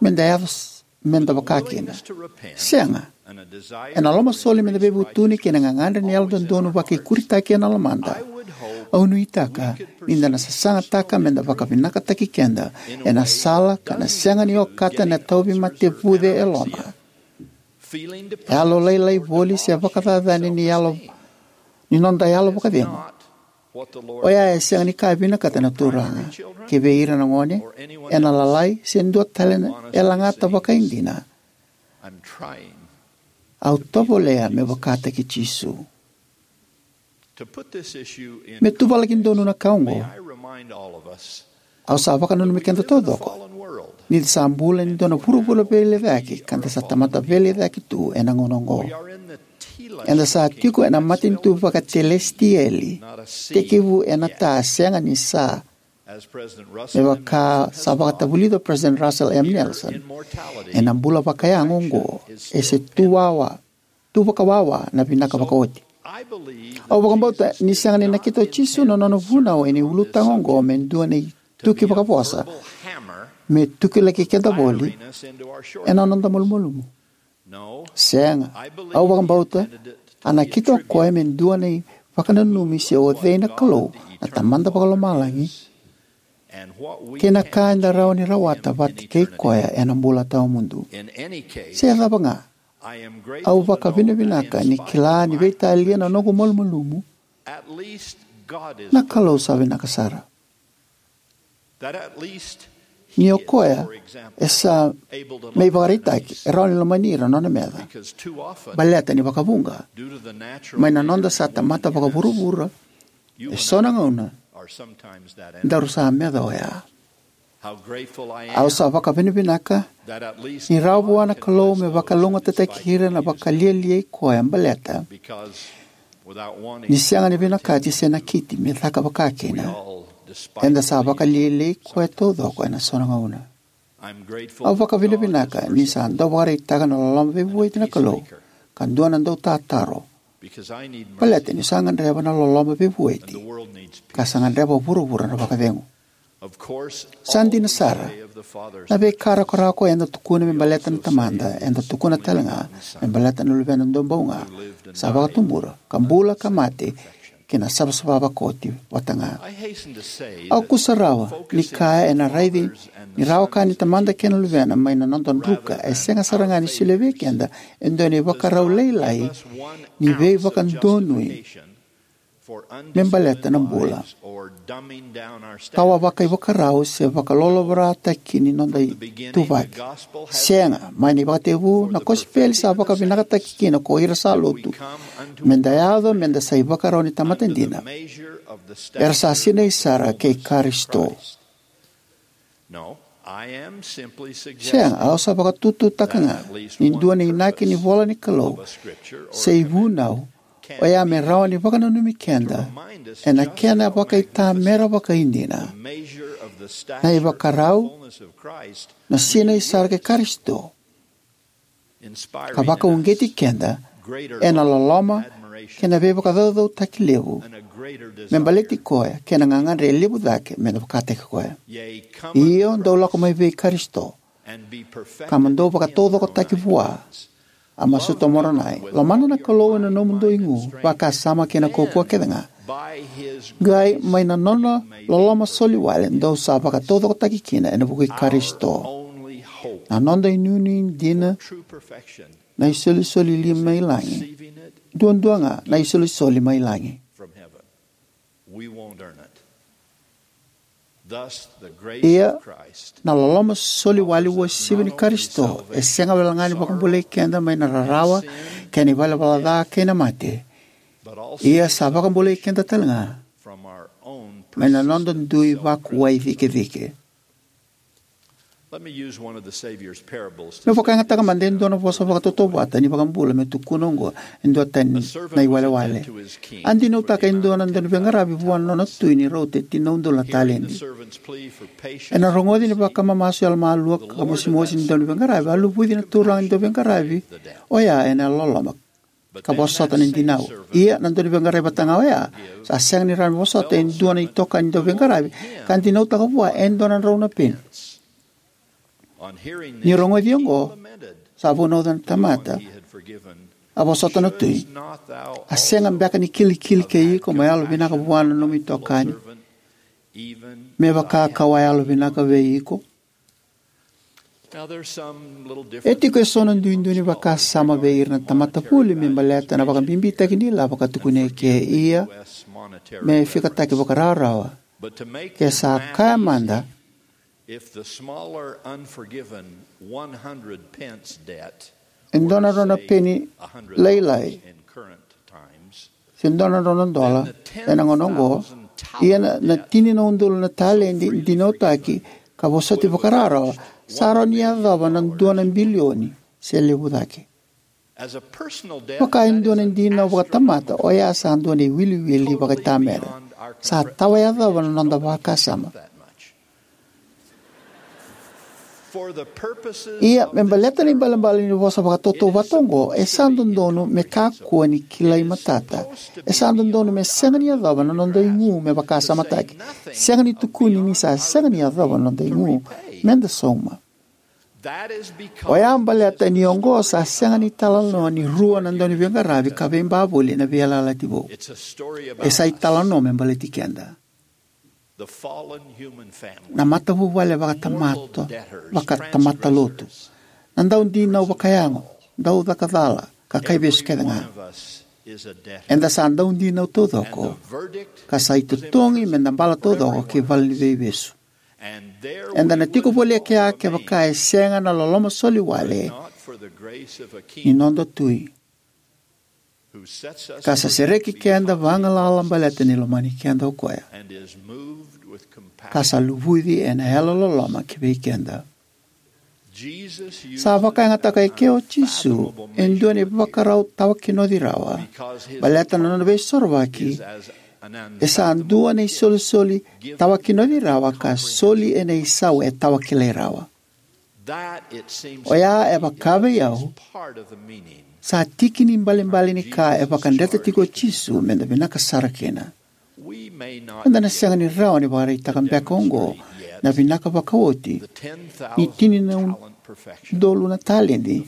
me da yaco s-, me da vaka kina. Sega. Ena lomasoli me da veivutuni kei na gagadre ni yalododonu vakaikuritaki ena lomada, au nuitaka ni da na sasagataka me da vakavinakataki keda ena sala ka na sega ni okata na tauvimate vuce e loma. Yalo lailai voli se vakacacani ni yalo, ni noda yalo vakacegu. Oya e sega ni ka e vinakata na Turaga ki vei ira na gone, ena lalai se dua tale e lagata vakaidina. Au tovolea me vakataki Jisu. Me tuvalaki donu na ka oqo, au sa vakananumi keda taucoko ni da sa bula ena dua na vuravura veilecayaki ka da sa tamata veilecayaki tu ena gauna oqo. Eda sa tiko ena matanitu vakatelesitieli, tekivu ena ta, sega ni sa. Me vaka sa vakatavulica o President Russell M. Nelson, ena bula vakayago oqo, e se tu wawa, tu vakawawa na vinaka vakaoti. Au vakabauta ni sega ni nakita o Jisu na nona vunau ena ulutaga oqo me dua na ituki vakavosa me tuki laki keda voli ena noda malumalumu. Sega, au vakabauta a nakita o koya me dua na ivakananumi se o cei na Kalou na Tamada Vakalomalagi kei na ka eda rawa ni rawata vata kei koya ena bula tawamudu. Se cava ga, au vakavinavinaka ni kila ni veitalia na noqu malumalumu, na Kalou sa vinaka sara. Ni o koya e sa, me ivakaraitaki, e rawa ni lomani ira na nona meca. Baleta ni vakavuqa, mai na noda sa tamata vakavuravura, e so na gauna daru sa meca oya. Au sa vakavinavinaka ni rawa vua na Kalou me vakalougatataki ira na vakalialiai koya, baleta ni sega ni vinakati se nakiti me caka vakakina, eda sa vakalialiai koya taucoko ena so na gauna. Au vakavinavinaka ni sa dau vakaraitaka na loloma veivueti na Kalou ka dua na dautataro, baleta niu sa gadreva na loloma veivueti ka sa gadreva o vuravura na vakacegu. Sa dina sara, na veika rakorako eda tukuna me baleta na Tamada, eda tukuna talega me baleta na Luvena Duabau Ga, sa vakatubura ka bula ka mate ki na savasava vakaoti vata ga. Au kusarawa ni kaya ena raici ni rawa ka ni Tamada kei na Luvena mai na noda druka, e sega sara ga ni solia vei keda e dua na ivakarau lailai ni veivakadonui me baleta na bula, ka wa vakaivakarau se vakalolovorataki ni noda ituvaki. Sega, mai na ivakatekivu na kosipeli sa vakavinakataki kina ko ira sa lotu, meda yaco meda sa ivakarau ni tamata dina, era sa sinai sara kei Karisito. Sega, au sa vakatututaka ga ni dua na inaki ni vola ni Kalou se ivunau oya me rawa ni vakananumi keda ena kena vakaitamera vakaidina na ivakarau, na sinai sara kei Karisito, ka vakauqeti keda ena loloma kei na veivakacaucautaki levu me baleti koya kei na gagadre levu cake me na vakataki koya. Io, dou lako mai vei Karisito ka mo dou vakataucokotaki vua. A masuta o Moronai, lomana na Kalou ena nomudou igu, vakasama kei na kaukauwa kece ga, qai mai na nona loloma soli wale dou sa vakataucokotaki kina ena vuku i Karisito. Na noda inuinui dina na isolisoli li mai lagi. Duadua ga na isolisoli mai lagi. Ia, na loloma soli wale uasivi ni Karisito e sega wale ga ni vakabulai keda mai na rarawa kei na ivalavala ca kei na mate. Ia sa vakabulai keda talega mai na noda dui vakuwai cikecike. Meu vakayagataka mada e dua na vosa vakatautauvata ni vakabula meu tukuna oqo e dua tani na iwalewale. A dinautaka e dua na dauniveiqaravi vua na nona tui ni rauta e tini na udolu na taledi. Ena rogoci ni vakamamasu yalomalua ka mosimosi ni dauniveiqaravi, a luvuci na turaga ni dauveiqaravi oya ena yalololoma ka vosota na dinau. Ia na dauniveiqaravi vata ga oya sa sega ni rawa ni vosota e dua na itokani dauveiqaravi ka dinautaka vua e dua na drau na peni. Ni rogoci oqo, sa vunauca na tamata a vosota na tui, a sega beka ni kilikili kei iko mo yalovinaka vua na nomu itokani me vaka kau a yalovinaka vei iko? E tiko eso na duidui ni vakasama vei ira na tamata vuli me baleta na vakabibitaki ni ilavo ka tukuni eke, ia me fikataki vakarawarawa. Ke sa kaya mada, e dua na drau na peni lailai se dua na drau na dola ena gauna oqo, ia na, na tini na udolu na taledi dinautaki ka vosoti vakarawarawa, sa rawa ni yacova na dua na bilioni se levu cake. Vaka e dua na dinau vakatamata, oya sa dua na iwiliwili vakaitamera. Sa tawa yacova na noda vakasama. Ia, me baleta na ibalebale ni vosa vakatautauvata oqo, e sa dodonu me kakua ni kilai matata. E sa dodonu me sega ni yacova na noda igu me vakasamataki. Sega ni tukuni ni sa sega ni yacova na noda igu. Meda sauma. Oya baleta ni oqo sa sega ni italanoa ni rua na dauniveiqaravi ka veiba voli ena Veiyalayalati Vou. E sa italanoa me baleti keda. Na matavuvale vakatamata, vakatamata lotu. Na daudinau vakayago, daucaka cala, ka kaivesu kece ga. Eda sa daudinau taucoko, ka sa itotogi meda bala taucoko ki vale ni veivesu. Eda na tiko voli e kea kevaka e sega na loloma soli wale ni noda Tui, ka sa sereki keda vagalala baleta ni lomani keda o koya, ka sa luvuci ena yalololoma ki vei keda. Sa vakayagataka eke o Jisu e dua na ivakarau tawakinoci rawa, baleta na nona veisorovaki e sa dua na isolisoli tawakinoci rawa ka soli ena isau e tawakilai rawa. Oya e vaka vei au, sa tiki ni balebale ni ka e vakadreta tiko o Jisu meda vinaka sara kina. Eda na sega ni rawa ni vakaraitaka beka oqo na vinaka vakaoti ni tini na udolu na taledi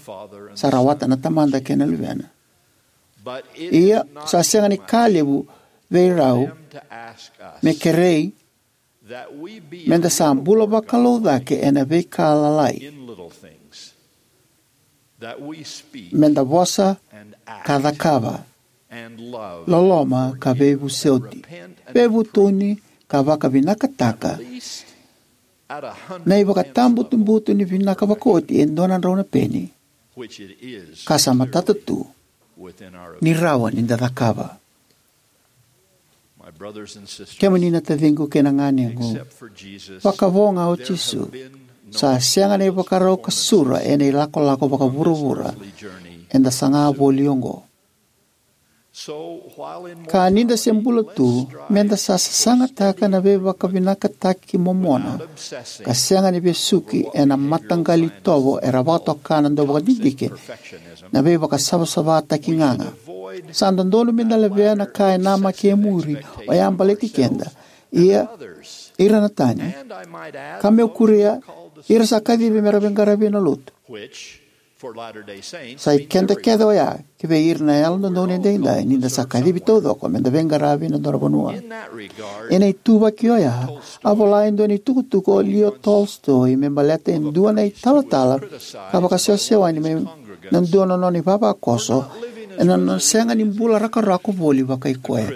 sa rawata na Tamada kei na Luvena. Ia, sa sega ni ka levu vei rau me kerei meda sa bula vakalou cake ena veika lalai, meda vosa ka cakava, loloma ka veivosoti, veivutuni ka vakavinakataka na ivakatabutubutu ni vinaka vakaoti e dua na drau na peni, ka sa matata tu ni rawa ni da cakava. Kemuni na taciqu kei na ganequ, vakavo ga o Jisu, sa sega na ivakarau ka sura ena ilakolako vakavuravura eda saga voli oqo. Ka ni da se bula tu, meda sa sasagataka na veivakavinakataki momona, ka sega ni vesuki ena mataqali itovo era vakatoka na dauvakadidike, na veivakasavasavataki gaga. Sa dodonu meda levea na ka e namaki e muri, oya baleti keda, ia ira na tani, ka meu kuria ira sa kacivi mera veiqaravi ena lotu. Sa i keda kece oya, ki vei ira na Yalododonu Edaidai, ni da sa kacivi taucoko meda veiqaravi ena dua na vanua. Ena ituvaki oya, a vola e dua na itukutuku o Leo Tolstoy me baleta e dua na italatala ka vakasewasewani mai na dua na nona ivavakoso ena nona sega ni bula rakorako voli vakai koya.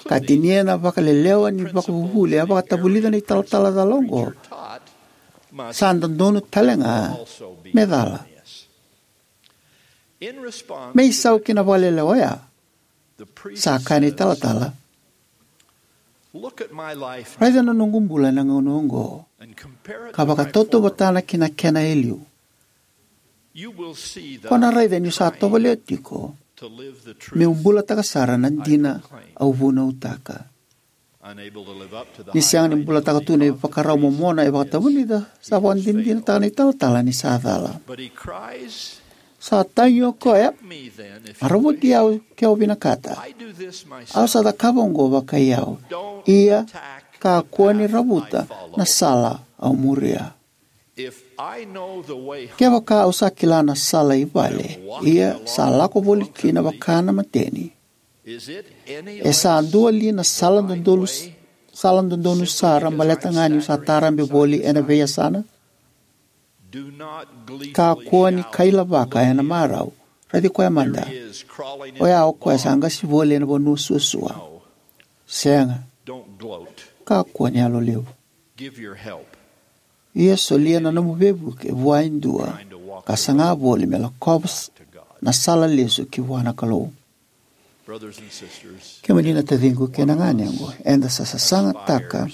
Ka tinia na vakalelewa ni vakavuvuli a vakatavulica na italatala cala oqo, sa dodonu tale ga me cala. Me isau ki na vakalelewa oya, sa kaya na italatala, raica na noqu bula ena gauna oqo, ka vakatautauvatana ki na kena eliu. Ko na raica niu sa tovolea tiko meu bulataka sara na dina au vunautaka. Ni sega ni bulataka tu na ivakarau momona e vakatavulica, sa vakadinadinataka na italatala ni sa cala. Sa tagi o koya, a ravuti au ke o vinakata. Au sa cakava oqo vakai au. Ia, kakua ni ravuta na sala au muria. Kevaka au sa kila na sala i vale, ia sa lako voli kina vaka na mateni, e sa dua li na sala dodonu, sala dodonu sara baleta ga niu sa tarabe voli ena veiyasana? Kakua ni kailavaka ena marau. Raici koya mada. Oya o koya sa qasi voli ena vanua suasua. Sega. Kakua ni yalolevu. Ia solia na nomu veivuke vua e dua ka saga voli me lakova na sala lesu ki vua na Kalou. Kemuni na taciqu kei na ganequ, eda sa sasagataka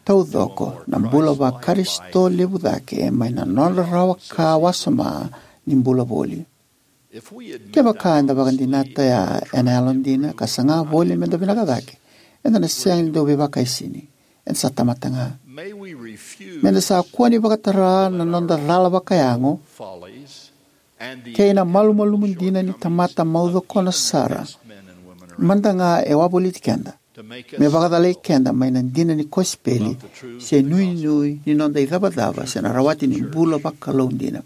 taucoko na bula vaKarisito levu cake mai na nodra rawa ka wasoma ni bula voli. Kevaka eda vakadinata oya ena yalodina ka saga voli meda vinaka cake, eda na sega ni dau veivakaisini. Eda sa tamata ga. Meda sa kua ni vakatara na noda cala vakayago kei na malumalumu dina ni tamata maucokona sara mada ga e wavoliti keda me vakacalai keda mai na dina ni kosipeli se nuinui ni noda icavacava se na rawati ni bula vakalou dina.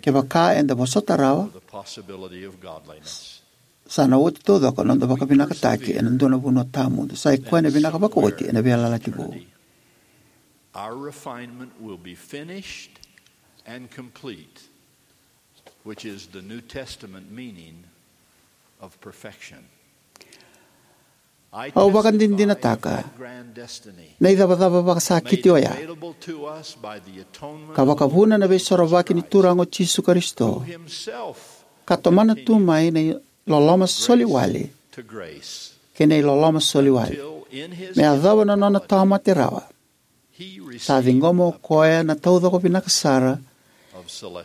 Kevaka eda vosota rawa, sa na oti taucoko na noda vakavinakataki ena dua na vanua tawamudu. Sa i koya na vinaka vakaoti ena veiyalayalati vou. Our refinement will be finished and complete, which is the New Testament meaning of perfection. Au vakadinadinataka na icavacava vakasakiti oya ka vakavuna na veisorovaki ni Turaga o Jisu Karisito, ka tomana tu mai na iloloma soli wale kei na iloloma soli wale me yacova na nona tawamate rawa. Sa ciqoma o koya na taucoko vinaka sara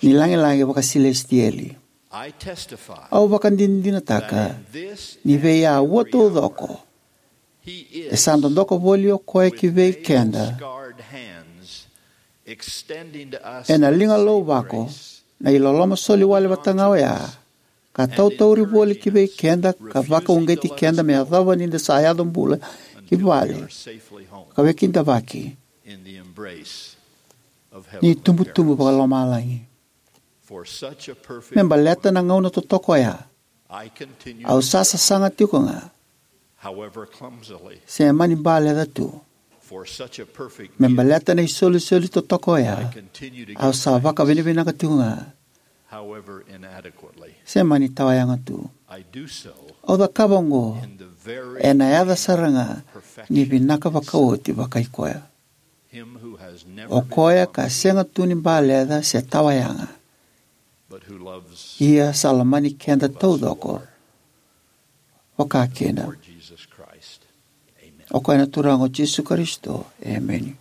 ni lagilagi vakasilesitieli. Au vakadinadinataka ni vei aua taucoko e sa dodoka voli o koya ki vei keda ena liga lauvako na iloloma soli wale vata ga oya, ka tautauri voli ki vei keda ka vakauqeti keda me yacova ni da sa yaco bula ki vale ka wekidavaki ni tubutubu vakalomalagi. Me baleta na gauna totoka oya, au sa sasaga tiko ga, se mani baleca tu. Me baleta na isolisoli totoka oya, au sa vakavinavinaka tiko ga, se mani tawayaga tu. Au cakava oqo ena yaca sara ga ni vinaka vakaoti vakai koya, o koya ka sega tu ni baleca se tawayaga, ia sa lomani keda taucoko vakakina. O koya na Turaga o Jisu Karisito. Emeni.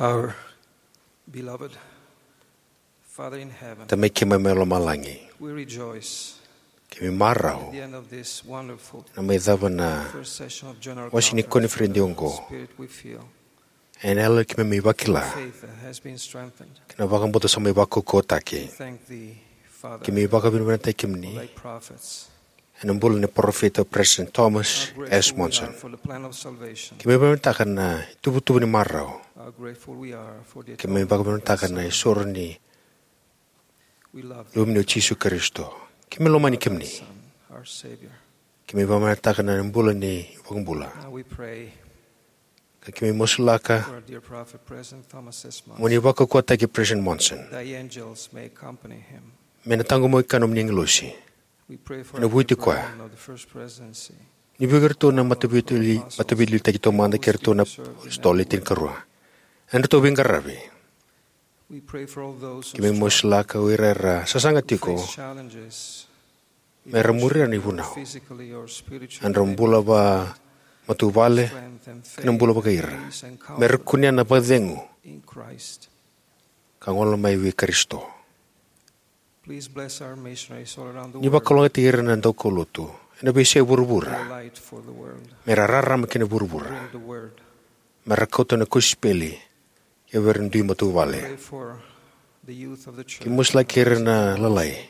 Our beloved Father in heaven, Tamai keimami mai lomalagi, we rejoice keimami marau at the end of this wonderful na mai cava na first session of General wasi ni Conference. Koniferedi oqo. Spirit, we feel ena yalo keimami vakila faith has been strengthened. Kei na vakabauta sa mai vakaukauataki. We thank thee, Father, keimami vakavinavinakataki kemuni for thy prophets. Ena bula ni parofita President Thomas S. Monson. How grateful we are for the plan of salvation. Keimami vakavinavinakataka na ituvatuva ni marau. How grateful we are for the atonement of thy Son. Keimami vakavinavinakataka na isoro ni We love thee, Luvemuni o Jisu Karisito. Keimami lomani kemuni. Son, our Savior. Keimami vakavinavinakataka na bula ni iVakabula. Now we pray Ka keimami masulaka for our dear prophet, President Thomas S. Monson. Mo ni vakaukauataki President Monson. Thy angels may accompany him. Me na taqomaki koya na nomuni agilosi. We pray for ena vuku i koya. Of the First Presidency. Ni vei iratou na mataveiliutaki taumada kei iratou na apositolo e tinikarua. Ena nodratou veiqaravi. We pray for all those who struggle. Keimami masulaka o ira era sasaga tiko. Face challenges. Me ra muria na ivunau. Physically or spiritually. Ena nodra bula vakamatavuvale, strength and faith, kei na bula vakaira. Peace and comfort. Me ra kunea na vakacegu. In Christ. Ka gole mai vei Karisito. Please bless our missionaries all around the world. Ni vakalougatataki ira na daukaulotu ena veiyasai vuravura. Be a light for the world. Me ra rarama ki na vuravura. Bring the word. Me ra kauta na kosipeli ki vei ira na dui matavuvale. Pray for the youth of the church. Keimami masulaki ira na lalai.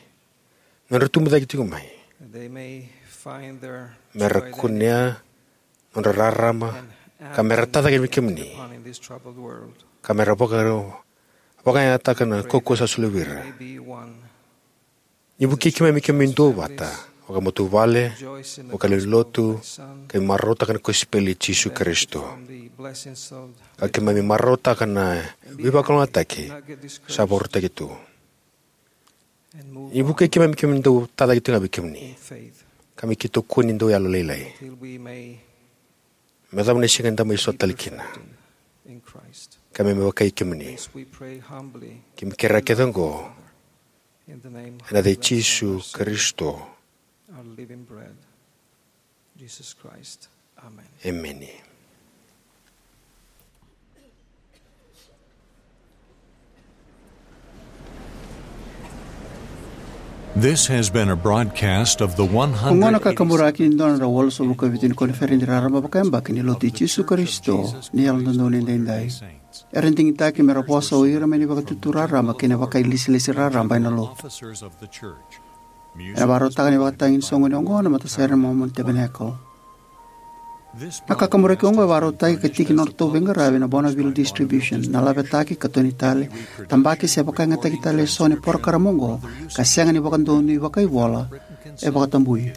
Nodra tubu cake tiko mai. They may find their joy there. Me ra kunea nodra rarama, ka me ra tacake vei kemuni, ka me ra vaka, vakayagataka na kaukaua sa solia vei ira. Ni vukei keimami keimami duavata, vakamatavuvale, vakalewenilotu, keimami marautaka na kosipeli i Jisu Karisito. Ka keimami marautaka na veivakalougatataki sa vakarautaki tu. Ni vukei keimami keimami dau tacake tiko ga vei kemuni. Ka me keitou kua ni dau yalolailai. Me yacova na siga eda mai sota tale kina. Ka me me vakai kemuni. Keimami kerea kece oqo. Ena yaca i Jisu Karisito. Jesus Christ. Amen. Emeni. This has been a broadcast of the Oqo na one hundred eighty-six. Kakaburaki ni dua na drau walusagavulu ka vitu ni koniferedi raraba vakayabaki ni Lotu i Jisu Karisito ni Yalododonu Edaidai. Era digitaki me ra vosa o ira mai na Vakatutu Raraba kei na Vakailesilesi Raraba ena Lotu. Ena vakarautaka na ivakatagi ni soqoni oqo na matasere na Mormon Tabernacle. Na kakaburaki oqo e vakarautaki ka tiki ni nodratou veiqaravi na Bonneville Distribution, na Lavetaki, Katoni Tale, Tabaki se Vakayagataki Tale eso ni porokaramu oqo ka sega ni vakadonui vakaivola, e vakatabui.